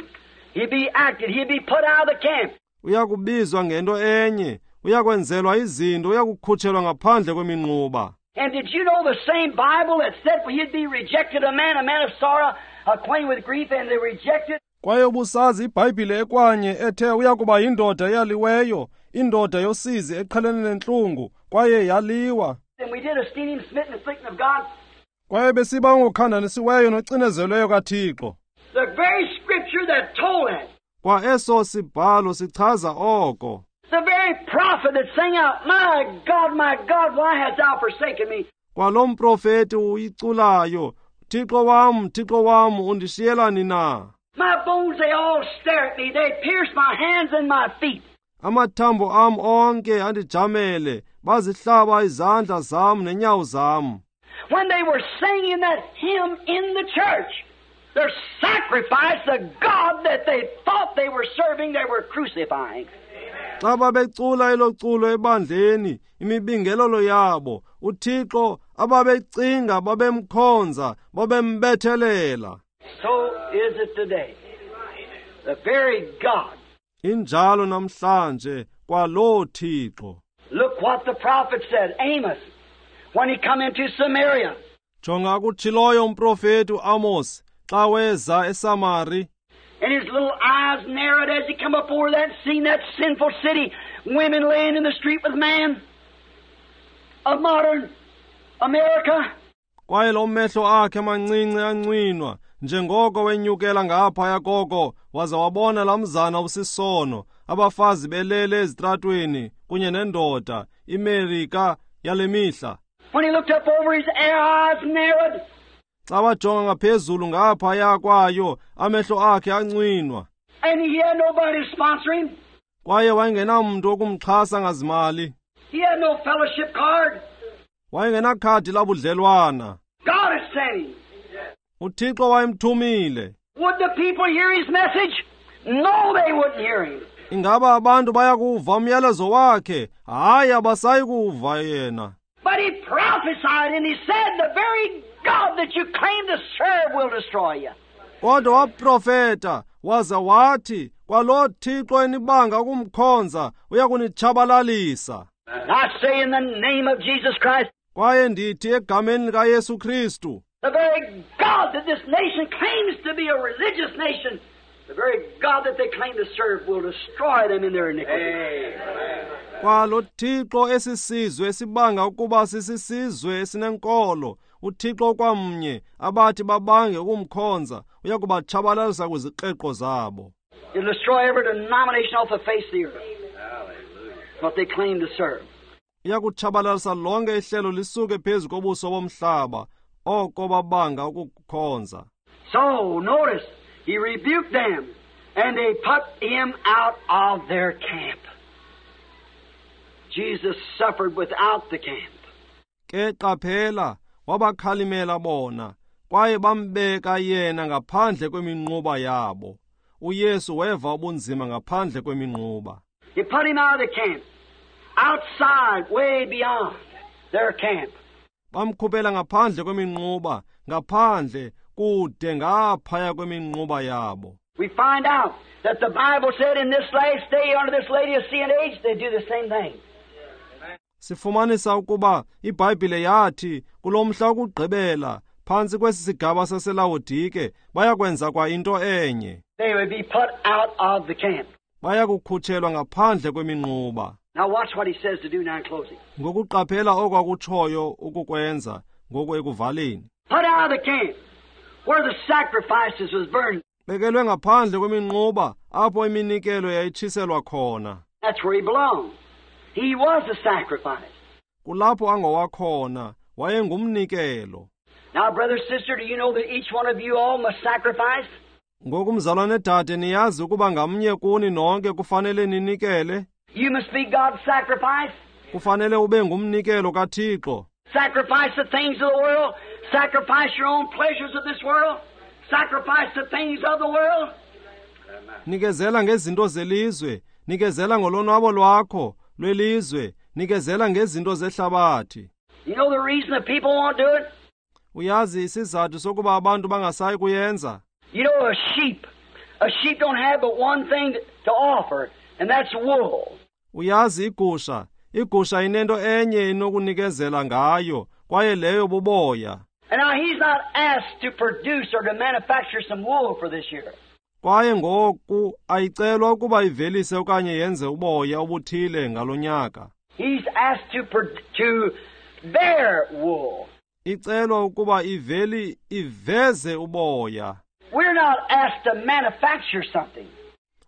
He'd be acted. He'd be put out of the camp. Uyakubizwa ngento enye, uyakwenzelwa izinto, uyakukhutshelwa ngaphandle kweminquba. And did you know the same Bible that said he'd be rejected a man of sorrow, acquainted with grief, and they rejected? Kwaye ubusazi iBhayibhile ekwanye ethe uyakuba yindoda eyaliweyo, indoda yosizi eqhelene nentlungu, kwaye yaliwa. And we did esteem him smitten and afflicted of God. Kwaye besiba ngokhandanisiweyo nocinezelweyo kaThixo. The very scripture that told that. Kwa eso sibhalo sichaza oko. The very prophet that sang out, My God, my God, why hast thou forsaken me? Kwalo mprofeti uyiculayo, Thixo wam, Thixo wam, undishiyelani na? My bones, they all stare at me. They pierce my hands and my feet. Amathambo am onke andijamele, bazihlaba izandla zam nenyawo zam. When they were singing that hymn in the church, their sacrifice, the God that they thought they were serving, they were crucifying. Xa babecula elo culo ebandleni, imibingelelo yabo, uThixo ababecinga babemkhonza, babembethelela. So is it today. The very God. Injalo namhlanje kwaloo Thixo. Look what the prophet said, Amos, when he come into Samaria. Jonga akutshiloyo umprofeti uAmos xa weza eSamari. And his little eyes narrowed as he come up over that, seen that sinful city, women laying in the street with man of modern America. Kwaye lo mehlo akhe amancinci ancwinwa njengoko wenyukela ngaphaya koko, waza wabona laa mzana usisono, abafazi belele ezitratweni kunye nendoda, iMerika yale mihla. When he looked up over, his eyes narrowed. Xa wajonga ngaphezulu ngaphaya kwayo, amehlo akhe ancwinwa. And he had nobody to sponsor him. Kwaye wayengenamntu wokumxhasa ngazimali. He had no fellowship card. Wayengenakhadi labudlelwana. God had sent him. UThixo wayemthumile. Would the people hear his message? No, they wouldn't hear him. Ingaba abantu bayakuva umyalezo wakhe? Hayi, abasayi kuva yena. But he prophesied and he said, the very God that you claim to serve will destroy you. Kodwa waprofeta waza wathi, kwaloo Thixo enibanga ukumkhonza uyakunitshabalalisa. And I say in the name of Jesus Christ, Kwaye ndithi egameni likaYesu Kristu, the very God that this nation claims to be a religious nation, the very God that they claim to serve will destroy them in their iniquity. Kwalo Thixo esisizwe esibanga ukuba sisisizwe esinenkolo, uThixo kwamnye abathi babange ukumkhonza uyakubatshabalalisa kwizikreqo zabo. It'll destroy every denomination off the face of the earth. What they claim to serve. Iyakutshabalalisa lonke ihlelo lisuke phezu kobuso bomhlaba, oko babanga ukukhonza. So, notice, he rebuked them, and they put him out of their camp. Jesus suffered without the camp. Ke qaphela, wabakhalimela bona, kwaye bambeka yena ngaphandle kweminquba yabo. uYesu weva ubunzima ngaphandle kweminquba. He put him out of the camp, outside, way beyond their camp. Bamkhuphela ngaphandle kweminquba, ngaphandle kude ngaphaya kweminquba yabo. We find out that the Bible said in this last day under this Laodicean age they do the same thing. Sifumanisa ukuba iBhayibhile yathi kulo mhla wokugqibela phantsi kwesi sigaba saseLawodike bayakwenza kwa into enye. They would be put out of the camp. Bayakukhutshelwa ngaphandle kweminquba. Now watch what he says to do now in closing. Ngokuqaphela okwakutshoyo ukukwenza ngoku ekuvaleni. Put out of the camp where the sacrifices was burned. Bekelwe ngaphandle kweminquba apho iminikelo yayitshiselwa khona. That's where he belonged. He was the sacrifice. Kulapho angowakhona, wayengumnikelo. Now, brother, sister, do you know that each one of you all must sacrifice? Ngoku mzalwane dade, niyazi ukuba ngamnye kuni nonke kufanele ninikele? You must be God's sacrifice. Kufanele ube ngumnikelo kaThixo. Sacrifice the things of the world. Sacrifice your own pleasures of this world. Sacrifice the things of the world. Nikezela ngezinto zelizwe, nikezela ngolonwabo lwakho lwelizwe, nikezela ngezinto zehlabathi. You know the reason the people won't do it? Uyazi isizathu sokuba abantu bangasayi kuyenza? You know, a sheep don't have but one thing to offer, and that's wool. Uyazi igusha inento enye inokunikezela ngayo, kwaye leyo buboya. And now he's not asked to produce or to manufacture some wool for this year. Kwaye ngoku ayicelwa ukuba ivelise okanye yenze uboya obuthile ngalonyaka. He's asked to bear wool. Icelwa ukuba iveze uboya. We're not asked to manufacture something.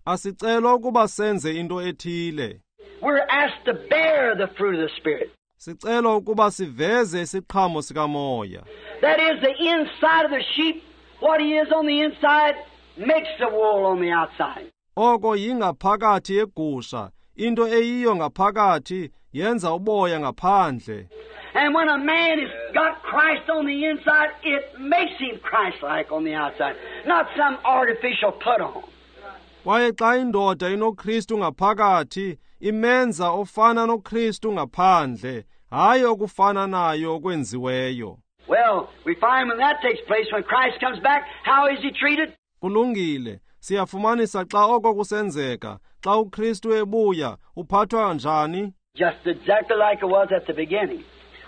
Asicelwa ukuba senze into ethile. We're asked to bear the fruit of the Spirit. Sicelwa ukuba siveze isiqhamo sikamoya. That is the inside of the sheep. What he is on the inside makes the wool on the outside. Oko yingaphakathi yegusha, into eyiyo ngaphakathi yenza uboya ngaphandle. And when a man has got Christ on the inside, it makes him Christ-like on the outside, not some artificial put-on. Kwaye xa indoda inoKristu ngaphakathi, imenza ofana noKristu ngaphandle, hayi okufana nayo okwenziweyo. Well, we find when that takes place, when Christ comes back, how is he treated? Kulungile, siyafumanisa xa oko kusenzeka, xa uKristu ebuya, uphathwa njani? Just exactly like it was at the beginning.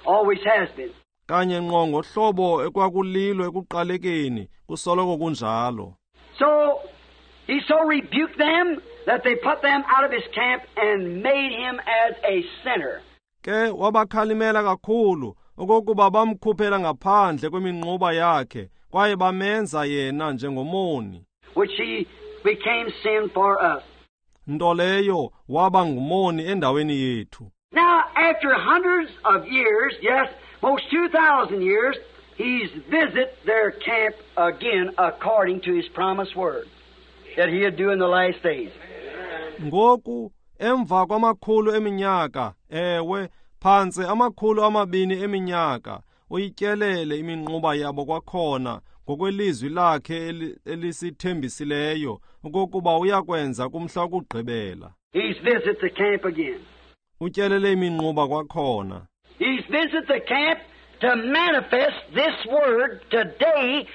Always has been. Kanye ngqo ngohlobo ekwakulilo ekuqalekeni, kusoloko kunjalo. So he so rebuked them that they put them out of his camp and made him as a sinner. Ke wabakhalimela kakhulu okokuba bamkhuphela ngaphandle kweminquba yakhe, kwaye bamenza yena njengomoni. Which he became sin for us. Nto leyo waba ngumoni endaweni yethu. Now, after hundreds of years, yes, most 2,000 years, he's visit their camp again according to his promised word that he'd do in the last days. Ngoku, emva kwamakhulu eminyaka, ewe, phantse amakhulu amabini eminyaka, uyityelele iminquba yabo kwakhona ngokwelizwi lakhe elisithembisileyo okokuba uyakwenza kumhla wokugqibela. He's visit the camp again. Utyelele iminquba kwakhona. He's visit the camp to manifest this word today.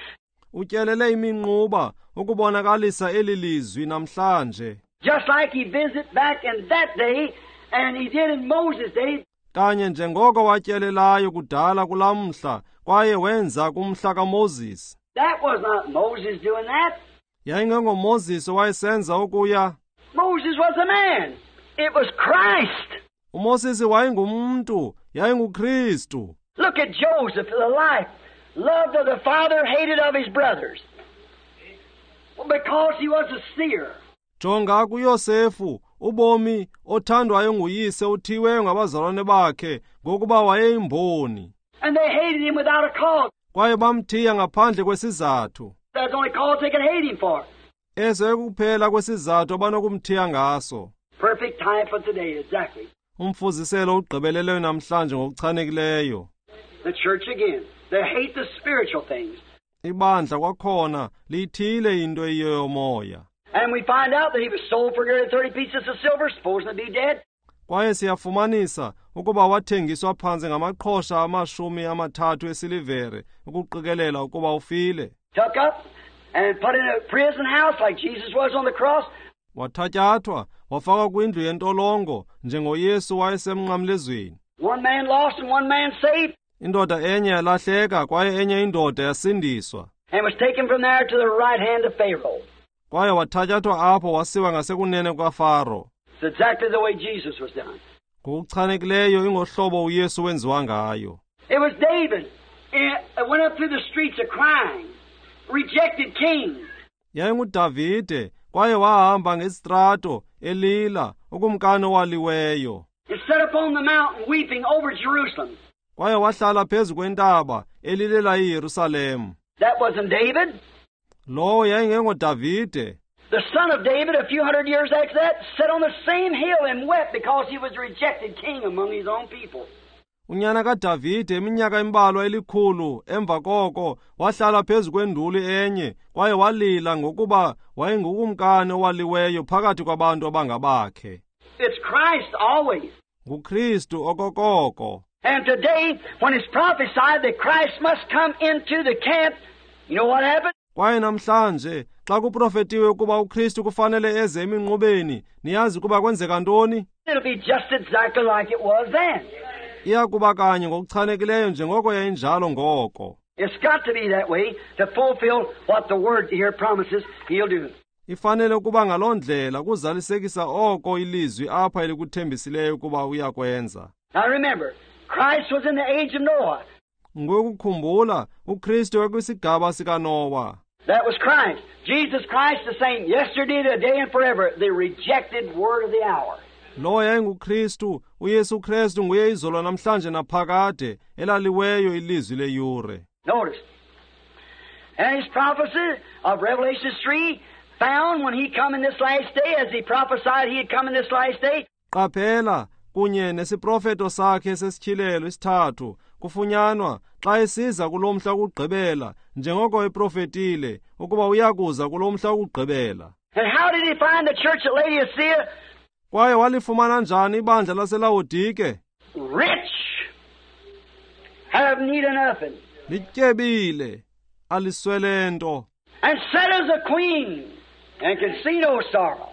Utyelele iminquba ukubonakalisa eli lizwi namhlanje. Just like he visit back in that day, and he did in Moses' day. Kanye njengoko watyelelayo kudala kulamhla, kwaye wenza kumhla kaMoses. That was not Moses doing that. YayingengoMoses owayesenza okuya. Moses was a man. It was Christ. uMoses wayengumntu, yayinguKristu. Look at Joseph, the life, loved of the father, hated of his brothers. Well, because he was a seer. Jonga kuYosefu, ubomi othandwayo nguyise uthiweyo ngabazalwane bakhe ngokuba wayeyimboni. And they hated him without a cause. Kwaye bamthiya ngaphandle kwesizathu. That's the only cause they could hate him for. Eso kuphela kwesizathu abanokumthiya ngaso. Perfect time for today, exactly. Umfuziselo ugqibeleleyo namhlanje ngokuchanekileyo. The church again. They hate the spiritual things. Ibandla kwakhona liyithile into eyiyomoya. And we find out that he was sold for nearly 30 pieces of silver, supposing to be dead. Kwaye siyafumanisa ukuba wathengiswa phantse ngamaqhosha 30 esilivere ukuqikelela ukuba ufile. Took up and put in a prison house like Jesus was on the cross. Wathatyathwa wafakwa kwindlu yentolongo njengoYesu wayesemnqamlezweni. One man lost and one man saved. Indoda enye yalahleka kwaye enye indoda yasindiswa. And was taken from there to the right hand of Pharaoh. Kwaye wathatyathwa apho wasiwa ngasekunene kukaFaro. It's exactly the way Jesus was done. Ngokuchanekileyo ingohlobo uYesu wenziwa ngayo. It was David. It went up through the streets of crying, rejected king. YayinguDavide kwaye wahamba ngestrato elila ukumkani owaliweyo. And sat upon the mountain weeping over Jerusalem. Kwaye wahlala phezu kwentaba elilela iYerusalem. That wasn't David. Lowo yayingengoDavide. The son of David, a few hundred years after that, sat on the same hill and wept because he was rejected king among his own people. Unyana kaDavide iminyaka embalwa elikhulu emva koko wahlala phezu kwenduli enye kwaye walila ngokuba wayengukumkani owaliweyo phakathi kwabantu abangabakhe. It's Christ always. NguKristu okokoko. And today, when it's prophesied that Christ must come into the camp, you know what happened? Kwaye namhlanje xa kuprofetiwe ukuba uKristu kufanele eze eminqubeni, niyazi ukuba kwenzeka ntoni? It'll be just exactly like it was then. Iya kuba kanye ngokuchanekileyo njengoko yayinjalo ngoko. It's got to be that way to fulfill what the word here promises he'll do. Ifanele ukuba ngaloo ndlela kuzalisekisa oko ilizwi apha elikuthembisileyo ukuba uyakwenza. Now remember, Christ was in the age of Noah. Ngokukhumbula, uKristu wayekwisigaba sikaNowa. That was Christ. Jesus Christ the same yesterday, today, and forever. The rejected word of the hour. Lowo yayinguKristu, uYesu Kristu nguye izolo namhlanje naphakade, elaliweyo ilizwi leyure. Notice. And his prophecy of Revelation 3 found when he come in this last day, as he prophesied he had come in this last day. Qaphela kunye nesiprofeto sakhe sesityhilelo isithathu kufunyanwa xa esiza kulo mhla wokugqibela njengoko eprofetile ukuba uyakuza kulo mhla wokugqibela. And how did he find the church at Laodicea? Kwaye walifumana njani ibandla laseLawodike? Rich, have need of nothing. Lityebile, aliswele nto. And sat as a queen, and can see no sorrow.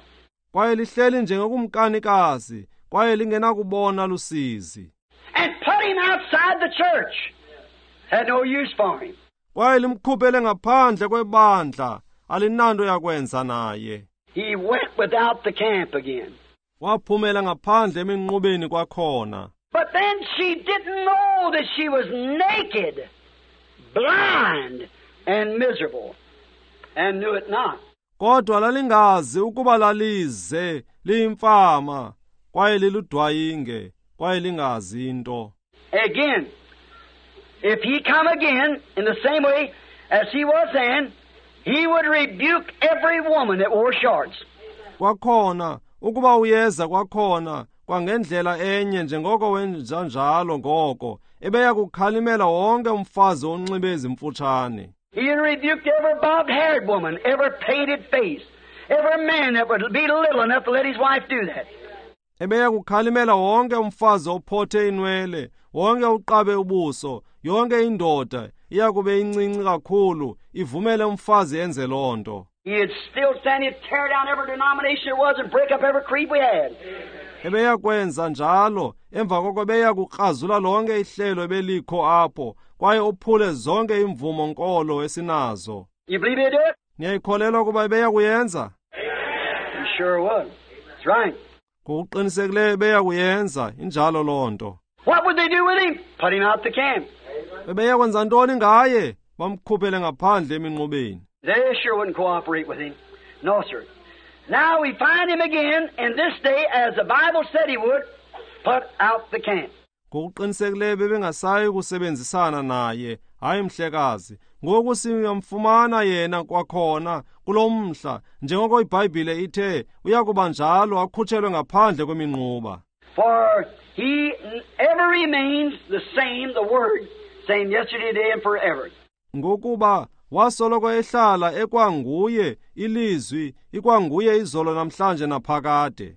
Kwaye lihleli njengokumkanikazi, kwaye lingenakubona lusizi. And put him outside the church. Had no use for him. Kwaye limkhuphele ngaphandle kwebandla, alinanto yakwenza naye. He went without the camp again. Waphumela ngaphandle eminqubeni kwakhona. But then she didn't know that she was naked, blind, and miserable, and knew it not. Kodwa lalingazi ukuba lalize liyimfama kwaye liludwayinge kwaye lingazi into. Again, if he come again in the same way as he was then, he would rebuke every woman that wore shorts. Kwakhona ukuba uyeza kwakhona kwangendlela enye njengoko wenza njalo ngoko, ebeya kukhalimela wonke umfazi onxibe ezimfutshane. He rebuked every bobbed-haired woman, every painted face, every man that would be little enough to let his wife do that. Ebeya kukhalimela wonke umfazi ophothe inwele, wonke uqabe ubuso, yonke indoda iyakube incinci kakhulu ivumele umfazi enze loo nto. He'd still stand, he'd tear down every denomination there was and break up every creed we had. Ebeya kwenza njalo, emva koko ebeya kukrazula lonke ihlelo ebelikho apho, kwaye uphule zonke imvumo nkolo esinazo. You believe he'd do it? Niyayikholelwa ukuba ebeya kuyenza? He sure would. That's right. Ngokuqinisekileyo ebeya kuyenza, injalo loo nto. What would they do with him? Put him out the camp. Bebeya kwenza ntoni ngaye? Bamkhuphele ngaphandle eminqubeni. They sure wouldn't cooperate with him. No, sir. Now we find him again in this day, as the Bible said he would, put out the camp. Ngokuqinisekileyo bebengasayi kusebenzisana naye, hayi mhlekazi. Ngoku siyamfumana yena kwakhona kulo mhla, njengoko iBhayibhile ithe uyakuba njalo akhutshelwe ngaphandle kweminquba. For he ever remains the same, the Word, same yesterday, today, and forever. Ngokuba Wasoloko ehlala ekwanguye ilizwi, ikwanguye izolo namhlanje naphakade.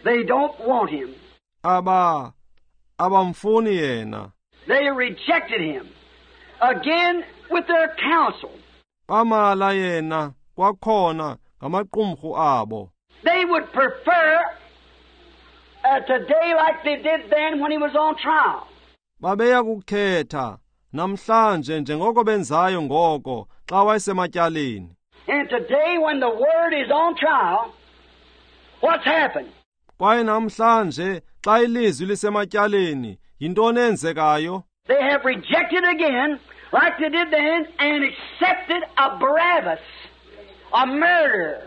They don't want him. Abamfuni yena. They rejected him again with their counsel. Bamala yena kwakhona ngamaqumrhu abo. They would prefer today like they did then when he was on trial. Babeya kukhetha namhlanje njengoko benzayo ngoko xa wayesematyaleni. And today when the word is on trial, what's happened? Kwaye namhlanje xa ilizwi lisematyaleni, yintoni eyenzekayo? They have rejected again, like they did then, and accepted a Barabbas, a murderer,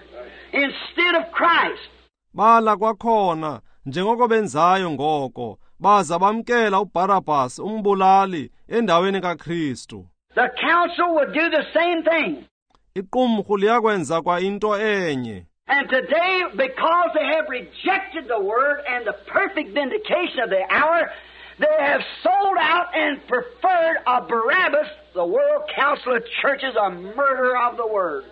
instead of Christ. Bala kwakhona njengoko benzayo ngoko, baza bamkela uBarabbas umbulali endaweni kaKristu. The council would do the same thing. Iqumrhu liyakwenza kwa into enye. And today, because they have rejected the word and the perfect vindication of the hour, they have sold out and preferred a Barabbas, the World Council of Churches, a murderer of the word.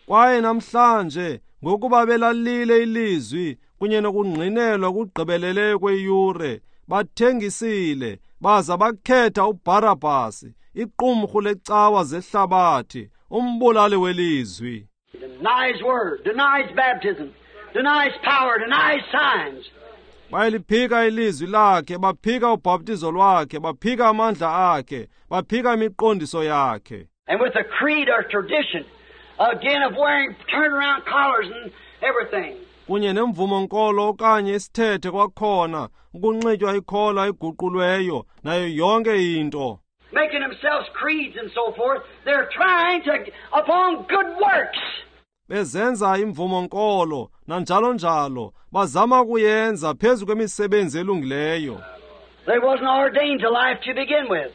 Kwaye namhlanje ngokuba belalile ilizwi kunye nokungqinelwa kugqibeleleyo kweyure, bathengisile baza bakhetha uBarabbas, iqumrhu lecawa zehlabathi, umbulali welizwi. Denies word, denies baptism, denies power, denies signs. Bayaliphika ilizwi lakhe, baphika ubhaptizo lwakhe, baphika amandla akhe, baphika imiqondiso yakhe. And with the creed or tradition, again of wearing turnaround collars and everything. Kunye nemvumo nkolo okanye isithethe kwakhona, ukunxitywa ikhola eguqulweyo nayo yonke into. Making themselves creeds and so forth, they're trying to, upon good works. Bezenza imvumo nkolo nanjalo njalo, bazama ukuyenza phezu kwemisebenzi elungileyo. They wasn't ordained to life to begin with.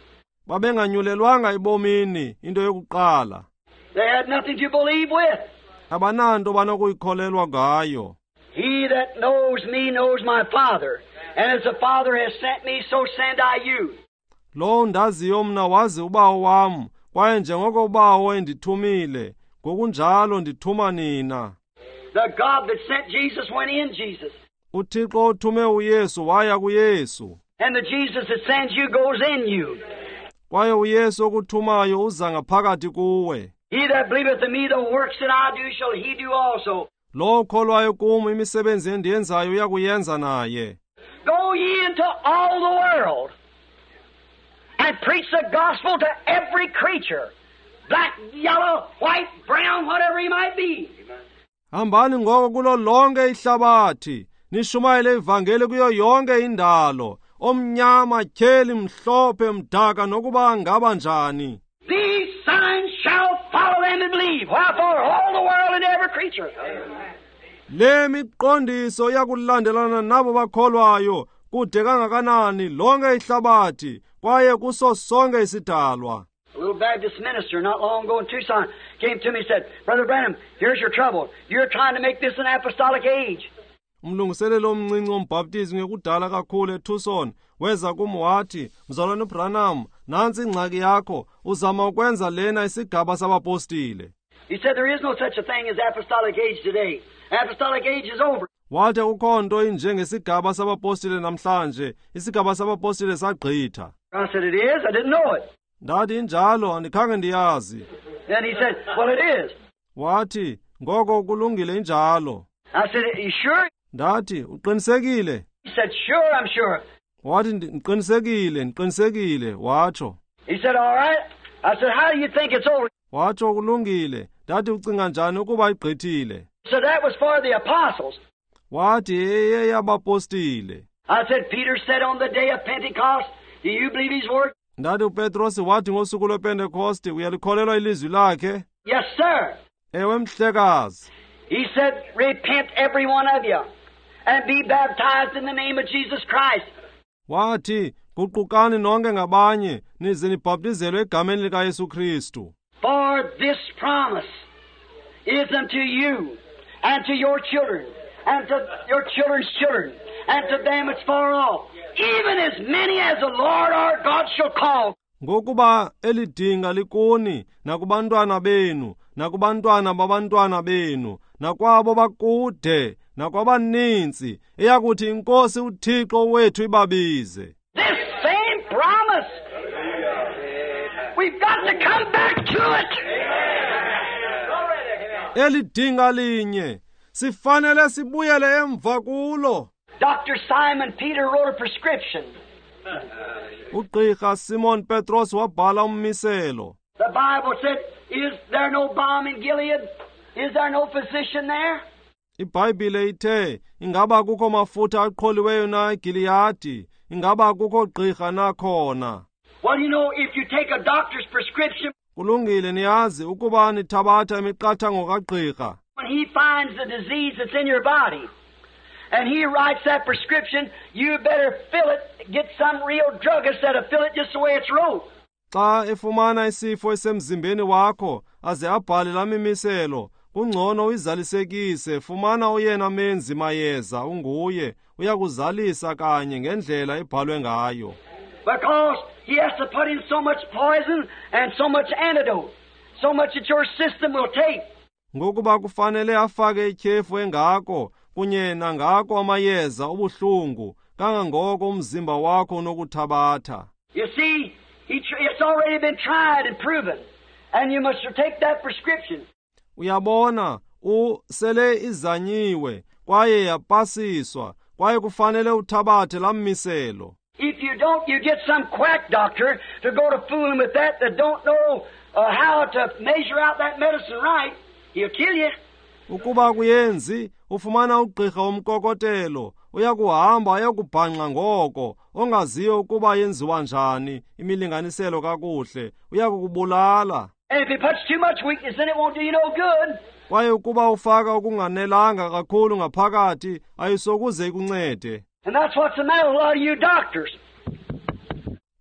Babenganyulelwanga ebomini into yokuqala. They had nothing to believe with. Abananto banokuyikholelwa ngayo. He that knows me knows my Father, and as the Father has sent me, so send I you. Lo ndaziyo mna wazi uBawo wam, kwaye njengoko uBawo endithumile, ngokunjalo ndithuma nina. The God that sent Jesus went in Jesus. UThixo othume uYesu waya kuYesu. And the Jesus that sends you goes in you. Kwaye uYesu okuthumayo uza ngaphakathi kuwe. He that believeth in me, the works that I do shall he do also. Lo okholwayo kum, imisebenzi endiyenzayo uyakuyenza naye. Go ye into all the world and preach the gospel to every creature, black, yellow, white, brown, whatever he might be. Hambani ngoko kulo lonke ihlabathi, nishumayele ivangeli kuyo yonke indalo, omnyama, tyheli, mhlophe, mdaka, nokuba ngaba njani. These signs shall follow them that believe. Wherefore all the world and every creature. Le miqondiso iyakulandelana nabo bakholwayo kude kangakanani lonke ihlabathi kwaye kuso sonke isidalwa. A little Baptist minister not long ago in Tucson came to me and said, Brother Branham, here's your trouble. You're trying to make this an apostolic age. Umlungiseleli omncinci wombhaptizi ngekudala kakhulu eTucson weza kum wathi, Mzalwane uBranham, nantsi ingxaki yakho, uzama ukwenza lena isigaba sabapostile. He said there is no such a thing as apostolic age today. Apostolic age is over. Wathi akukho nto injengesigaba sabapostile namhlanje, isigaba sabapostile sagqitha. I said, it is? I didn't know it. Ndathi injalo, andikhange ndiyazi. Then he said, well, it is. Wathi, ngoko kulungile injalo. I said, are you sure? Ndathi, uqinisekile? He said, sure, I'm sure. Wathi, ndiqinisekile, ndiqinisekile, watsho. He said, all right. I said, how do you think it's over? Watsho, kulungile. Ndathi, ucinga njani ukuba igqithile? So that was for the apostles. Wathi, eyeyabapostile. I said, Peter said on the day of Pentecost, do you believe his word? Ndathi, uPetrosi wathi ngosuku lwePentekoste, uyalikholelwa ilizwi lakhe? Yes, sir. Ewe, mhlekazi. He said, repent every one of you and be baptized in the name of Jesus Christ. Wathi, guqukani nonke ngabanye nize nibhaptizelwe egameni likaYesu Kristu. For this promise is unto you and to your children and to your children's children and to them that's far off, even as many as the Lord our God shall call. Ngokuba eli dinga likuni nakubantwana benu nakubantwana babantwana benu nakwabo bakude nakwabaninzi eyakuthi iNkosi uThixo wethu ibabize. This same promise. We've got to come back to it. Eli dinga linye sifanele sibuyele emva kulo. Dr. Simon Peter wrote a prescription. Ugqirha Simon Petros wabhala ummiselo. The Bible said, is there no balm in Gilead? Is there no physician there? IBhayibhile ithe, ingaba kukho mafutha aqholiweyo na eGiliyadi? Ingaba kukho gqirha na khona? Well, you know, if you take a doctor's prescription, Kulungile, niyazi ukuba nithabatha imiqathango kagqirha. When he finds the disease that's in your body, and he writes that prescription, you better fill it, get some real druggist that'll fill it just the way it's wrote. Xa efumana isifo esemzimbeni wakho, aze abhale laa mimiselo, kungcono uyizalisekise, fumana oyena menzi mayeza unguye, uyakuzalisa kanye ngendlela ebhalwe ngayo. Because he has to put in so much poison and so much antidote, so much that your system will take. Ngokuba kufanele afake ityhefu engako kunye nangako amayeza obuhlungu kangangoko umzimba wakho unokuthabatha. You see, it's already been tried and proven, and you must take that prescription. Uyabona, sele izanyiwe kwaye yapasiswa, kwaye kufanele uthabathe laa mmiselo. If you don't, you get some quack doctor to go to fooling with that don't know how to measure out that medicine right. He'll kill you. Ukuba kuyenzi, ufumana ugqirha womkokotelo, uyakuhamba ayokubhanxa ngoko, ongaziyo ukuba yenziwa njani imilinganiselo kakuhle, uyakukubulala. And if he puts too much weakness in it, won't do you no good. Kwaye ukuba ufaka ukunganelanga kakhulu ngaphakathi, ayisokuze ikuncede. And that's what's the matter with a lot of you doctors.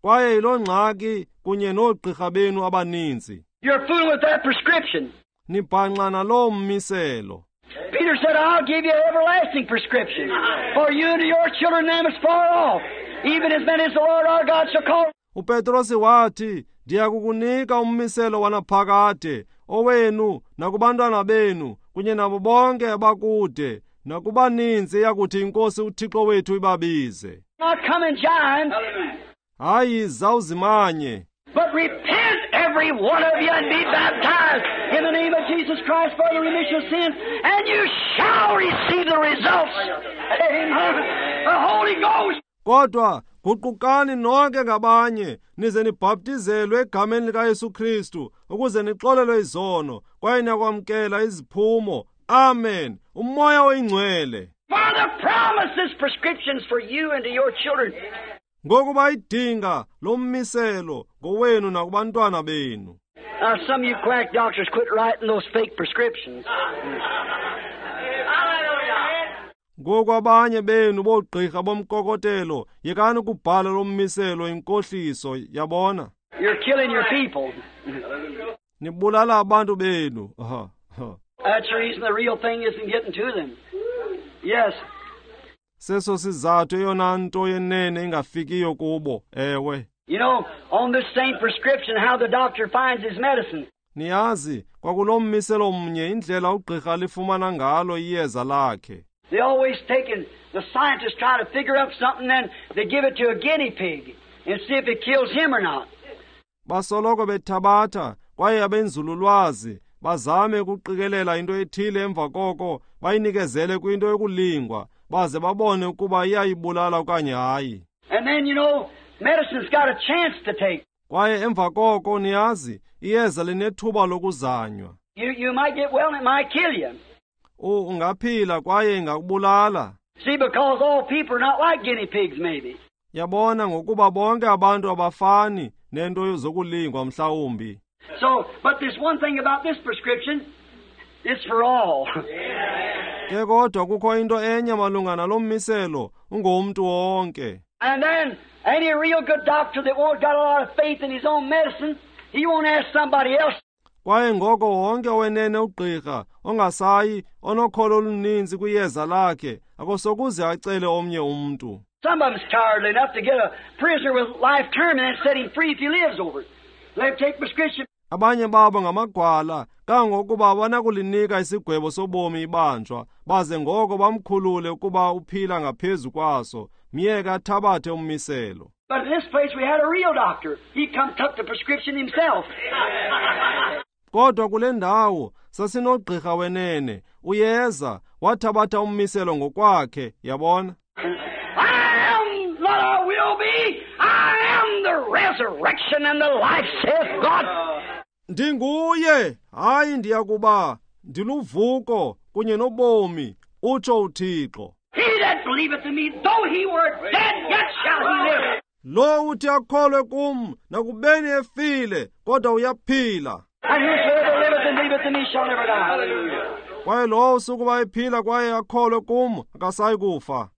Kwaye yiloo ngxaki kunye noogqirha benu abaninzi. You're fooling with that prescription. Nibhanxa naloo mmiselo. Peter said, I'll give you an everlasting prescription for you and your children them as far off, even as many as the Lord our God shall call. uPetrosi wathi, ndiyakukunika ummiselo wanaphakade, owenu nakubantwana benu kunye nabo bonke abakude nakubaninzi eyakuthi iNkosi uThixo wethu ibabize. Not come and join. Hayi, zawuzimanye. But repent, every one of you, and be baptized in the name of Jesus Christ for the remission of sins, and you shall receive the results. Amen. The Holy Ghost. Kodwa guqukani nonke ngabanye nize nibhaptizelwe egameni likaYesu Kristu ukuze nixolelwe izono kwaye niyakwamkela iziphumo. Amen. Umoya oyingcwele. For the promises, prescriptions for you and to your children. Ngokuba idinga lommiselo ngowenu nakubantwana benu. Now some of you quack doctors quit writing those fake prescriptions. Ngoku abanye benu boogqirha bomkokotelo yekani ukubhala lommiselo inkohliso, yabona. You're killing your people. Nibulala abantu benu. Aha. That's the reason the real thing isn't getting to them. Yes. Seso sizathu eyona nto yenene ingafikiyo kubo, ewe. You know, on this same prescription, how the doctor finds his medicine. Niyazi, kwakulo mmiselo mnye indlela ugqirha lifumana ngalo iyeza lakhe. They always taking the scientists try to figure up something, then they give it to a guinea pig and see if it kills him or not. Basoloko bethabatha kwaye abenzululwazi bazame ukuqikelela into ethile emva koko bayinikezele kwinto yokulingwa baze babone ukuba iyayibulala okanye hayi. And then, you know, medicine's got a chance to take. Kwaye emva koko niyazi iyeza linethuba lokuzanywa. You might get well and it might kill you. Ungaphila kwaye ingakubulala. See, because all people are not like guinea pigs, maybe. Yabona ngokuba bonke abantu abafani nento zokulingwa mhlawumbi. So, but there's one thing about this prescription, it's for all. Ke kodwa kukho into enye malunga nalo mmiselo, ungomntu wonke. And then any real good doctor that won't got a lot of faith in his own medicine, he won't ask somebody else. Kwaye ngoko wonke wenene ugqirha ongasayi onokholo oluninzi kwiyeza lakhe akosokuze acele omnye umntu. Some of them's cowardly enough to get a prisoner with life term and then set him free if he lives over it. Let him take prescription. Abanye babo ngamagwala kangokuba banakulinika isigwebo sobomi ibanjwa baze ngoko bamkhulule ukuba uphila ngaphezu kwaso myeke athabathe ummiselo. But in this place we had a real doctor. He come took the prescription himself. Kodwa kule ndawo sasinogqirha wenene uyeza wathabatha ummiselo ngokwakhe yabona. I am what I will be. I am the resurrection and the life, saith God. Ndinguye, hayi ndiyakuba ndiluvuko kunye nobomi, utsho uThixo. He that believeth in me, though he were dead, yet shall he live. Lo uthi akholwe kum nakubeni efile kodwa uyaphila. And whosoever liveth and believeth in me shall never die. Hallelujah. Kwaye lowo usukuba ephila kwaye akholwe kum akasayi kufa.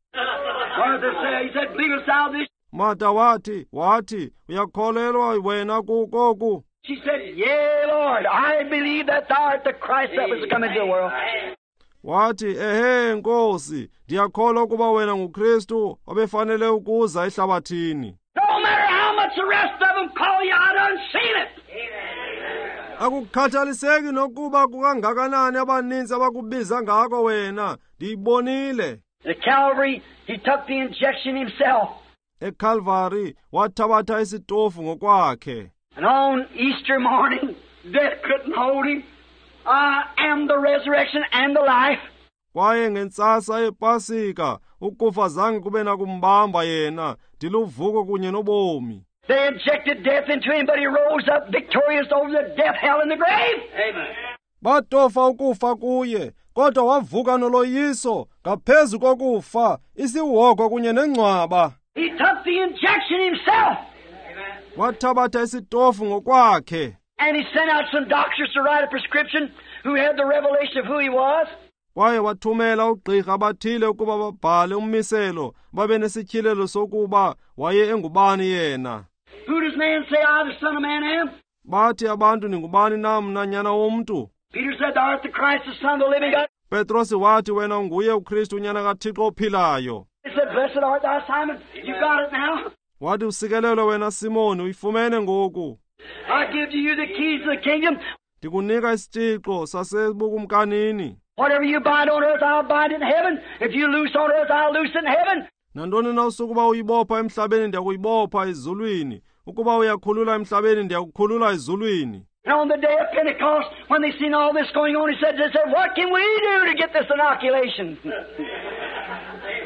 Martha said, he said, believest thou this? Martha wathi uyakholelwa wena kukoku? She said, Yea, Lord, I believe that thou art the Christ that was to come into the world. Wathi, ehe Nkosi, ndiyakholwa ukuba wena nguKristu obefanele ukuza ehlabathini. No matter how much the rest of them call you, I done seen it. Akukhathaliseki nokuba kukangakanani abaninzi abakubiza ngako wena, ndiyibonile. At Calvary, he took the injection himself. ECalvary wathabatha isitofu ngokwakhe. And on Easter morning, death couldn't hold him. I am the resurrection and the life. Kwaye ngentsasa yePasika ukufa zange kube nakumbamba yena, ndiluvuko kunye nobomi. They injected death into him, but he rose up victorious over the death, hell, and the grave. Amen. Batofa ukufa kuye, kodwa wavuka noloyiso ngaphezu kokufa, isihogo kunye nengcwaba. He took the injection himself. Wathabatha isitofu ngokwakhe. And he sent out some doctors to write a prescription who had the revelation of who he was. Kwaye wathumela ugqirha abathile ukuba babhale ummiselo babe nesityhilelo sokuba waye engubani yena. Who does man say I, the Son of Man, am? Bathi abantu ningubani na mna nyana womntu? Peter said, Thou art the Christ, the Son of the living God. Petrosi wathi wena unguye uKristu unyana kaThixo ophilayo. He said, Blessed art thou, Simon. You got it now. Wathi usikelelwe wena Simoni, uyifumene ngoku. I give to you the keys of the kingdom. Ndikunika isitshixo sasebukumkanini. Whatever you bind on earth, I'll bind in heaven. If you loose on earth, I'll loose in heaven. Nantoni na usukuba uyibopha emhlabeni ndiyakuyibopha ezulwini. Ukuba uyakhulula emhlabeni ndiyakukhulula ezulwini. And on the day of Pentecost, when they seen all this going on, they said, What can we do to get this inoculation?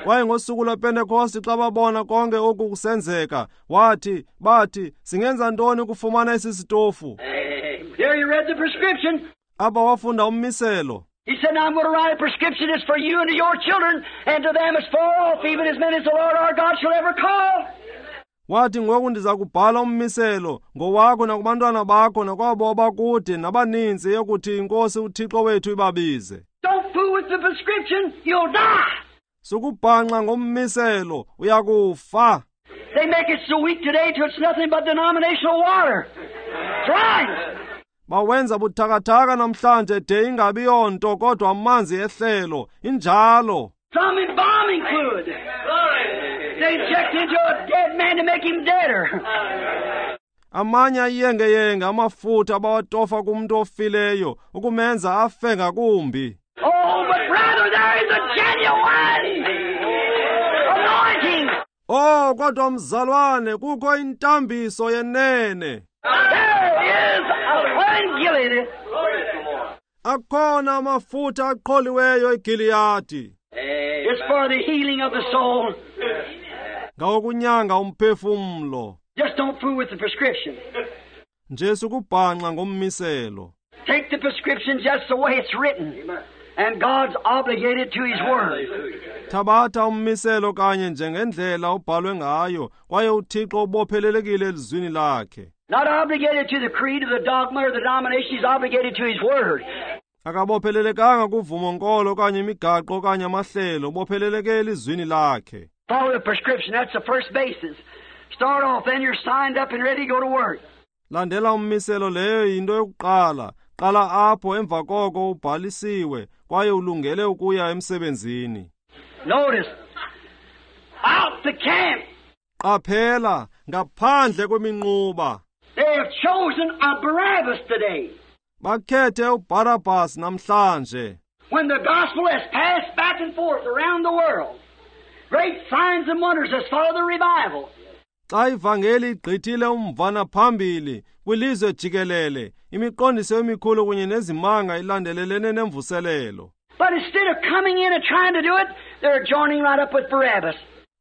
Kwaye ngosuku lwePentekoste xa babona konke oku kusenzeka, wathi, bathi, singenza ntoni ukufumana esi sitofu? There you read the prescription. Apha wafunda ummiselo. He said, Now I'm going to write a prescription. It's for you and to your children, and to them as far off, even as many as the Lord our God shall ever call. Wathi ngoku ndiza kubhala ummiselo ngowakho nakubantwana bakho nakwabo abakude nabaninzi yokuthi iNkosi uThixo wethu ibabize. Don't fool with the prescription, you'll die. Sukubhanxa ngommiselo, uyakufa. They make it so weak today till it's nothing but denominational water. That's right. Bawenza buthakathaka namhlanje de ingabi yonto kodwa amanzi ehlelo injalo. Some embalming fluid. They inject into a dead man to make him deader. Amanye ayengeyenge amafutha abawatofa kumntu ofileyo ukumenza afe ngakumbi. Oh, but brother, there is a genuine anointing. Oh, kodwa mzalwane kukho intambiso yenene. There is a Gilead. Akhona amafutha aqholiweyo eGiliyadi. It's for the healing of the soul. Ngawokunyanga umphefumlo. Just don't fool with the prescription. Nje sukubhanxa ngommiselo. Take the prescription just the way it's written. And God's obligated to His Word. Thabatha ummiselo kanye njengendlela ubhalwe ngayo, kwaye uThixo ubophelelekile elizwini lakhe. Not obligated to the creed or the dogma or the denomination, He's obligated to His Word. Akabophelelekanga kuvumo nkolo okanye imigaqo okanye amahlelo, ubopheleleke elizwini lakhe. Follow the prescription, that's the first basis. Start off, then you're signed up and ready to go to work. Landela ummiselo, leyo yinto yokuqala. Qala apho, emva koko ubhalisiwe kwaye ulungele ukuya emsebenzini. Notice, Out the camp. Qaphela, ngaphandle kweminquba. They have chosen a Barabbas today. Bakhethe uBarabbas namhlanje. When the gospel has passed back and forth around the world, great signs and wonders has followed the revival. Xa ivangeli igqithile umvana phambili kwilizwe jikelele, imiqondiso emikhulu kunye nezimanga ilandelelene nemvuselelo. But instead of coming in and trying to do it, they're joining right up with Barabbas.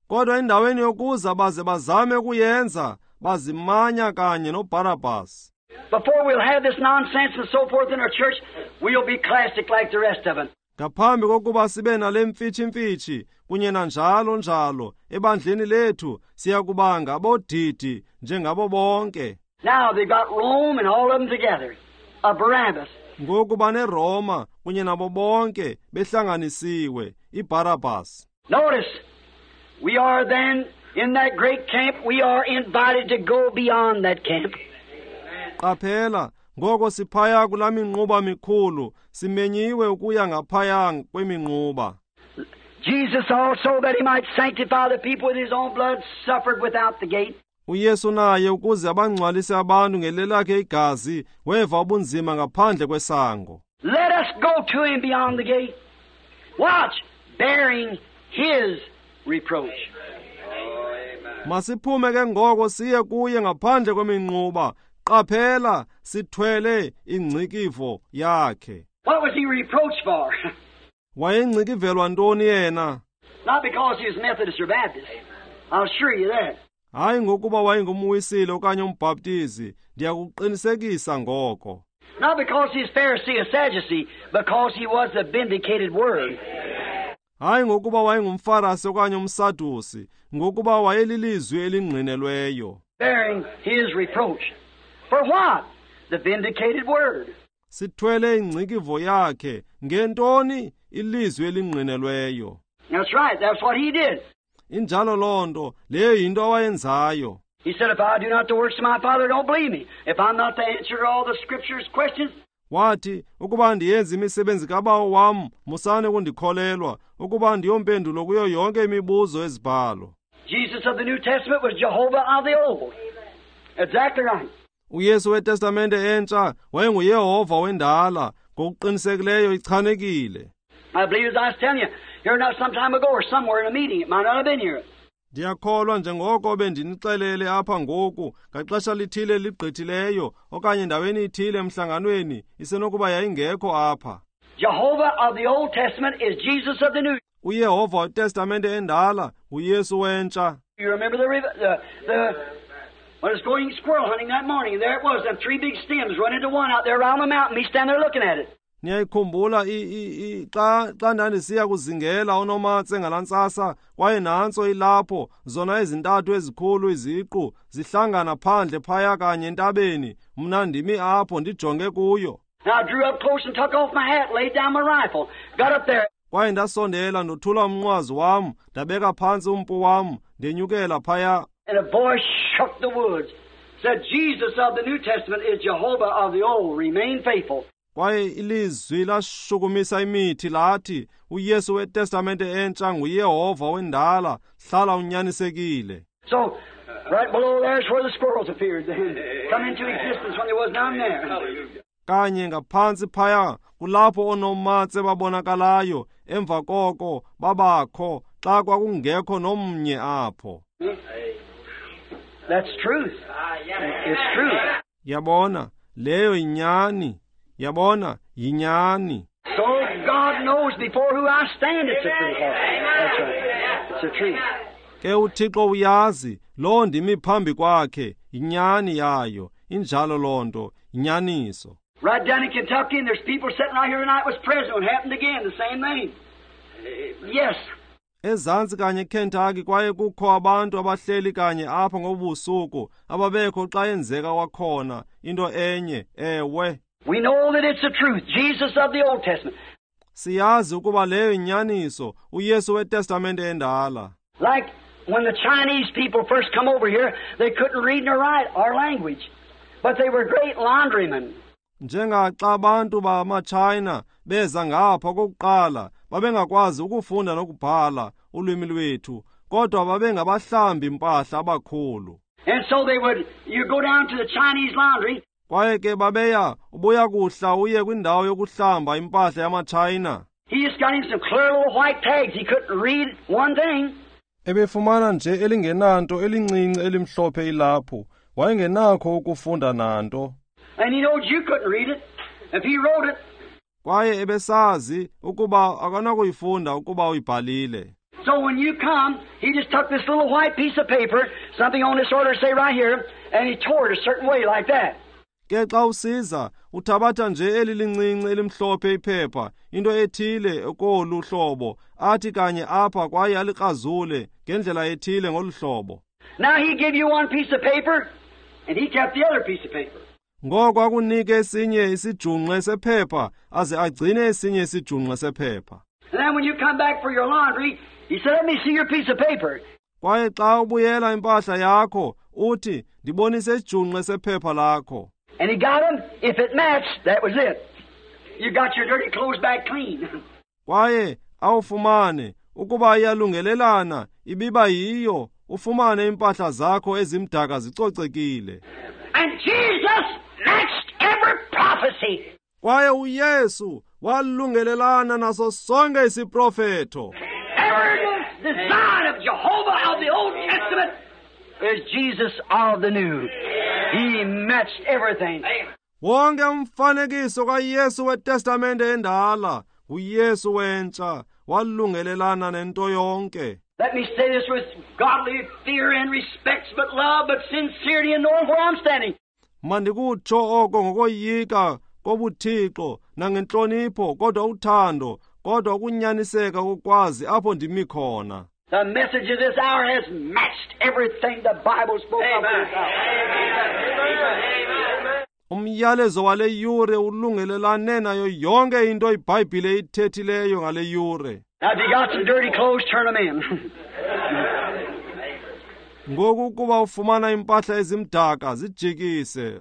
Kodwa endaweni yokuza baze bazame ukuyenza, bazimanya kanye noBarabbas. Before we'll have this nonsense and so forth in our church, we'll be classic like the rest of them. Ngaphambi kokuba sibe nale mfitshi-mfitshi kunye nanjalo njalo ebandleni lethu, siya kuba ngabodidi njengabo bonke. Now they've got Rome and all of them together, a Barabbas. Ngoku baneRoma kunye nabo bonke behlanganisiwe, iBarabbas. Notice, we are then in that great camp, we are invited to go beyond that camp. Qaphela, ngoko siphaya kulaa minquba mikhulu, simenyiwe ukuya ngaphaya kweminquba. Jesus also, that he might sanctify the people with his own blood, suffered without the gate. UYesu naye ukuze abangcwalise abantu ngelelakhe igazi, weva ubunzima ngaphandle kwesango. Let us go to him beyond the gate. Watch, bearing his reproach. Masiphume ke ngoko siye kuye ngaphandle kweminquba. Qaphela, sithwele ingcikivo yakhe. What was he reproached for? Wayengcikivelwa ntoni yena? Not because he was Methodist or Baptist. I'll assure you that. Hayi ngokuba wayengumwisile okanye umbhaptizi, ndiyakuqinisekisa ngoko. Not because he was Pharisee or Sadducee, because he was the vindicated word. Hayi ngokuba wayengumfarasi okanye umsadusi, ngokuba wayelilizwi elingqinelweyo. Bearing his reproach. For what? The vindicated word. Sithwele ingcikivo yakhe ngentoni? Ilizwi elingqinelweyo. That's right. That's what he did. Injalo loo nto, leyo yinto awayenzayo. He said, if I do not the works of my Father, don't believe me. If I'm not the answer to all the Scriptures' questions. Wathi, ukuba ndiyenza imisebenzi kaBawo wam, musani ukundikholelwa, ukuba ndiyompendulo kuyo yonke imibuzo ezibhalo. Jesus of the New Testament was Jehovah of the Old. Exactly right. UYesu weTestamente entsha wayenguYehova wendala, ngokuqinisekileyo ichanekile. I believe, as I was telling you, here not some time ago or somewhere in a meeting, it might not have been here. Ndiyakholwa njengoko bendinixelele apha ngoku, ngaxesha lithile ligqithileyo okanye endaweni ithile emhlanganweni, isenokuba yayingekho apha. Jehovah of the Old Testament is Jesus of the New. UYehova weTestamente endala nguYesu wentsha. You remember the when I was going squirrel hunting that morning, there it was, them three big stems run into one out there around the mountain, me standing there looking at it. Niyayikhumbula xa ndandisiya kuzingela onomatse ngalaa ntsasa, kwaye nantso ilapho, zona ezintathu ezikhulu iziqu zihlangana phandle phaya kanye entabeni, mna ndimi apho ndijonge kuyo. I drew up close and took off my hat, laid down my rifle, got up there. Kwaye ndasondela ndothula umnqwazi wam, ndabeka phantsi umpu wam, ndenyukela phaya. And a voice shook the woods, said, Jesus of the New Testament is Jehovah of the Old. Remain faithful. Kwaye ilizwi lashukumisa imithi lathi, uYesu weTestamente entsha nguYehova wendala, hlala unyanisekile. So, right below there is where the squirrels appeared then, come into existence when there was none there. Kanye ngaphantsi phaya kulapho oonomatse babonakalayo, emva koko babakho xa kwakungekho nomnye apho. That's truth. It's truth. Yabona, leyo yinyani. Yabona, yinyani. So God knows before who I stand, it's the truth. That's right. It's the truth. Ke uThixo uyazi, loo ndimi phambi kwakhe, yinyani yayo. Injalo loo nto, yinyaniso. Right down in Kentucky, and there's people sitting right here tonight was present when it happened again, the same thing. Yes. Ezantsi kanye eKentucky kwaye kukho abantu abahleli kanye apha ngobusuku ababekho xa yenzeka kwakhona into enye, ewe. We know that it's the truth, Jesus of the Old Testament. Siyazi ukuba leyo yinyaniso, uYesu weTestamente endala. Like when the Chinese people first come over here, they couldn't read nor write our language, but they were great laundrymen. Njengaxa abantu bamaChina beza ngapha okokuqala, babengakwazi ukufunda nokubhala ulwimi lwethu, kodwa babengabahlambi mpahla abakhulu. And so they would, you go down to the Chinese laundry. Kwaye ke babeya ubuya kuhla uye kwindawo yokuhlamba impahla yamaChina. He just got him some clear little white tags. He couldn't read one thing. Ebefumana nje elingenanto elincinci elimhlophe ilaphu. Wayengenakho ukufunda nanto. And he knows you couldn't read it if he wrote it. Kwaye ebesazi ukuba akanakuyifunda ukuba uyibhalile. So when you come, he just took this little white piece of paper, something on this order, say right here, and he tore it a certain way like that. Ke xa usiza, uthabatha nje eli lincinci elimhlophe iphepha, into ethile kolu hlobo, athi kanye apha kwaye alikrazule ngendlela ethile ngolu hlobo. Now he give you one piece of paper, and he kept the other piece of paper. Ngoko akunike esinye isijungqe sephepha, aze agcine esinye isijungqe sephepha. And then when you come back for your laundry, he said, "Let me see your piece of paper." Kwaye xa ubuyela impahla yakho, uthi, "Ndibonise isijungqe sephepha lakho." And he got them. If it matched, that was it. You got your dirty clothes back clean. Kwaye awufumane ukuba iyalungelelana, ibiba yiyo, ufumane impahla zakho ezimdaka zicocekile. And Jesus matched every prophecy. Kwaye uYesu walungelelana naso sonke isiprofeto. Every design of Jehovah of the Old Testament is Jesus of the New. He matched everything. Wonke umfanekiso kaYesu weTestamente endala, uYesu wentsha, walungelelana nento yonke. Let me say this with godly fear and respect, but love, but sincerity, and knowing where I'm standing. Mandikutsho oko ngokoyika kobuthixo nangentlonipho, kodwa uthando, kodwa ukunyaniseka kokwazi apho ndimi khona. The message of this hour has matched everything the Bible spoke of this hour. Umyalezo wale yure ulungelelane nayo yonke into iBhayibhile ithethileyo ngale yure. Now, if you got some dirty clothes, turn them in. Ngoku kuba ufumana impahla ezimdaka, zijikise.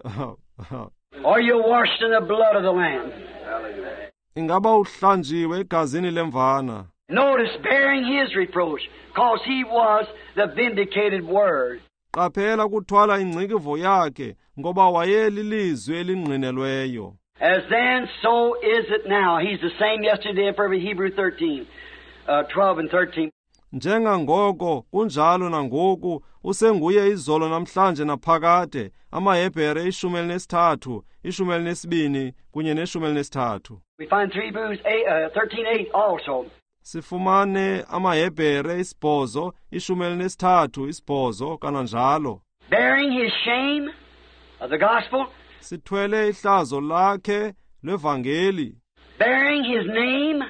Are you washed in the blood of the Lamb? Ingaba uhlanjiwe egazini lemvana? Notice, bearing his reproach, cause he was the vindicated word. Qaphela kuthwala ingcikivo yakhe, ngoba wayelilizwi elingqinelweyo. As then, so is it now. He's the same yesterday and forever. Hebrew 13, 12 and 13. Njengangoko kunjalo nangoku, usenguye izolo namhlanje naphakade. AmaHebhere 13, 12 kunye ne-13. We find Hebrews 13:8 also. Sifumane amaHebhere 8, 13, 8 kananjalo. Bearing his shame of the gospel. Sithwele ihlazo lakhe lwevangeli. Bearing his name.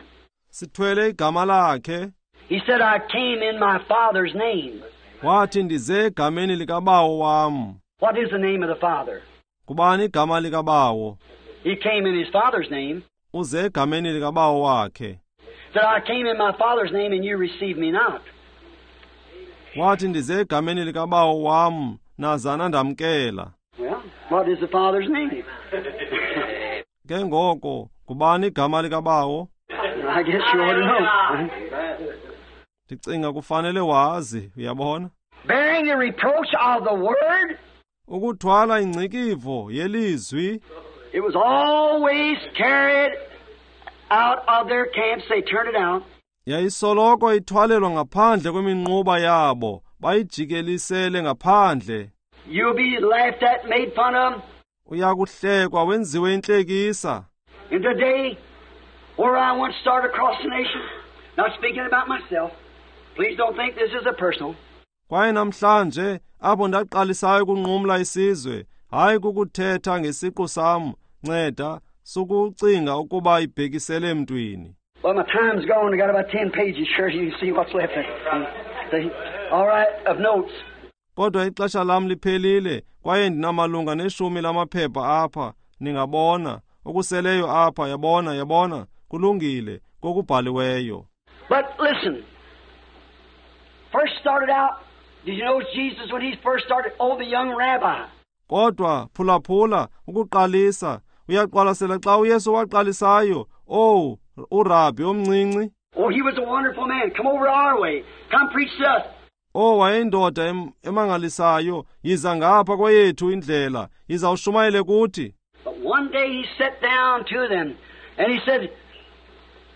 Sithwele igama lakhe. He said, I came in my Father's name. Wathi ndize egameni likaBawo wam. What is the name of the Father? Kubani igama likaBawo? He came in his Father's name. Uze egameni likaBawo wakhe. Said, I came in my Father's name and you received me not. Wathi ndize egameni likaBawo wam, nazana ndamkela. Well, what is the Father's name? Ke ngoko, kubani igama likaBawo? I guess you ought to know. Ndicinga kufanele wazi, uyabona? Bearing the reproach of the word. Ukuthwala ingcikivo yelizwi. It was always carried out of their camps. They turned it out. Yayisoloko ithwalelwa ngaphandle kweminquba yabo, bayijikelisele ngaphandle. You'll be laughed at, made fun of. Uyakuhlekwa wenziwe intlekisa. And today, where I once started across the nation, not speaking about myself, please don't think this is a personal. Kwaye namhlanje apho ndaqalisayo ukunqumla isizwe, hayi kukuthetha ngesiqu sam, nceda sukucinga ukuba ibhekisele emntwini. Well, my time's gone. I got about 10 pages. Sure, you can see what's left there. See? All right, of notes. Kodwa ixesha lam liphelile, kwaye ndinamalunga neshumi lamaphepha apha, ningabona okuseleyo apha, yabona, yabona, kulungile kokubhaliweyo. But listen, first started out, did you know Jesus when he first started, oh, the young rabbi. Kodwa phulaphula ukuqalisa, uyaqwalasela xa uYesu waqalisayo, oh, urabi omncinci. Oh, he was a wonderful man. Come over our way. Come preach to us. O wayeyindoda emangalisayo, yiza ngapha kweyethu indlela, yiza ushumayele kuthi. But one day he sat down to them and he said,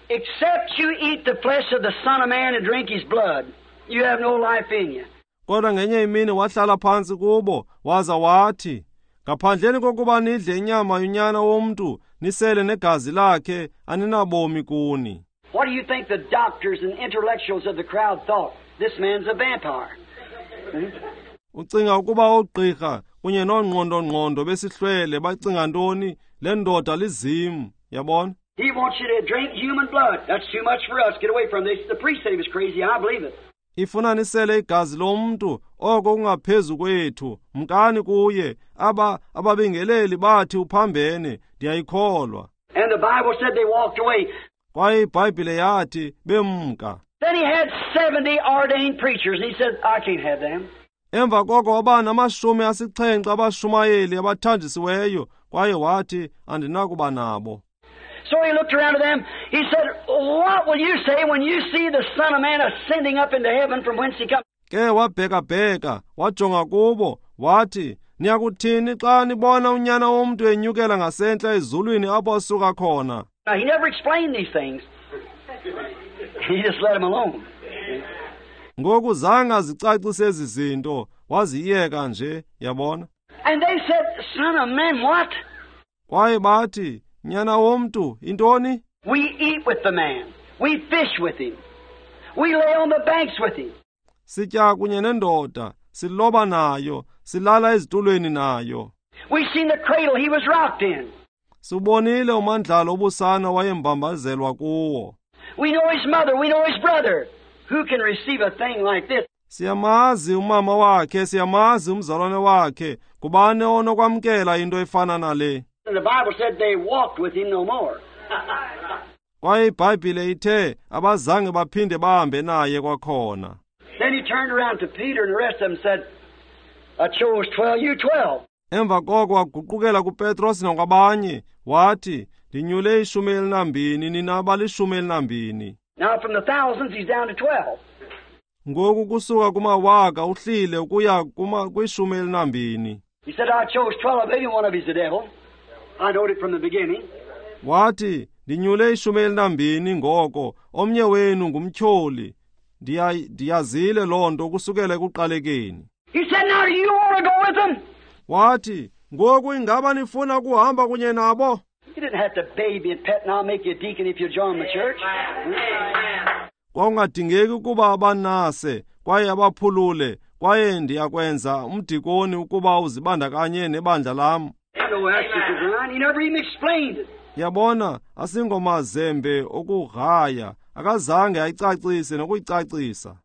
"Except you eat the flesh of the Son of Man and drink his blood, you have no life in you." Kodwa ngenye imini wahlala phantsi kubo waza wathi, ngaphandleni kokuba nidle inyama yonyana womntu nisele negazi lakhe, aninabomi kuni. What do you think the doctors and intellectuals of the crowd thought? This man's a vampire. Ucinga ukuba oogqirha kunye noongqondo-ngqondo besihlwele bacinga ntoni? Le ndoda lizimu, yabona? He wants you to drink human blood. That's too much for us. Get away from this. The priest said he was crazy. I believe it. Ifuna nisele igazi lomntu, oko kungaphezu kwethu. Mkani kuye. Ababingeleli bathi uphambene. Ndiyayikholwa. And the Bible said they walked away. Kwaye iBhayibhile yathi bemka. Then he had 70 ordained preachers, and he said, "I can't have them." Emva koko waba nama-70 abashumayeli abathanjisiweyo, kwaye wathi, andinakuba nabo. So he looked around at them. He said, "What will you say when you see the Son of Man ascending up into heaven from whence he comes?" Ke wabheka-bheka, wajonga kubo, wathi, niyakuthini xa nibona unyana womntu enyukela ngasentla ezulwini apho asuka khona? Now, he never explained these things. He just let them alone. Ngoku zange azicacise ezi zinto, waziyeka nje, yabona? And they said, "Son of Man, what?" Kwaye bathi, nyana womntu, intoni? We eat with the man. We fish with him. We lay on the banks with him. Sitya kunye nendoda, siloba nayo, silala ezitulweni nayo. We seen the cradle he was rocked in. Sibonile umandlalo obusana wayembambazelwa kuwo. We know his mother, we know his brother. Who can receive a thing like this? Siyamazi umama wakhe, siyamazi umzalwane wakhe. Kubani onokwamkela into efana nale? And the Bible said they walked with him no more. Kwaye iBhayibhile ithe abazange baphinde bahambe naye kwakhona. Then he turned around to Peter and the rest of them said, "I chose 12, you 12. Emva koko waguqukela kuPetros nakwabanye wathi, ndinyule 12, nina abali-12. Now from the thousands he's down to 12. Ngoku kusuka kumawaka uhlile ukuya kwi-12. He said, "I chose 12, every one of you's the devil. I knowed it from the beginning." Wathi, ndinyule 12 ngoko, omnye wenu ngumtyholi. Ndiyazile loo nto kusukela ekuqalekeni. He said, "Now do you want to go with them?" Wathi, ngoku ingaba nifuna ukuhamba kunye nabo? You didn't have to baby and pet and I'll make you a deacon if you join the church. Kwakungadingeki ukuba abanase kwaye abaphulule, kwaye ndiyakwenza umdikoni ukuba uzibandakanye nebandla lam. No axe to grind. He never even explained it. Yabona, asingomazembe okugraya, akazange ayicacise nokuyicacisa.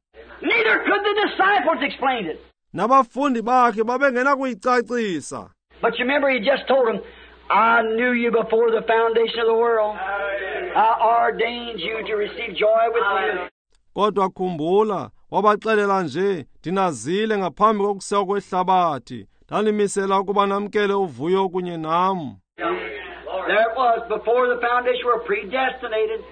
Neither could the disciples explain it. Nabafundi bakhe babengenakuyicacisa. But you remember he just told them, "I knew you before the foundation of the world. I ordained you to receive joy with me." Kodwa khumbula, wabaxelela nje, ndinazile ngaphambi kokusekwa kwehlabathi, ndanimisela ukuba namkele uvuyo kunye nam. There it was, before the foundation were predestinated.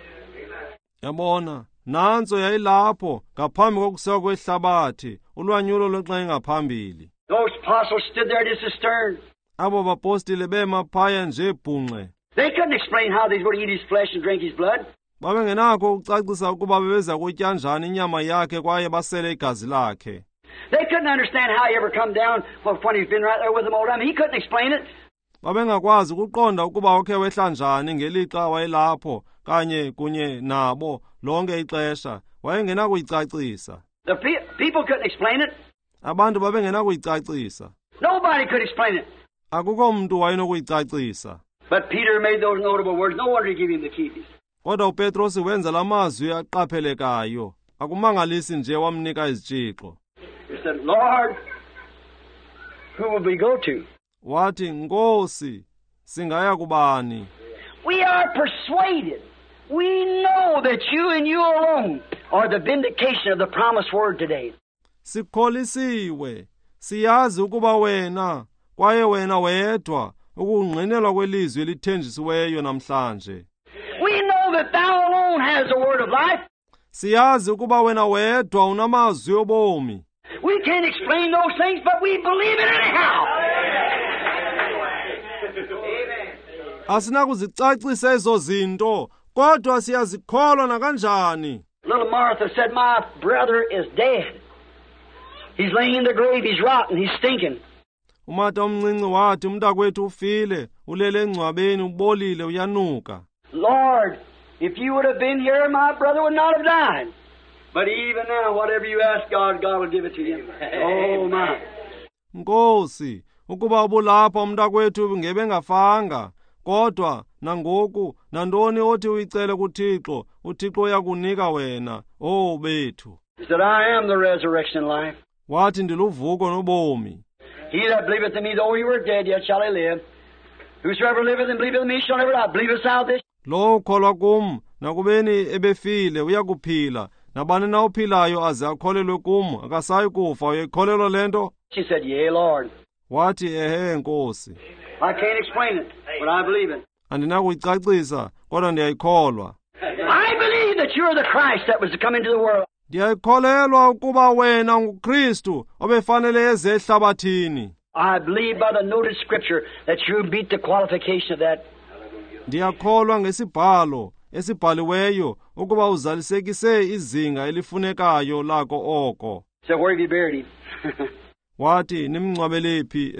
Yabona, nantso yayilapho ngaphambi kokusekwa kwehlabathi, ulwanyulo lwenxa engaphambili. Those apostles stood there just as stern. Abo bapostile bema phaya nje bhunxe. They couldn't explain how they were to eat his flesh and drink his blood. Babengenakho ukucacisa ukuba bebeza kutya njani inyama yakhe kwaye basele igazi lakhe. They couldn't understand how he ever come down when he's been right there with them all the time. He couldn't explain it. Babengakwazi ukuqonda ukuba ukhe wehla njani ngelixa wayelapho kanye kunye nabo lonke ixesha. Wayengenakuyicacisa. The people couldn't explain it. Abantu babengenakuyicacisa. Nobody could explain it. Akukho mntu wayenokuyicacisa. But Peter made those notable words. No wonder he gave him the keys. Kodwa uPetros wenza lamazwi aqaphelekayo. Akumangalisi nje wamnika izitshixo. He said, "Lord, who will we go to?" Wathi, Nkosi, singaya kubani? We are persuaded. We know that you and you alone are the vindication of the promised word today. Sikholisiwe. Siyazi ukuba wena, kwaye wena wedwa, ukungqinelwa kwelizwi elithenjisiweyo namhlanje. We know that thou alone has the word of life. Siyazi ukuba wena wedwa unamazwi obomi. We can't explain those things, but we believe it anyhow. Asinakuzicacisa ezo zinto, kodwa siyazikholwa nakanjani. Little Martha said, "My brother is dead. He's laying in the grave, he's rotten, he's stinking." Umata omncinci wathi, umntakwethu ufile, ulele engcwabeni, ubolile, uyanuka. Lord, if you would have been here, my brother would not have died. But even now, whatever you ask God, God will give it to you. Oh, my. Nkosi, ukuba ubulapha umntakwethu ngebengafanga, kodwa nangoku nantoni othi uyicele kuThixo, uThixo uyakunika wena. Oh, bethu. He said, "I am the resurrection and life." Wathi, ndiluvuko nobomi. He that believeth in me, though he were dead, yet shall he live. Whosoever liveth and believeth in me shall never die. Believest thou this? Lo ukholwa kum, nakubeni ebefile, uyakuphila. Nabani na ophilayo aze akholelwe kum, akasayi kufa. Uyayikholelwa le nto? She said, "Yea, Lord." Wathi, ehe, Nkosi. I can't explain it, but I believe it. Andinakuyicacisa, kodwa ndiyayikholwa. I believe that you are the Christ that was to come into the world. Ndiyayikholelwa ukuba wena nguKristu obefanele eze ehlabathini. I believe by the noted scripture that you meet the qualification of that. Ndiyakholwa ngesibhalo esibhaliweyo ukuba uzalisekise izinga elifunekayo lako oko. So where have you buried him? Wathi, nimngcwabele phi?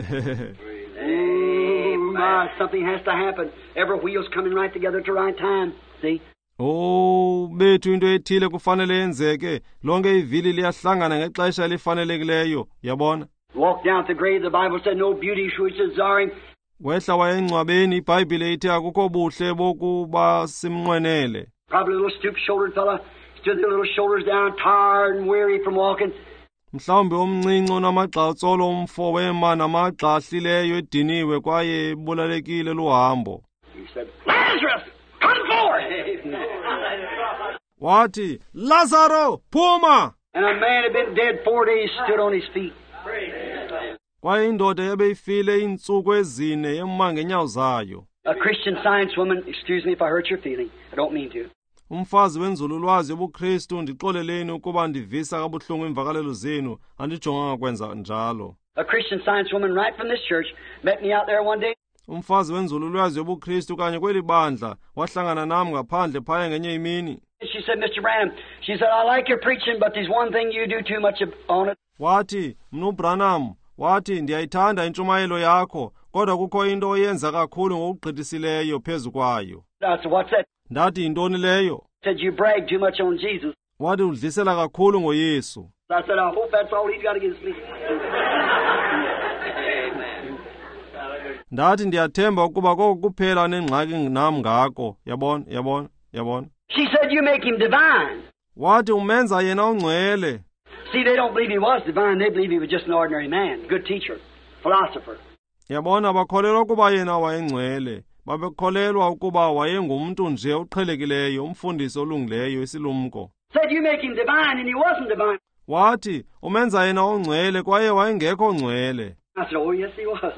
Oh, my, something has to happen. Every wheel's coming right together at the right time. See? Oh, bethu, into ethile kufanele yenzeke. Lonke ivili liyahlangana ngexesha elifanelekileyo. Yabona? Walk down to the grave, the Bible said no beauty which desire him. Wehla waya engcwabeni, iBhayibhile ithe akukho buhle bokuba simnqwenele. Probably a little stoop-shouldered fella, stood their little shoulders down, tired and weary from walking. Mhlawumbi omncinci onamagxa umfo wema namagxa ahlileyo ediniwe kwaye ebulalekile luhambo. He said, "Lazarus, come forth!" Wathi, Lazaro, phuma! And a man had been dead 4 days, stood on his feet. Kwaye indoda ebeyifile iintsuku ezine yema ngeenyawo zayo. A Christian Science woman, excuse me if I hurt your feeling, I don't mean to. Umfazi wenzululwazi yobuKristu, ndixoleleni ukuba ndivisa kabuhlungu iimvakalelo zenu, andijonganga kwenza njalo. A Christian Science woman right from this church met me out there one day. Umfazi wenzululwazi yobuKristu kanye kweli bandla wahlangana nam ngaphandle phaya ngenye imini. She said, "Mr. Branham," she said, "I like your preaching, but there's one thing you do too much on it." Wathi, Mnu Branham, wathi, ndiyayithanda intshumayelo yakho, kodwa kukho into oyenza kakhulu ngokugqithisileyo phezu kwayo. I said, "What's that?" Ndathi, yintoni leyo? Said, "You brag too much on Jesus." Wathi, udlisela kakhulu ngoYesu. I said, "I hope that's all he's got against me." Ndathi, ndiyathemba ukuba koko kuphela nengxaki nam ngako. Yabona, yabona, yabona. She said, "You make him divine." Wathi, umenza yena ongcwele. See, they don't believe he was divine. They believe he was just an ordinary man, good teacher, philosopher. Yabona, bakholelwa ukuba yena wayengcwele. Babekholelwa ukuba wayengumntu nje oqhelekileyo, umfundisi olungileyo, isilumko. Said, "You make him divine," and he wasn't divine. Wathi, umenza yena ongcwele kwaye wayengekho ongcwele. I said, "Oh, yes, he was."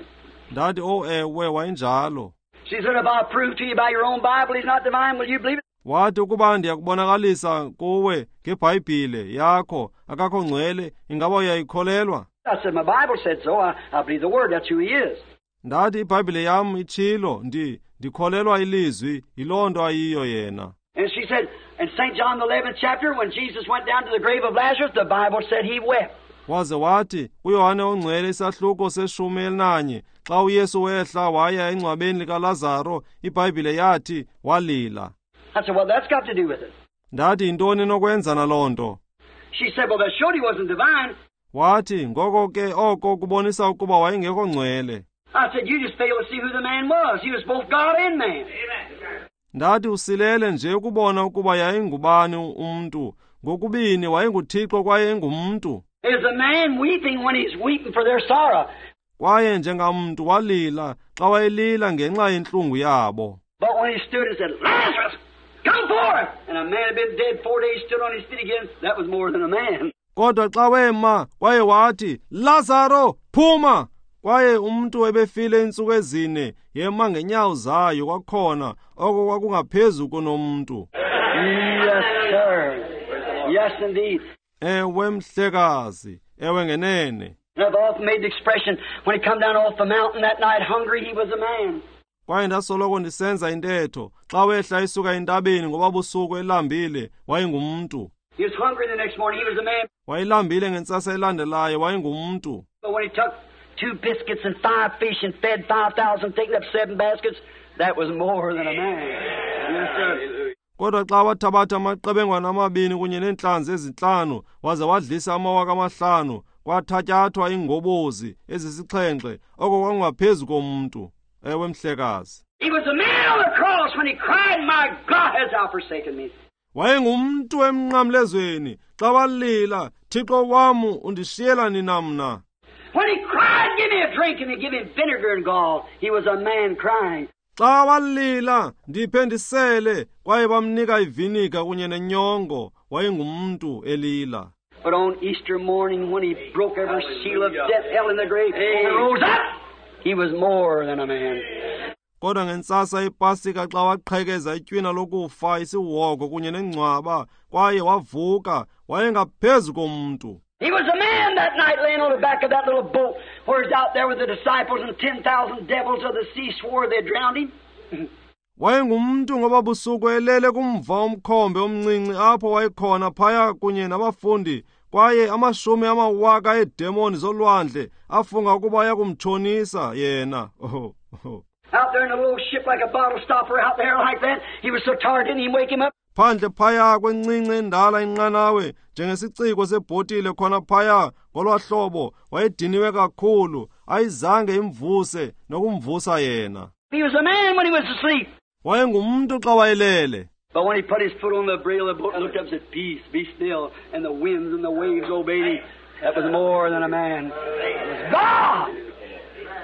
Ndathi, oh, ewe, wayenjalo. She said, "If I prove to you by your own Bible he's not divine, will you believe it?" Wathi, ukuba ndiyakubonakalisa kuwe ngeBhayibhile yakho akakho ngcwele, ingaba uyayikholelwa? I said, "My Bible said so. I believe the Word. That's who he is." Ndathi, iBhayibhile yam itshilo, ndikholelwa ilizwi, yiloo nto ayiyo yena. And she said, in St. John the 11th chapter, when Jesus went down to the grave of Lazarus, the Bible said he wept. Waze wathi, kuYohane ongcwele isahluko se-11, xa uYesu wehla waya engcwabeni likaLazaro, iBhayibhile yathi walila. I said, "Well, that's got to do with it." Ndathi, yintoni enokwenza naloo nto? She said, "Well, that showed he wasn't divine." Wathi, ngoko ke oko kubonisa ukuba wayengekho ngcwele. I said, "You just failed to see who the man was. He was both God and man." Ndathi, usilele nje ukubona ukuba yayingubani umntu. Ngokubini wayenguThixo kwaye engumntu. Is a man weeping when he's weeping for their sorrow? Kwaye njengamntu walila xa wayelila ngenxa yentlungu yabo. But when he stood and said, "Lazarus, come forth!" And a man had been dead 4 days, stood on his feet again. That was more than a man. Kodwa xa wema kwaye wathi, Lazaro, phuma! Kwaye umntu ebefile iintsuku ezine yema ngenyawo zayo kwakhona, oko kwakungaphezu kunomntu. Yes, sir. Yes, indeed. Ewe, mhlekazi. Ewe ngenene. And I've often made the expression, when he come down off the mountain that night hungry, he was a man. Kwaye ndasoloko ndisenza intetho, xa wehla esuka entabeni ngoba busuku elambile, wayengumntu. He was hungry the next morning, he was a man. Wayelambile ngentsasa elandelayo, wayengumntu. But when he took 2 biscuits and 5 fish and fed 5,000, taking up 7 baskets, that was more than a man. Yes, sir. Kodwa xa wathabatha amaqebengwana amabini kunye neentlanzi ezintlanu, waze wadlisa 5,000, kwathatyathwa iingobozi ezisixhenxe, oko kwakungaphezu komntu. Ewe mhlekazi. He was a man on the cross when he cried, "My God, hast thou forsaken me?" Wayengumntu emnqamlezweni xa walila, "Thixo wam, undishiyela nina mna?" When he cried, "Give me a drink," and they give him vinegar and gall, he was a man crying. Xa walila, "Ndiphe ndisele," kwaye bamnika iviniga kunye nenyongo, wayengumntu elila. But on Easter morning, when he broke every seal of death, hell, and the grave, and rose up, he was more than a man. Kodwa ngentsasa yePasika xa waqhekeza itywina lokufa, isihogo kunye nengcwaba, kwaye wavuka, wayengaphezu komntu. He was a man that night laying on the back of that little boat where he's out there with the disciples and 10,000 devils of the sea swore they drowned him. Wayengumntu ngoba busuku elele kumva umkhombe omncinci apho wayekhona phaya kunye nabafundi, kwaye 10,000 eedemoni zolwandle afunga ukuba ayakumtshonisa yena. Oh, oh. Out there in a little ship like a bottle stopper out there like that, he was so tired didn't even wake him up. Phandle phaya kwencinci endala inqanawe njengesiciko sebhotile khona phaya ngolwa hlobo, wayediniwe kakhulu, ayizange imvuse nokumvusa yena. He was a man when he was asleep. Wayengumntu xa wayelele. But when he put his foot on the brail of the boat and looked up and said, "Peace, be still," and the winds and the waves obeyed him, that was more than a man. It was God!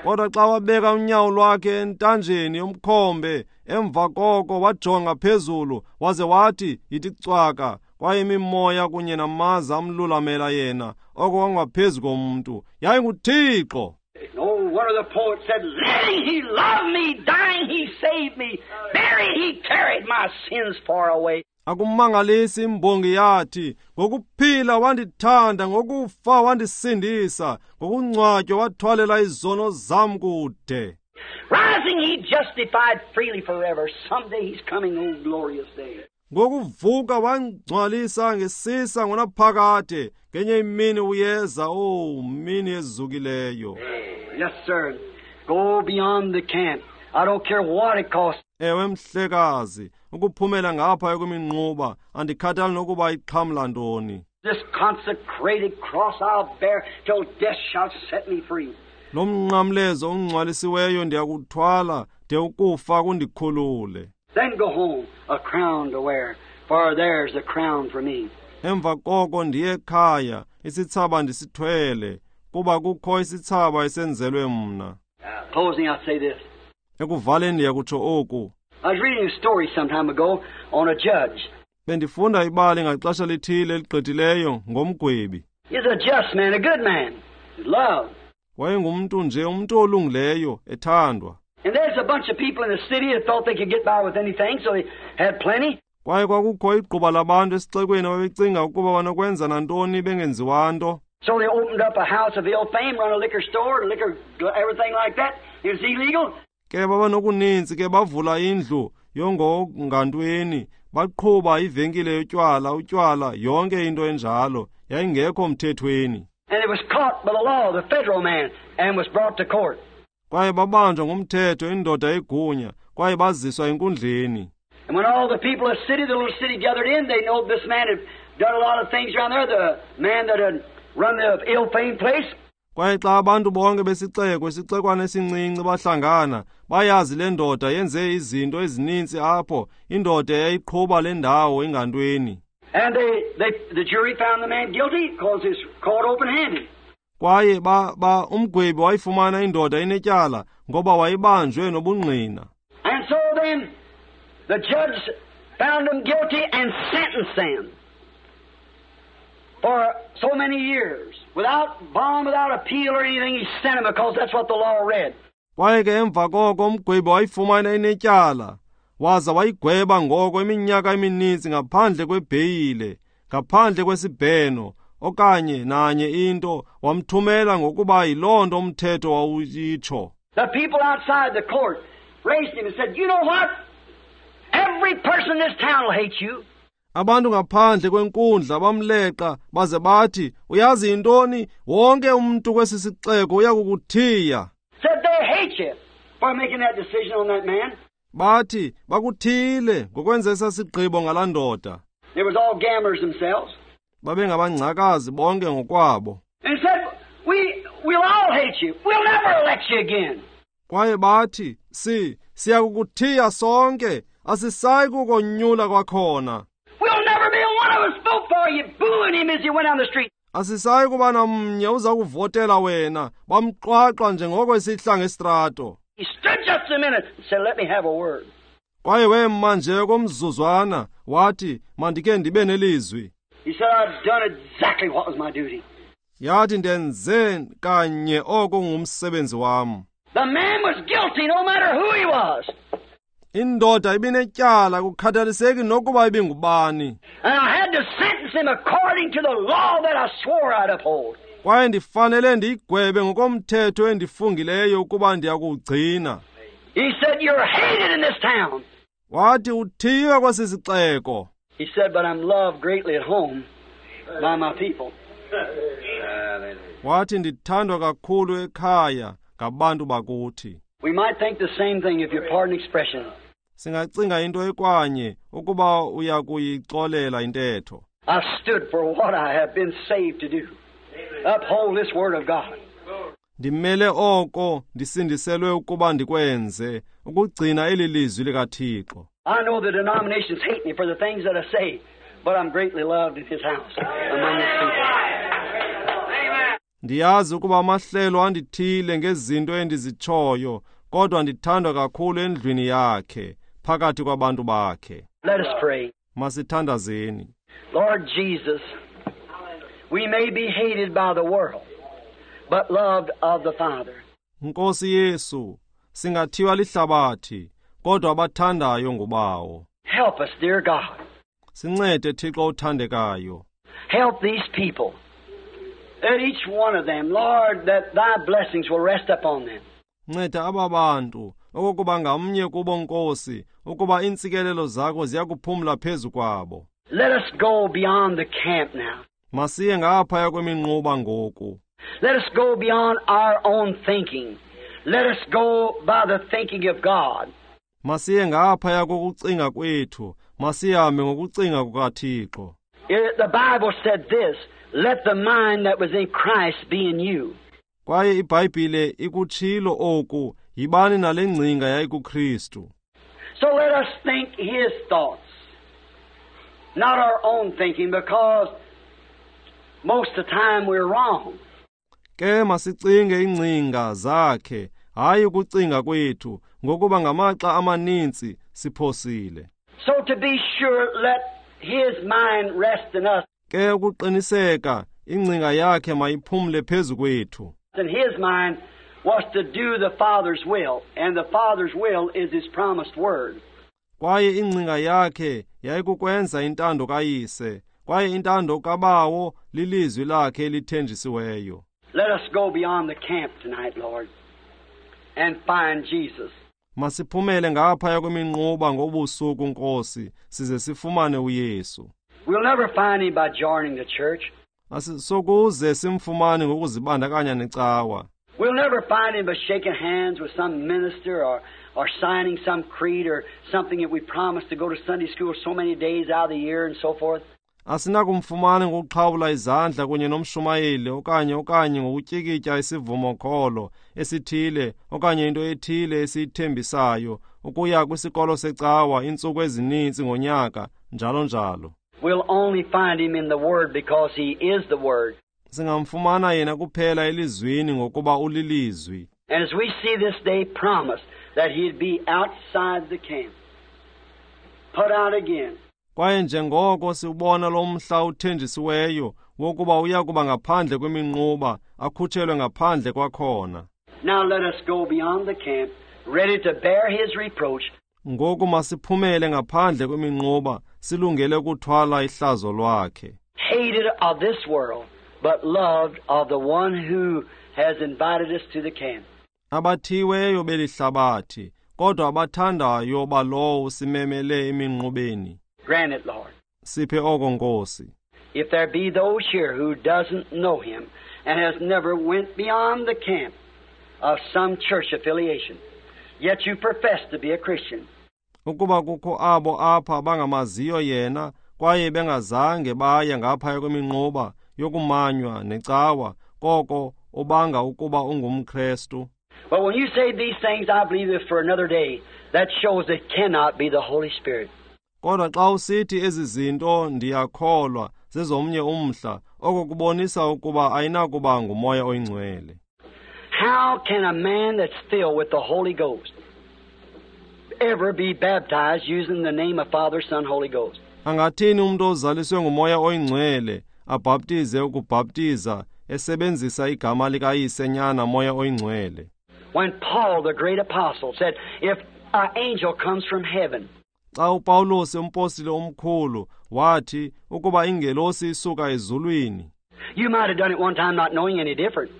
Kodwa xa wabeka unyawo lwakhe entanjeni yomkhombe, emva koko wajonga phezulu, waze wathi, "Yithi cwaka," kwaye imimoya kunye namaza amlulamela yena, oko kwangaphezu komntu. YayinguThixo. No one of the poets said, "Living he loved me, dying he saved me, buried he carried my sins far away." Akumangalisi imbongi yathi, "Ngokuphila wandithanda, ngokufa wandisindisa, ngokungcwatywa wathwalela izono zam kude." Rising he justified freely forever. Someday he's coming, oh glorious day. Ngokuvuka wangcwalisa ngesisa ngonaphakade, ngenye imini uyeza, oh mini ezukileyo. Yes, sir. Go beyond the camp. I don't care what it costs. Ewe mhlekazi, ukuphumela ngapha kweminquba, andikhathali nokuba ixhamla ntoni. This consecrated cross I'll bear till death shall set me free. Lo mnqamlezo ungcwalisiweyo ndiyakuthwala de ukufa kundikhulule. Then go home, a crown to wear, for there's a crown for me. Emva koko ndiye ekhaya, isithsaba ndisithwele, kuba kukho isithsaba esenzelwe mna. Closing, I'll say this. Ekuvaleni ndiyakutsho oku. I was reading a story some time ago on a judge. Bendifunda ibali ngaxesha lithile eligqithileyo ngomgwebi. He's a just man, a good man. Loved. Wayengumntu nje, umntu olungileyo, ethandwa. And there's a bunch of people in the city that thought they could get by with anything, so they had plenty. Kwaye kwakukho igquba labantu esixekweni ababecinga ukuba banokwenza nantoni bengenziwa nto. So they opened up a house of ill fame, run a liquor store, liquor, everything like that. It was illegal. Ke babanokuninzi ke bavula indlu yongongantweni, baqhuba ivenkile yotywala, utywala, yonke into enjalo, yayingekho mthethweni. And it was caught by the law, the federal man, and was brought to court. Kwaye babanjwa ngumthetho indoda egunya, kwaye baziswa enkundleni. And when all the people of the city, the little city gathered in, they know this man had done a lot of things around there, the man that had run the ill-famed place. Kwaye xa abantu bonke besixeko, isixekwana esincinci bahlangana, bayazi le ndoda yenze izinto ezininzi apho, indoda eyayiqhuba le ndawo ingantweni. And the jury found the man guilty because he's caught open-handed. Kwaye umgwebi wayifumana indoda inetyala ngoba wayibanjwe nobungqina. And so then the judge found him guilty and sentenced him for so many years. Without bond, without appeal or anything, he sent him because that's what the law read. Kwaye ke emva koko umgwebi wayifumana inetyala, waza wayigweba ngoko iminyaka emininzi ngaphandle kwebheyile, ngaphandle kwesibheno, okanye nanye into, wamthumela ngokuba yiloo nto umthetho wawuyitsho. The people outside the court raised him and said, "You know what? Every person in this town will hate you." Abantu ngaphandle kwenkundla bamleqa baze bathi, "Uyazi yintoni? Wonke umntu kwesi sixeko uyakukuthiya." Said they hate you for making that decision on that man. Bathi bakuthile ngokwenza esa sigqibo ngalaa ndoda. They was all gamblers themselves. Babengabangcakazi bonke ngokwabo. And said, we'll all hate you. We'll never elect you again. Kwaye bathi, siyakukuthiya sonke, asisayi kukonyula kwakhona. We'll never be one of us vote for you, booing him as he went down the street. Asisayi kuba namnye uza kuvotela wena, bamqwaqwa njengoko esihla ngestrato. He stood just a minute and said, "Let me have a word." Kwaye wema nje komzuzwana wathi, "Mandike ndibe nelizwi." He said, "I've done exactly what was my duty." Yathi, "Ndenze kanye oko ngumsebenzi wam." The man was guilty no matter who he was. Indoda ibinetyala kukhathaliseki nokuba ibingubani. And I had to sentence him according to the law that I swore I'd uphold. Kwaye ndifanele ndiyigwebe ngokomthetho endifungileyo ukuba ndiyakuwugcina. He said, "You're hated in this town." Wathi, "Uthiywe kwesi sixeko." He said, "But I'm loved greatly at home by my people." Wathi, "Ndithandwa kakhulu ekhaya ngabantu bakuthi." We might think the same thing if you pardon expression. Singacinga into ekwanye ukuba uyakuyixolela intetho. I've stood for what I have been saved to do. Uphold this word of God. Ndimele oko ndisindiselwe ukuba ndikwenze, ukugcina eli lizwi likaThixo. I know the denominations hate me for the things that I say, but I'm greatly loved in his house among his people. Ndiyazi ukuba amahlelo andithile ngezinto endizitshoyo, kodwa ndithandwa kakhulu endlwini yakhe, phakathi kwabantu bakhe. Let us pray. Masithandazeni. Lord Jesus, we may be hated by the world, but loved of the Father. Nkosi Yesu, singathiwa lihlabathi, kodwa abathandayo ngubawo. Help us, dear God. Sincede Thixo othandekayo. Help these people, that each one of them, Lord, that thy blessings will rest upon them. Nceda aba bantu, okokuba ngamnye kubo Nkosi, ukuba iintsikelelo zakho ziyakuphumla phezu kwabo. Let us go beyond the camp now. Masiye ngaphaya kweminquba ngoku. Let us go beyond our own thinking. Let us go by the thinking of God. Masiye ngaphaya kokucinga kwethu, masihambe ngokucinga kukaThixo. The Bible said this, let the mind that was in Christ be in you. Kwaye iBhayibhile ikutshilo oku, yibani nale ngcinga yayikuKristu. So let us think his thoughts, not our own thinking, because most of the time we're wrong. Ke masicinge ingcinga zakhe, hayi ukucinga kwethu, ngokuba ngamaxa amaninzi siphosile. So to be sure, let his mind rest in us. Ke ukuqiniseka, ingcinga yakhe mayiphumle phezu kwethu. And his mind was to do the Father's will, and the Father's will is his promised word. Kwaye ingcinga yakhe yayikukwenza intando kaYise, kwaye intando kaBawo lilizwi lakhe elithenjisiweyo. Let us go beyond the camp tonight, Lord, and find Jesus. Masiphumele ngaphaya kweminquba ngobusuku, Nkosi, size sifumane uYesu. We'll never find him by joining the church. Asisokuze simfumane ngokuzibandakanya necawa. We'll never find him by shaking hands with some minister or signing some creed or something that we promised to go to Sunday school so many days out of the year and so forth. Asinakumfumana ngokuxhawula izandla kunye nomshumayeli okanye ngokutyikitya isivumokholo esithile okanye into ethile esiyithembisayo ukuya kwisikolo secawa iintsuku ezininzi ngonyaka, njalo njalo. We'll only find him in the Word because he is the Word. Singamfumana yena kuphela elizwini ngokuba ulilizwi. And as we see this day promised that he'd be outside the camp, put out again. Kwaye njengoko siwubona lo mhla uthenjisiweyo wokuba uya kuba ngaphandle kweminquba, akhutshelwe ngaphandle kwakhona. Now let us go beyond the camp, ready to bear his reproach. Ngoku masiphumele ngaphandle kweminquba, silungele ukuthwala ihlazo lwakhe. Hated of this world, but loved of the one who has invited us to the camp. Abathiweyo belihlabathi, kodwa abathandayo balowo usimemele eminqubeni. Grant it, Lord. Siphe oko, Nkosi. If there be those here who doesn't know him and has never went beyond the camp of some church affiliation, yet you profess to be a Christian. Ukuba kukho abo apha bangamaziyo yena kwaye bengazange baye ngaphaya kweminquba yokumanywa necawa, koko ubanga ukuba ungumKrestu. But when you say these things, I believe it for another day. That shows it cannot be the Holy Spirit. Kodwa xa usithi ezi zinto ndiyakholwa zezomnye umhla, oko kubonisa ukuba ayinakuba nguMoya oyiNgcwele. How can a man that's filled with the Holy Ghost ever be baptized using the name of Father, Son, Holy Ghost? Angathini umuntu ozaliswe nguMoya oyiNgcwele abhaptize ukubhaptiza esebenzisa igama likaYise, Nyana, Moya oyiNgcwele? When Paul, the great apostle, said, if an angel comes from heaven, Xa uPawulos umpostile omkhulu wathi ukuba ingelosi isuka ezulwini, you might have done it one time not knowing any different.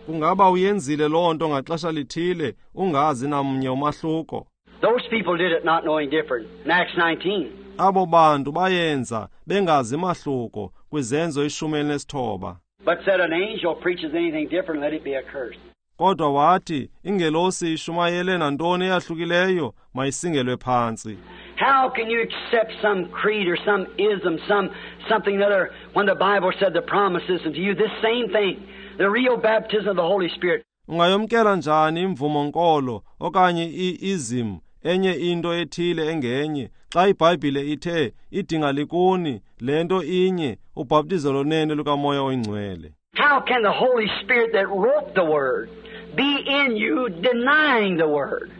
Kungaba uyenzile loo nto ngaxesha lithile ungazi namnye umahluko. Those people did it not knowing different. In Acts 19. Abo bantu bayenza bengazi mahluko kwizenzo 19. But said an angel preaches anything different, let it be accursed. Kodwa wathi ingelosi ishumayele nantoni eyahlukileyo mayisingelwe phantsi. How can you accept some creed or some ism, some something other, when the Bible said the promises unto you this same thing, the real baptism of the Holy Spirit? Ungayomkela njani imvumo nkolo okanye i-ism, enye into ethile engenye, xa iBhayibhile ithe idinga likuni le nto inye, ubhaptizo lonene lukaMoya oyiNgcwele? How can the Holy Spirit that wrote the Word be in you denying the Word?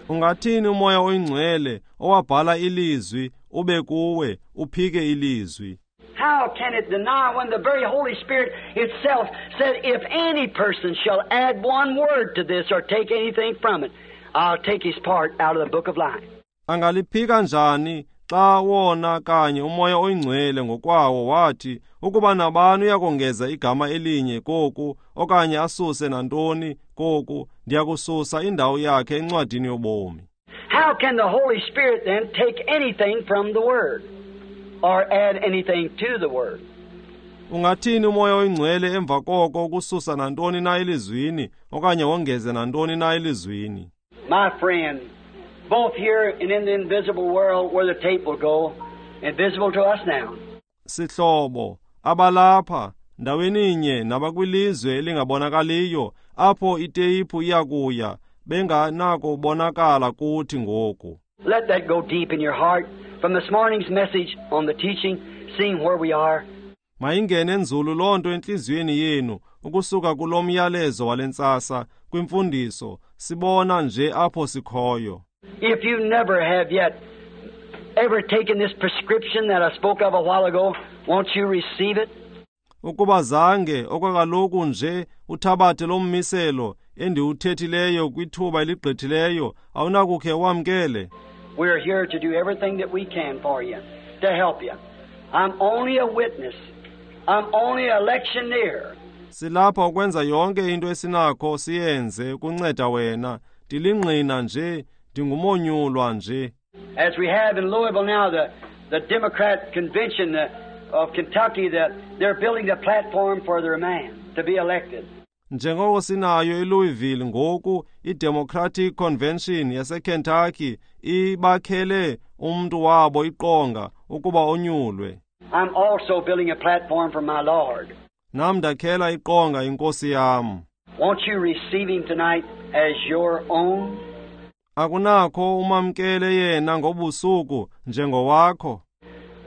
Ungathini uMoya oyiNgcwele owabhala ilizwi ube kuwe uphike ilizwi? How can it deny when the very Holy Spirit itself said, if any person shall add one word to this or take anything from it, I'll take his part out of the book of life. Angaliphika njani xa wona kanye uMoya oyiNgcwele ngokwawo wathi ukuba nabani uyakongeza igama elinye koku okanye asuse nantoni koku, ndiyakususa indawo yakhe encwadini yobomi? How can the Holy Spirit then take anything from the Word or add anything to the Word? Ungathini uMoya oyiNgcwele emva koko ukususa nantoni na elizwini okanye wongeze nantoni na elizwini? My friend, both here and in the invisible world where the tape will go, invisible to us now. Sihlobo, abalapha ndaweninye nabakwilizwe elingabonakaliyo apho iteyiphu iyakuya benganakubonakala kuthi ngoku. Let that go deep in your heart from this morning's message on the teaching, seeing where we are. Mayingene nzulu loo nto entliziyweni yenu ukusuka kulo myalezo wale ntsasa kwimfundiso, sibona nje apho sikhoyo. If you never have yet ever taken this prescription that I spoke of a while ago, won't you receive it? Ukuba zange okwakaloku nje uthabathe lo mmiselo endiwuthethileyo kwithuba eligqithileyo, awunakukhe wamkele? We're here to do everything that we can for you, to help you. I'm only a witness. I'm only a lectioneer. Silapha ukwenza yonke into esinakho siyenze ukunceda wena. Ndilingqina nje, ndingumonyulwa nje. As we have in Louisville now, the Democrat Convention of Kentucky, they're building the platform for their man to be elected. Njengoko sinayo eLouisville ngoku, iDemocratic Convention yaseKentucky ibakhele umntu wabo iqonga ukuba onyulwe. I'm also building a platform for my Lord. Nam ndakhela iqonga inkosi yam. Won't you receive him tonight as your own? Akunakho umamkele yena ngobusuku njengowakho?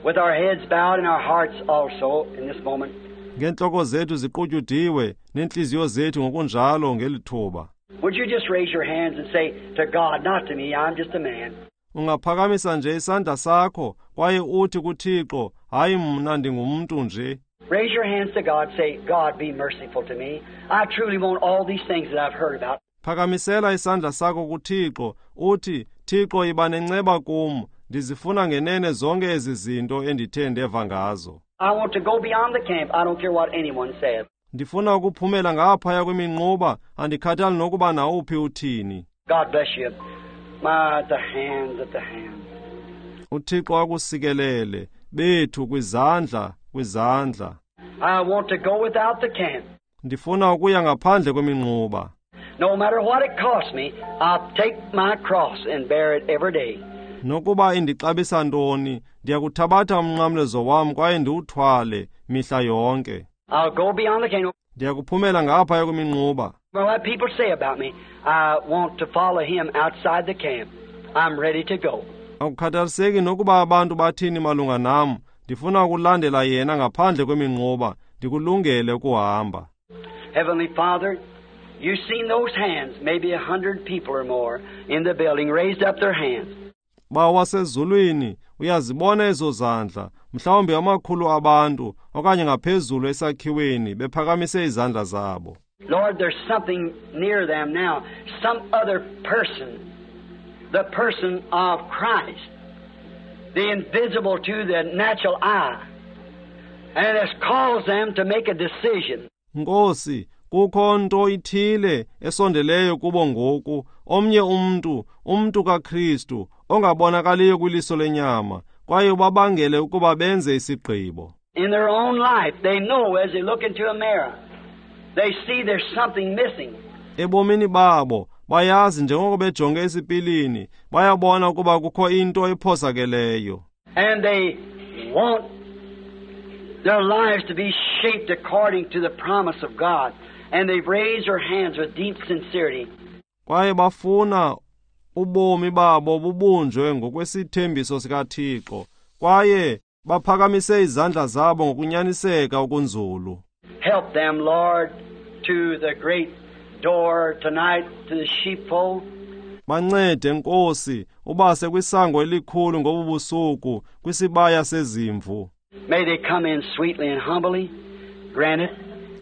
With our heads bowed and our hearts also in this moment. Ngeentloko zethu ziqutyudiwe neentliziyo zethu ngokunjalo ngeli thuba. Would you just raise your hands and say to God, not to me, I'm just a man. Ungaphakamisa nje isandla sakho kwaye uthi kuThixo, hayi mna ndingumntu nje. Raise your hands to God, say, God, be merciful to me. I truly want all these things that I've heard about. Phakamisela isandla sakho kuThixo, uthi, Thixo, yiba nenceba kum, ndizifuna ngenene zonke ezi zinto endithe ndeva ngazo. I want to go beyond the camp. I don't care what anyone says. Ndifuna ukuphumela ngaphaya kweminquba, andikhathali nokuba nawuphi uthini. God bless you. My, at the hands, at the hands. UThixo akusikelele bethu kwizandla, kwizandla. I want to go without the camp. Ndifuna ukuya ngaphandle kweminquba. No matter what it costs me, I'll take my cross and bear it every day. Nokuba indixabisa ntoni, ndiyakuthabatha umnqamlezo wam kwaye ndiwuthwale mihla yonke. I'll go beyond the camp. Ndiyakuphumela ngaphaya kweminquba. Well, what people say about me, I want to follow him outside the camp. I'm ready to go. Akukhathaliseki nokuba abantu bathini malunga nam, ndifuna ukulandela yena ngaphandle kweminquba, ndikulungele ukuhamba. Heavenly Father, you've seen those hands, maybe 100 people or more in the building raised up their hands. Bawo wasezulwini, uyazibona ezo zandla, mhlawumbi amakhulu abantu okanye ngaphezulu esakhiweni bephakamise izandla zabo. Lord, there's something near them now, some other person, the person of Christ, the invisible to the natural eye, and has caused them to make a decision. Nkosi, kukho nto ithile esondeleyo kubo ngoku, omnye umntu, umntu kaKristu, ongabonakaliyo kwiliso lenyama, kwaye ubabangele ukuba benze isigqibo. In their own life, they know as they look into a mirror, they see there's something missing. Ebomini babo, bayazi njengoko bejonge esipilini, bayabona ukuba kukho into ephosakeleyo. And they want their lives to be shaped according to the promise of God. And they've raised their hands with deep sincerity. Kwaye bafuna ubomi babo bubunjwe ngokwesithembiso sikaThixo, kwaye baphakamise izandla zabo ngokunyaniseka okunzulu. Help them, Lord, to the great door tonight, to the sheepfold. Bancede, Nkosi, ubase kwisango elikhulu ngobu busuku, kwisibaya sezimvu. May they come in sweetly and humbly. Grant it.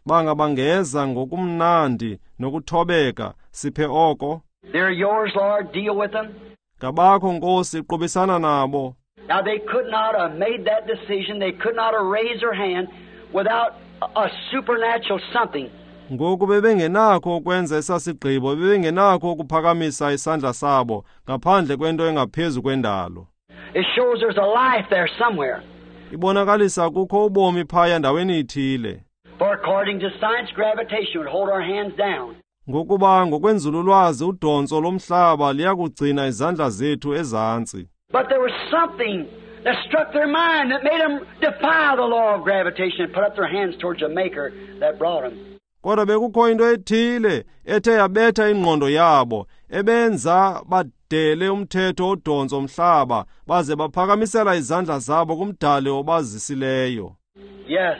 Bangabangeza ngokumnandi nokuthobeka, siphe oko. They're yours, Lord. Deal with them. Ngabakho, Nkosi, qubisana nabo. Now they could not have made that decision. They could not have raised their hand without a supernatural something. Ngoku bebengenakho ukwenza esasigqibo, bebengenakho ukuphakamisa isandla sabo ngaphandle kwento engaphezu kwendalo. It shows there's a life there somewhere. Ibonakalisa kukho ubomi phaya ndaweni ithile. For according to science, gravitation would hold our hands down. Ngokuba ngokwenzululwazi udontso lomhlaba liyakugcina izandla zethu ezantsi. But there was something that struck their mind that made them defy the law of gravitation and put up their hands towards the Maker that brought them. Kodwa bekukho into ethile ethe yabetha ingqondo yabo, ebenza badele umthetho odontso mhlaba, baze baphakamisela izandla zabo kumdali obazisileyo. Yes,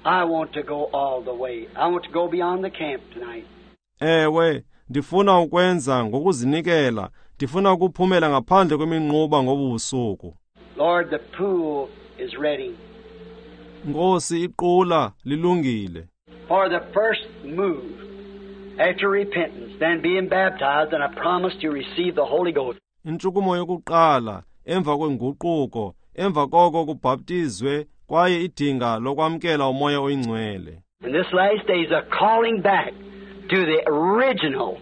I want to go all the way. I want to go beyond the camp tonight. Ewe, ndifuna ukwenza ngokuzinikela, ndifuna ukuphumela ngaphandle kweminquba ngobu busuku. Lord, the pool is ready. Nkosi, iqula lilungile. For the first move after repentance, then being baptized and a promise to receive the Holy Ghost. Intshukumo yokuqala emva kwenguquko, emva koko kubhaptizwe kwaye idinga lokwamkela uMoya oyiNgcwele. And this last day is a calling back to the original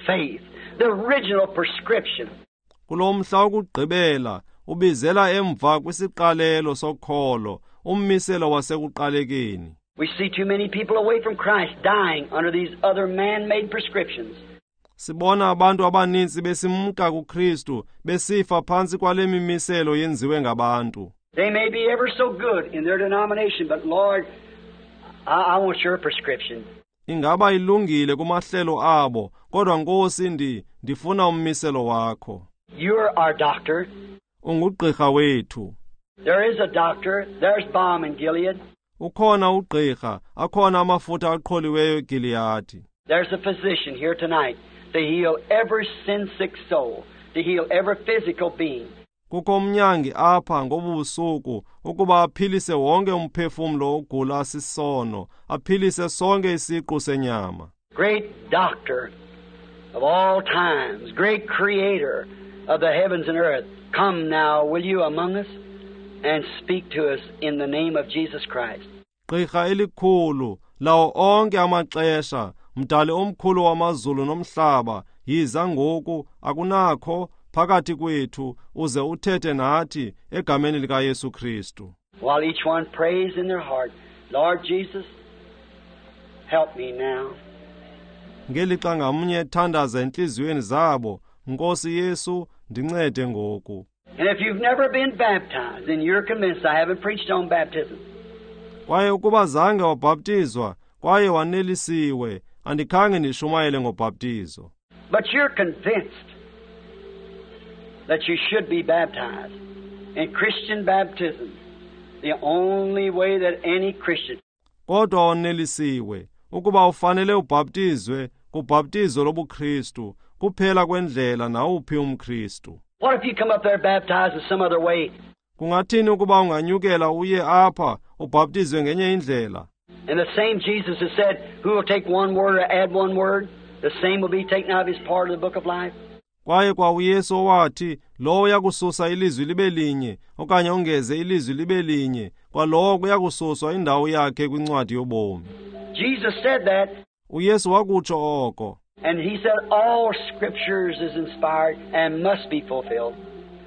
faith, the original prescription. Kulo mhla wokugqibela ubizela emva kwisiqalelo sokholo, ummiselo wasekuqalekeni. We see too many people away from Christ dying under these other man-made prescriptions. Sibona abantu abaninzi besimka kuKristu besifa phantsi kwale mimiselo yenziwe ngabantu. They may be ever so good in their denomination, but Lord, I want your prescription. Ingaba ilungile kumahlelo abo, kodwa Nkosi ndifuna ummiselo wakho. You're our doctor. Ungugqirha wethu. There is a doctor. There's balm in Gilead. Ukhona ugqirha, akhona amafutha aqholiweyo eGiliyadi. There's a physician here tonight to heal every sin-sick soul, to heal every physical being. Kukho umnyangi apha ngobu busuku ukuba aphilise wonke umphefumlo ogula sisono, aphilise sonke isiqu senyama. Great doctor of all times, great creator of the heavens and earth, come now, will you among us? and speak to us in the name of Jesus Christ. Gqirha elikhulu lawo onke amaxesha, mdali omkhulu wamazulu nomhlaba, yiza ngoku akunakho phakathi kwethu uze uthethe nathi egameni likaYesu Kristu. While each one prays in their heart, Lord Jesus, help me now. Ngelixa ngamnye ethandaza entliziyweni zabo, Nkosi Yesu, ndincede ngoku. And if you've never been baptized, and you're convinced I haven't preached on baptism, Kwaye ukuba zange wabhaptizwa kwaye wanelisiwe, andikhange ndishumayele ngobhaptizo. but you're convinced that you should be baptized in Christian baptism, the only way that any Christian Kodwa wanelisiwe ukuba ufanele ubhaptizwe kubhaptizo lobuKristu, kuphela kwendlela nawuphi umKristu. What if you come up there baptized in some other way? Kungathini ukuba unganyukela uye apha ubhaptizwe ngenye indlela? And the same Jesus that said, who will take one word or add one word, the same will be taken out of his part of the book of life. Kwaye kwa uYesu owathi, lowo uyakususa ilizwi libe linye okanye ongeze ilizwi libe linye, kwalowo kuyakususwa indawo yakhe kwincwadi yobomi. Jesus said that, uYesu wakutsho oko. and he said all scriptures is inspired and must be fulfilled.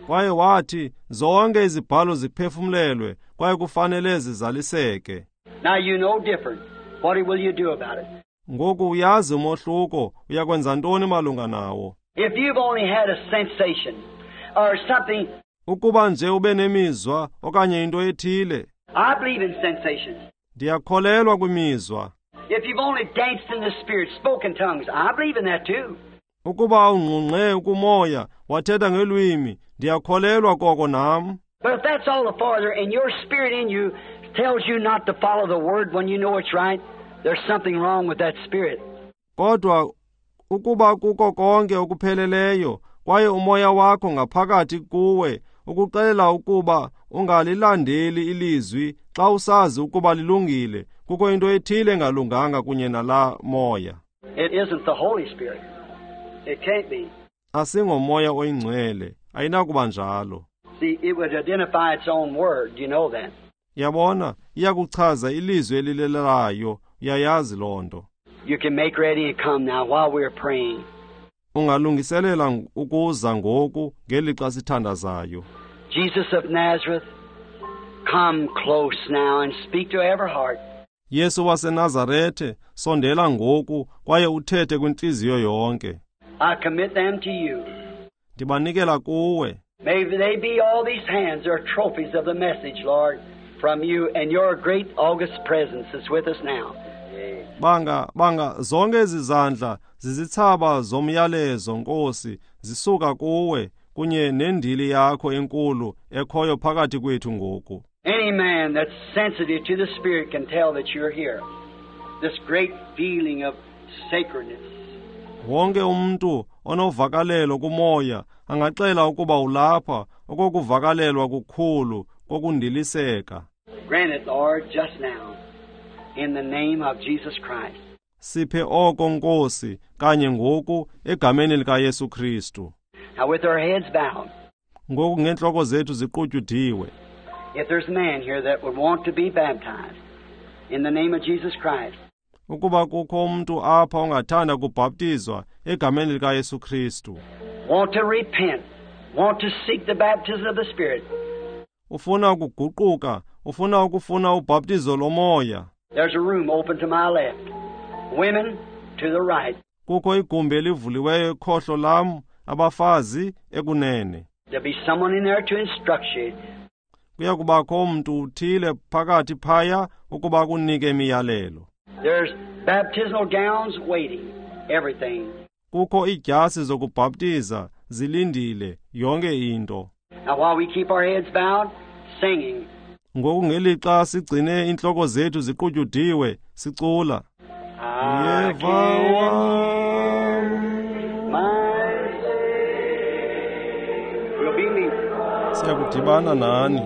Kwaye wathi zonke izibhalo ziphefumlelwe kwaye kufanele zizaliseke. Now you know different. What will you do about it? Ngoku uyazi umohluko, uyakwenza ntoni malunga nawo? If you've only had a sensation or something, Ukuba nje ube nemizwa okanye into ethile, I believe in sensations. ndiyakholelwa kwimizwa. If you've only danced in the Spirit, spoken tongues, I believe in that too. Ukuba ungqungqe ukumoya, wathetha ngelwimi, ndiyakholelwa koko nam. But if that's all the farther and your spirit in you tells you not to follow the word when you know it's right, there's something wrong with that spirit. Kodwa ukuba kuko konke okupheleleyo, kwaye umoya wakho ngaphakathi kuwe ukuxelela ukuba ungalilandeli ilizwi xa usazi ukuba lilungile, kukho into ethile engalunganga kunye nalaa moya. It isn't the Holy Spirit. It can't be. Asingomoya oyingcwele, ayinakuba njalo. See, it would identify its own word. You know that. Yabona, iyakuchaza ilizwi elilelayo, uyayazi loo nto. You can make ready and come now while we're praying. Ungalungiselela ukuza ngoku ngelixa sithandazayo. Jesus of Nazareth, come close now and speak to every heart. Yesu waseNazarethe, sondela ngoku kwaye uthethe kwintliziyo yonke. I commit them to you. Ndibanikela kuwe. May they be all these hands are trophies of the message, Lord, from you and your great august presence is with us now. Banga zonke ezi zandla zizithsaba zomyalezo, Nkosi, zisuka kuwe kunye nendili yakho enkulu ekhoyo phakathi kwethu ngoku. Any man that's sensitive to the Spirit can tell that you're here. This great feeling of sacredness. Wonke umntu onovakalelo kumoya angaxela ukuba ulapha, okokuvakalelwa kukhulu kokundiliseka. Grant it, Lord, just now, in the name of Jesus Christ. Siphe oko, Nkosi, kanye ngoku egameni likaYesu Kristu. Now with our heads bowed, Ngoku ngeentloko zethu ziqutyudiwe, if there's a man here that would want to be baptized in the name of Jesus Christ, ukuba kukho umntu apha ongathanda kubhaptizwa egameni likaYesu Kristu, want to repent, want to seek the baptism of the Spirit, ufuna ukuguquka, ufuna ukufuna ubhaptizo lomoya, there's a room open to my left, women to the right. Kukho igumbi elivuliweyo ekhohlo lam, abafazi ekunene. There'll be someone in there to instruct you. Kuya kubakho umntu uthile phakathi phaya ukuba kunike imiyalelo. There's baptismal gowns waiting, everything. Kukho iidyasi zokubhaptiza zilindile yonke into. Now while we keep our heads bowed, singing. Ngoku ngelixa sigcine iintloko zethu ziqutyudiwe, sicula. I Yeva can wam. my We'll be meeting. Siyakudibana nani.